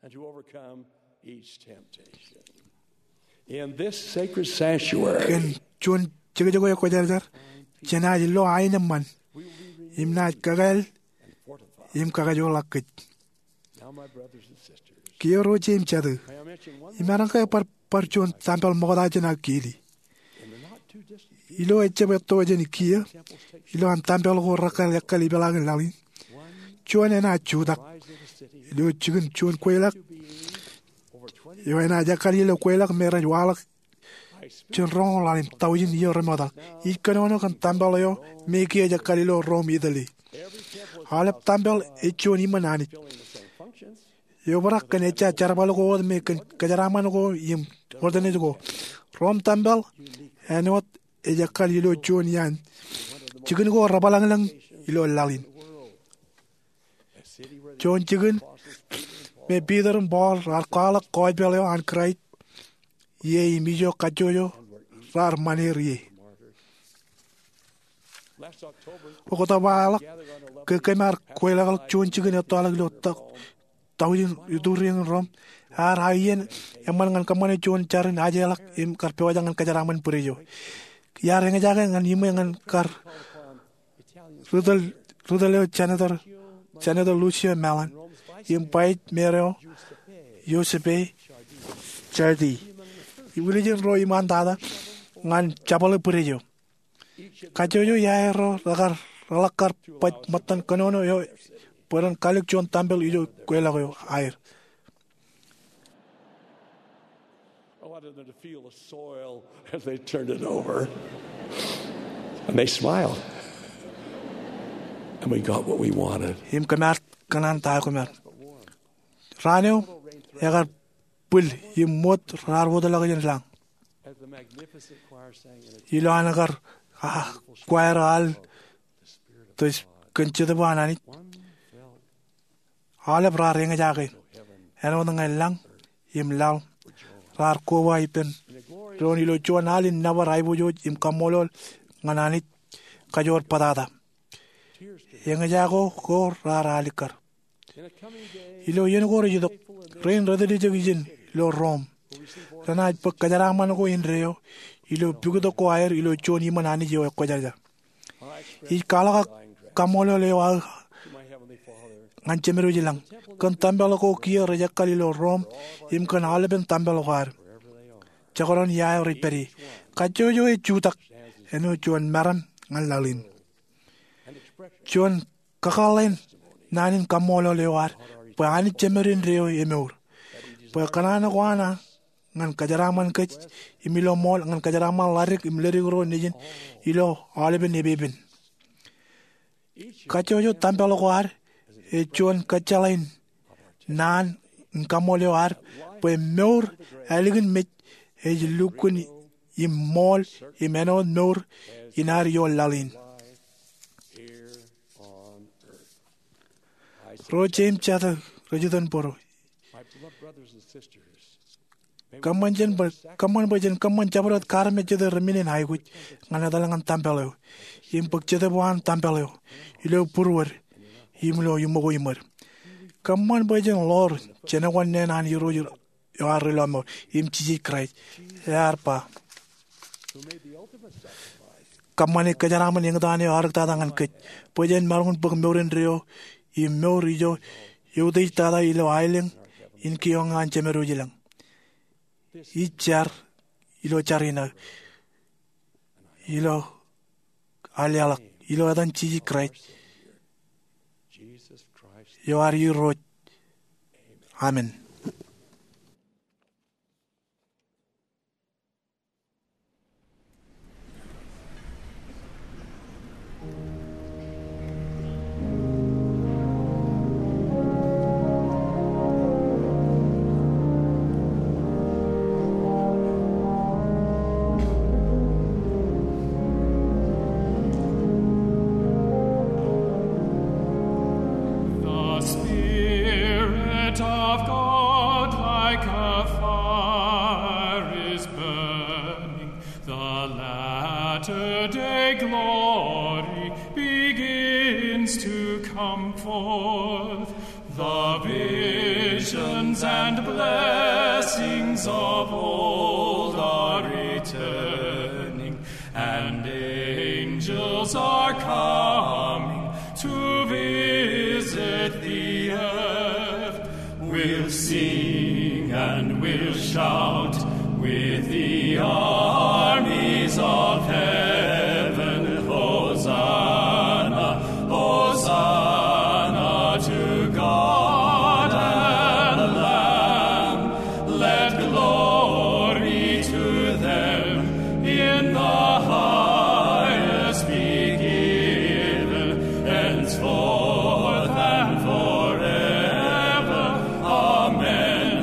And to overcome each temptation. In this sacred sanctuary, kōn juon jekjek eo ekwōjarjar, jenaaj lo aenōṃṃan im naaj kakāāl im kakajoorḷọk kōj. Now, my brothers and sisters, kiiō ro jeiū im jatū, imaroñ ke bar, bar juon tempel ṃokta jān aō kili. Ilo ejjab etto jān kiiō, ilowaan tempel ko rekkāāl ekkal ipeḷaakin laḷ in, juon enaaj jutak ilo jikin juon kweilọk eo enaaj ekkal ilo kweilọk me rej waḷọk jān roñoul ḷalem taujin iiō remootḷọk. Ij kōnono kōn tempel eo me kiiō ej ekkal ilo Rome, Italy. Aolep tempel ej juon iṃōn Anij. Eobrak kōn ejja jerbal ko wōt me kōn kōjeraaṃṃan ko im ortōnaaj ko. Rome tempel āinwōt ej ekkal ilo juon iaan jikin ko rebōḷañḷōñ ilo laḷ in. Juon jikin me Peter im Paul raar kwaḷọk gospel eo an Kraist ie im ijo kajjojo raar ṃan er ie. Oktoba eo ḷọk, ke kōm ar kweilọkḷọk juon jikin ettoḷọk ilo taujin ituriañ in Rome, ear aō iien eṃṃan ñan kōṃṃane juon jar in ajeḷọk im kar pojak ñan kōjeraaṃṃan bwidej eo. Iar eñjake ñan iṃwe ñan kar ri tōl, ri tōl eo Senator, Senator Lucio Malan im vice mayor eo Giuseppe Ciardi. Im lijin ro iṃaantata ñan jabōḷe bwidej eo. Kajjojo iaer ro rekar reḷak kar baj ṃōttan kōnono eo bwe ren kallik juon tempel ijo kweilọk eo aer. I wanted them to feel the soil as they turned it over. And they smiled. And we got what we wanted. Im kōm ar kōṇaan ta eo kōm ar. Raan eo, ekar bwil im ṃoot raar wōtlọk jān lañ. Ilo an kar, ah, choir al tōj kōn Jetōb an Anij, aolep raar eñjake. Āinwōt ñan lañ im laḷ raar koba ippān doon ilo juon al in nōbar aiboojoj im kaṃṃoolol ñan Anij kajoor bōtata. Eñjake ko raar alikkar. Ilo iien ko rej itok, rein rej dāpdepdep ijin ilo Rom renaaj bōk kōjeraaṃṃan ko indeeo ilo pikitok ko aer ilo juon iṃōn Anij eo ekwōjarjar. Ij kwaḷọk aō kaṃṃoolol eo aō ñan Jemedwōj ilañ kōn tempel ko kiiō rej ekkal ilo Rom im kōn aolepen tempel ko ad. Jekdọọn ia eo rej pād ie. Kajjojo ej jutak āinwōt juon meram ñan laḷ in. Juon kakōḷḷe in naan in kaṃṃoolol eo ad bwe Anij Jemed indeeo emour. Bwe kōṇaan ko an ñan kōjeraaṃṃan kōj im ilo ṃool ñan kōjeraaṃṃan ḷadik im ledik ro nejin ilo aolepen epepen. Kajjojo tempel ko ad ej juon kōjjeḷā in naan in kaṃṃoolol eo ad bwe mour ālikin mej ej lukkuun im ṃool im āinwōt mour in ad ioon laḷ in. Ro jeiū im jatū rej itok bōro, kōṃṃan bwe, kōṃṃan bwe jen kōṃṃan jabdewōt kaarmejjete remenen aikuj ñan etal ñan tempel eo im bōk jetōb eo an tempel eo ilo būruod im ilo iṃōko iṃōd. Kōṃṃan bwe jen ḷoor jenekwanne an Irooj eo ad Rilọmọọr im Jisōs Kraist, ear ba, kōṃṃane kōjeraaṃṃan eñtaan eo eaarōktata ñan kōj bwe jen maroñ in bōk mour indeeo im mour ijo eutiej tata ilo aelōñ in kioñ an Jemedwōj ilañ. Ij jar ilo jar in aō ilo aō leḷọk ilo etan Jisōs Kraist eo ad Irooj. Amen. The Spirit of God like a fire is burning. The latter day glory begins to come forth. The visions and blessings of old are returning, and angels are coming to visit the earth. We'll sing and we'll shout with the armies of heaven. Hosanna, Hosanna to God and Lamb. Let glory to them in the highest be given, henceforth and forever. Amen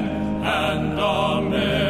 and amen.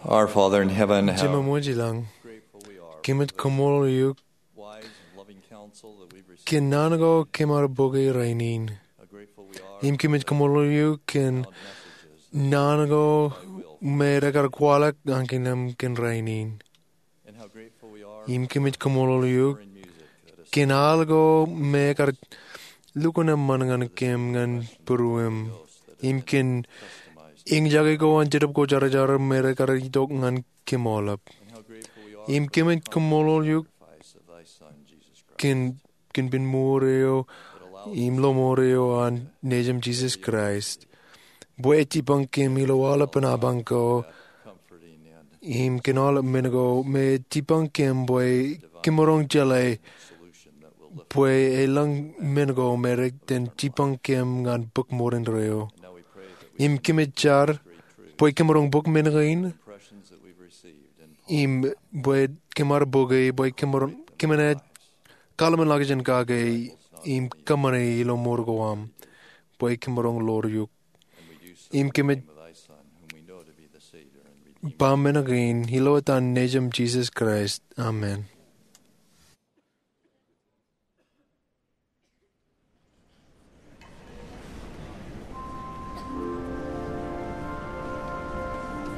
Our Father in heaven, Jemem wōj ilañ, kōmij kaṃṃoolol eok kōn naan ko kōm ar bōke rainin. Im kōmij kaṃṃoolol eok kōn naan ko me rekar kwaḷọk ñan kōm kōn rainin. Im kōmij kaṃṃoolol eok kōn al ko me ekar lukkuun eṃṃan ñan kōm ñan būruem. Im kōn eñjake ko an Jetōb Kwōjarjar me rekar itok ñan kōm aolep. Im kōmij kaṃṃoolol eok kōn kōn pen mour eo im lọmọọr eo an Nejūṃ Jisōs Kraist, bwe ej jipañ kōm ilo aolepān apañ ko im kōn aolep men ko me ej jipañ kōm bwe kōmaroñ jeḷā bwe elōñ men ko me rej iten jipañ kōm ñan bōk mour indeeo. Im kōmij jar bwe kōmaroñ bōk men kein im bwe kōm ar bōke bwe kōm enaaj kaḷmenḷọkjeṇ kake im kōṃṃane ilo mour ko aṃ bwe kōmaroñ ḷoor eok. Im kōmij ba men kein ilo etan Nejūṃ Jisōs Kraist, amen.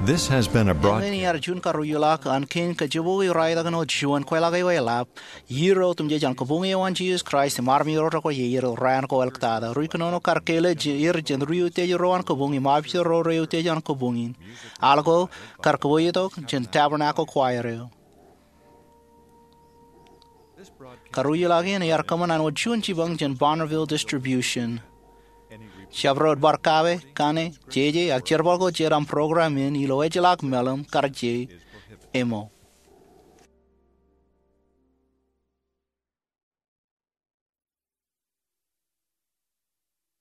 This has been a broadcast. Eñin iar juon karuijoḷọk an kein kajjibwe raelọk eo juon kweḷap eo eḷap, irooj otemjej an kabuñ eo an Jisōs Kraist im armej ro rekwōj iiō raan ko āliktata. Ri kōnono kar kele er jān ri utiej ro an kabuñ im armej ro re utiej an kabuñ in. Al ko kar kōboojotok jān Tabernacle Choir eo. Karuijoḷọk in iar kōṃṃan an wōt juon jipañ jān Bonneville Distribution. Jabdewōt bar kake, kaṇe, jeje, ak jerbal ko jet aṃ program in ilo ejjeḷọk meḷeḷe kar jeiū eo.